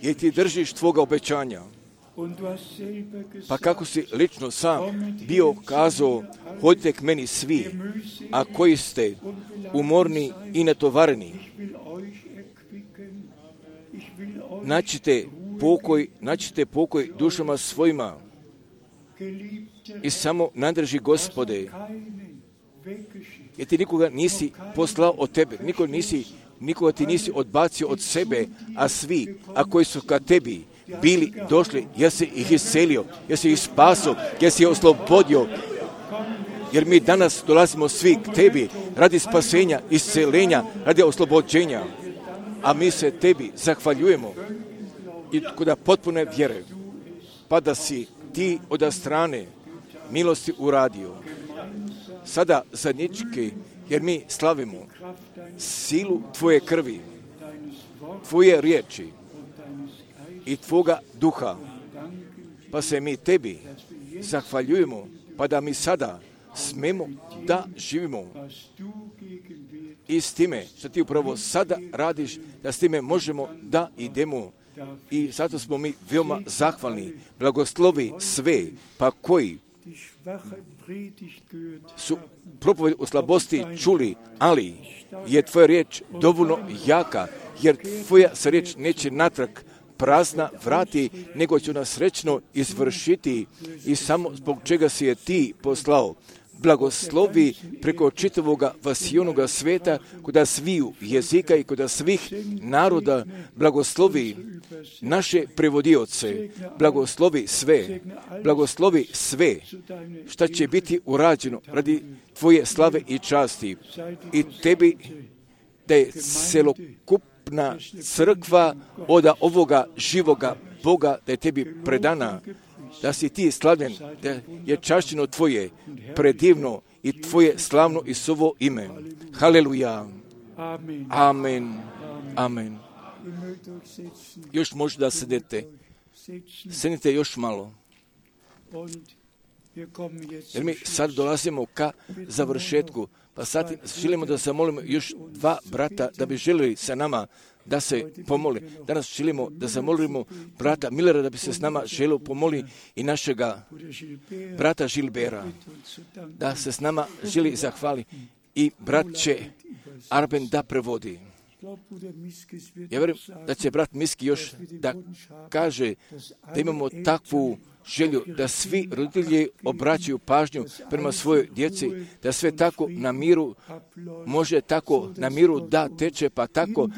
jer Ti držiš Tvoga obećanja. Pa kako si lično sam bio kazao, hodite k meni svi, a koji ste umorni i natovareni. Naćite pokoj, naćite pokoj dušama svojima. I samo nadrži Gospode, jer Ti nikoga nisi poslao od Tebe, nikoga, nisi, nikoga Ti nisi odbacio od sebe, a svi, a koji su ka Tebi bili došli, jer si ih iscelio, jer si ih spasio, jer si ih oslobodio, jer mi danas dolazimo svi k Tebi radi spasenja, iscelenja, radi oslobođenja, a mi se Tebi zahvaljujemo i kod potpune vjere, pa da si Ti od strane milosti uradio. Sada zajednički, jer mi slavimo silu Tvoje krvi, Tvoje riječi i Tvoga duha, pa se mi Tebi zahvaljujemo, pa da mi sada smemo da živimo i s time što Ti upravo sada radiš, da s time možemo da idemo. I zato smo mi veoma zahvalni. Blagoslovi sve, pa koji su propoved u slabosti čuli, ali je Tvoja riječ dovoljno jaka, jer Tvoja se riječ neće natrag prazna vrati, nego će nas srećno izvršiti i samo zbog čega si je Ti poslao. Blagoslovi preko čitavoga vasijonoga sveta, kod sviju jezika i kod svih naroda, blagoslovi naše prevodioce, blagoslovi sve, blagoslovi sve, šta će biti urađeno radi Tvoje slave i časti. I Tebi da je celokupna crkva od ovoga živoga Boga, da je Tebi predana, da si Ti slavljen, da je čašćeno Tvoje predivno i Tvoje slavno i sovo ime. Haleluja. Amen. Amen. Još možda da sedete. Sedite još malo. Jer mi sad dolazimo ka završetku, pa sad želimo da zamolimo još dva brata da bi želili sa nama da se pomoli. Danas želimo da zamolimo brata Millera da bi se s nama želio pomoli i našega brata Žilbera, da se s nama želi zahvali i brat će Arben da prevodi. Ja vjerujem da će brat Miski još da kaže da imamo takvu želju da svi roditelji obraćaju pažnju prema svojoj djeci, da sve tako na miru može tako na miru da teče, pa tako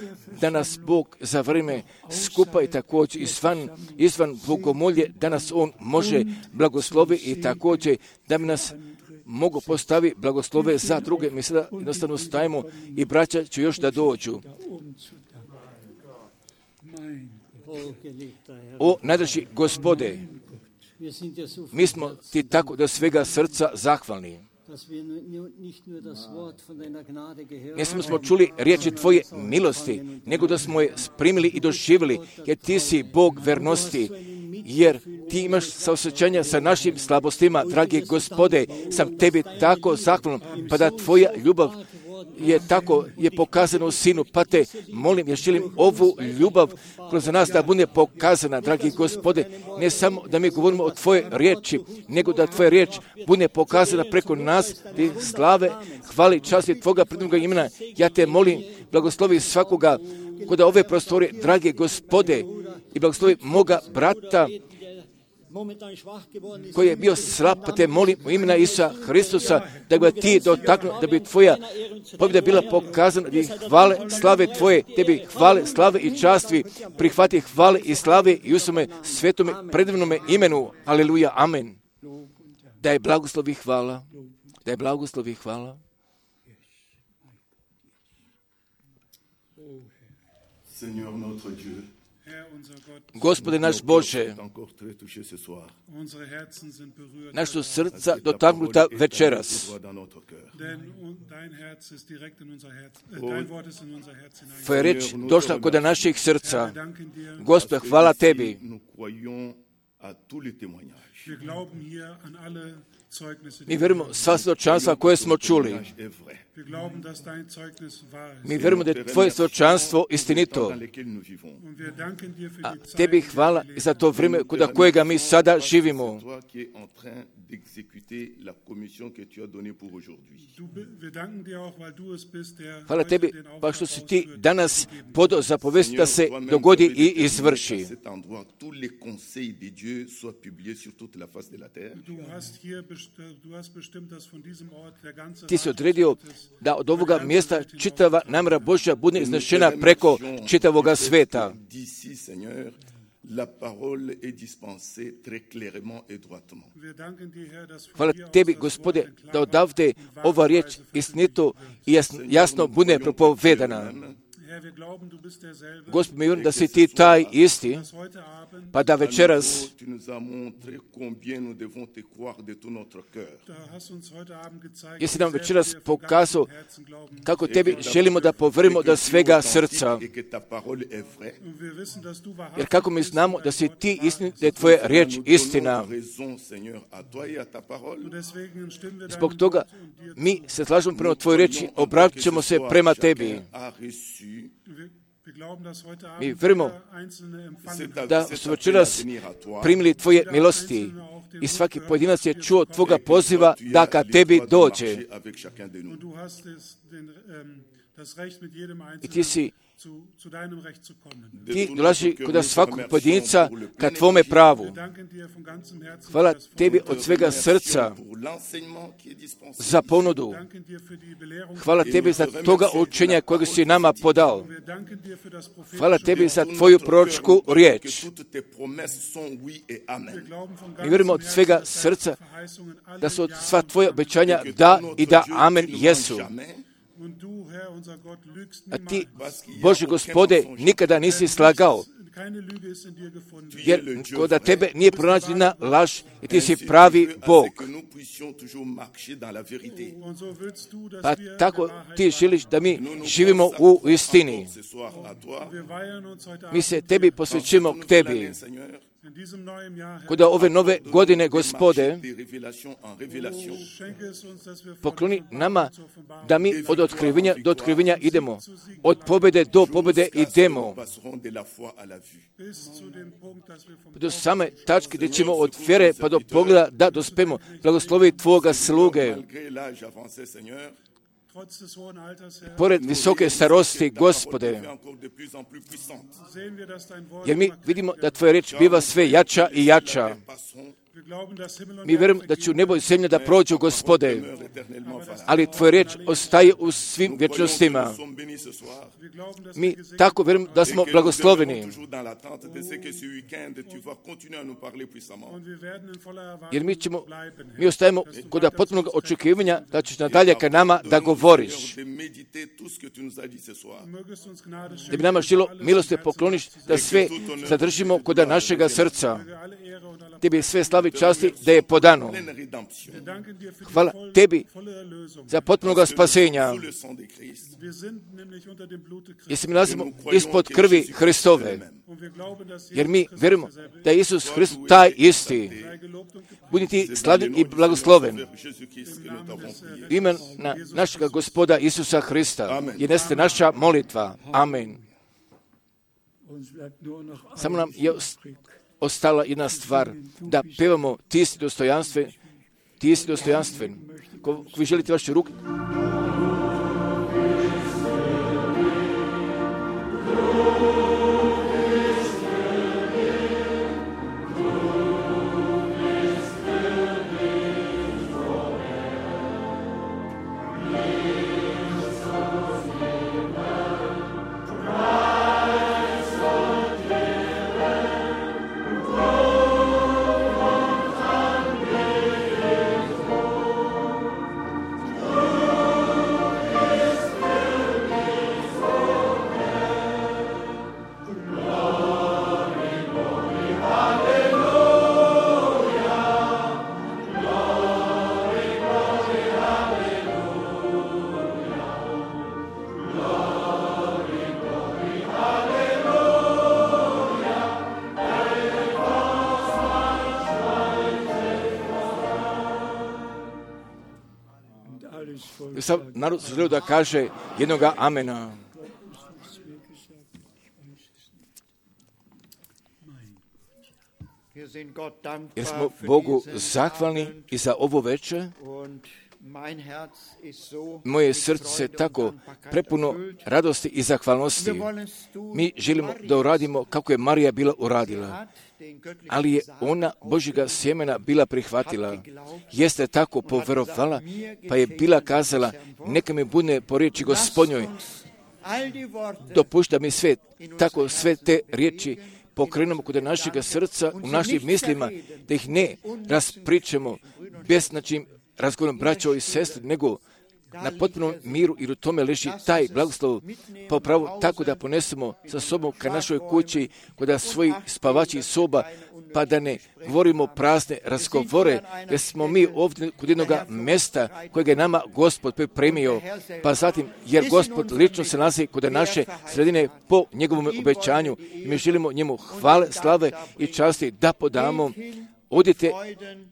da nas Bog za vrijeme skupa i također izvan, izvan bogomolje, da nas On može blagoslovi i također da bi nas mogu postavi blagoslove za druge. Mi sada jednostavno stajemo i braća će još da dođu. O najdraži Gospode, mi smo Ti tako do svega srca zahvalni. Ne samo smo čuli riječi Tvoje milosti, nego da smo je primili i doživjeli, jer Ti si Bog vernosti, jer Ti imaš saosjećanja sa našim slabostima, dragi Gospode, sam Tebi tako zahvalan, pa da Tvoja ljubav je tako je pokazano u Sinu, pa Te molim, ja želim ovu ljubav kroz nas da bude pokazana, dragi Gospode, ne samo da mi govorimo o Tvoje riječi, nego da Tvoja riječ bude pokazana preko nas, Ti slave, hvali, časti Tvoga predivnoga imena. Ja Te molim, blagoslovi svakoga kod ove prostore, dragi Gospode, i blagoslovi moga brata koji je bio slab, pa Te molim u imena Isusa Hristusa da bi Ti dotaknuo, da bi Tvoja pobjeda bila pokazana, da bi hvale, slave Tvoje, Tebi hvale, slave i časti, prihvati hvale i slave i u svome svetome predivnome imenu. Aleluja, amen. Da je blagoslovi hvala, da je blagoslovi hvala. Seigneur notre Dieu, Gospode naš Bože, naša su srca dotaknuta večeras. Tvoja reč došla kod naših srca. Gospode, hvala Tebi. Mi vjerujemo sva svjedočanstva koje smo čuli. Mi vjerujemo da je tvoje svjedočanstvo istinito. A tebi hvala i za to vrijeme kod kojega mi sada živimo. Hvala tebi, pa što si ti danas podao zapovesti da se dogodi i izvrši. Ti si odredio da od ovoga mjesta čitava namjera Božja bude iznešena preko čitavoga sveta. La parole est dispensée très clairement et droitement. Hvala tebi, Gospode, da odavde ova riječ istinito i jasno bude propovedana. Gospod, mi vjerujem da si ti taj isti, pa da večeras jesi nam večeras pokazao kako tebi želimo da povjerimo do svega srca. Jer kako mi znamo da si ti istin, da je tvoja riječ istina. Zbog toga mi se slažemo prema tvojoj riječi, obratit ćemo se prema tebi. Mi vjerujemo da su večeras primili tvoje milosti i svaki pojedinac je čuo tvoga poziva da ka tebi dođe. I ti si Ti dolazi kod svakog pojedinca ka tvome pravu. Hvala tebi od svega srca za ponudu. Hvala tebi za toga učenja kojeg si nama podao. Hvala tebi za tvoju proročku riječ. Mi vjerujemo od svega srca da su od sva tvoje obećanja da i da amen jesu. A ti, Bože Gospode, nikada nisi slagao, jer kod tebe nije pronađena laž i ti si pravi Bog. Pa tako ti želiš da mi živimo u istini. Mi se tebi posvećujemo k tebi. Kod ove nove godine, Gospode, pokloni nama da mi od otkrivenja do otkrivenja idemo, od pobjede do pobjede idemo, do same tačke gdje ćemo od vjere pa do pogleda da dospemo. Blagoslovi tvoga sluge. Pored visoke starosti, Gospode, jer mi vidimo da tvoja riječ biva sve jača i jača. Mi vjerujemo da će u nebo i zemlja da prođu, Gospode, ali tvoja riječ ostaje u svim vječnostima. Mi tako vjerujemo da smo blagosloveni. Jer mi ćemo, mi ostajemo kod potpunog očekivanja da ćeš nadalje ka nama da govoriš. Da bi nama žilo milosti pokloniš da sve zadržimo kod našega srca. Tebi sve slavi časti da je podano. Hvala tebi za potpunoga spasenja. Jer se mi nalazimo ispod krvi Hristove. Jer mi vjerujemo da je Isus Hrist taj isti. Budi ti slavljen i blagosloven. Ime na našega Gospoda Isusa Hrista. Je neste naša molitva. Amen. Samo nam je ostala jedna stvar, da pevamo ti si dostojanstven, ti si dostojanstven. Ko vi želite vaše ruke? Oh Sam narod želio da kaže jednoga amena. Jer smo Bogu zahvalni i za ovo večer. Moje srce tako prepuno radosti i zahvalnosti. Mi želimo da uradimo kako je Marija bila uradila, ali je ona Božjega sjemena bila prihvatila. Jeste tako poverovala, pa je bila kazala, neka mi bude po riječi Gospodnjoj. Dopušta mi sve, tako sve te riječi pokrenemo kod našega srca, u našim mislima, da ih ne raspričamo bez način razgovorom braćo i sestri, nego na potpunom miru, jer u tome leži taj blagoslov, pa upravo tako da ponesemo sa sobom ka našoj kući, kod svojih spavačih soba, pa da ne govorimo prazne razgovore, jer smo mi ovdje kod jednog mjesta kojeg je nama Gospod pripremio, pa zatim, jer Gospod lično se nalazi kod naše sredine po njegovom obećanju, mi želimo njemu hvale, slave i časti da podamo. Odite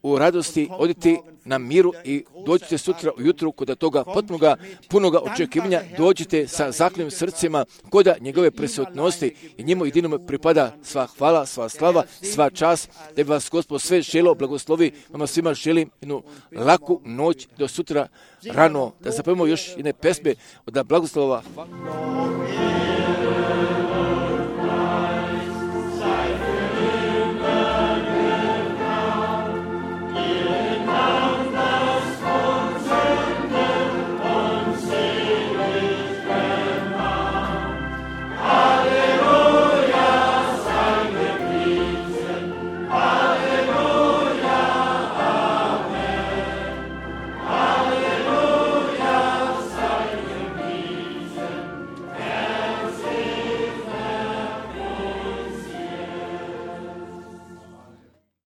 u radosti, odite na miru i dođite sutra ujutru kod toga potpunoga, punoga očekivanja, dođite sa zaklenim srcima kod njegove prisutnosti i njemu jedinome pripada sva hvala, sva slava, sva čast, da bi vas Gospod sve želio blagoslovi. Vama svima želim jednu laku noć do sutra rano, da zapevamo još jedne pesme od blagoslova. Hvala.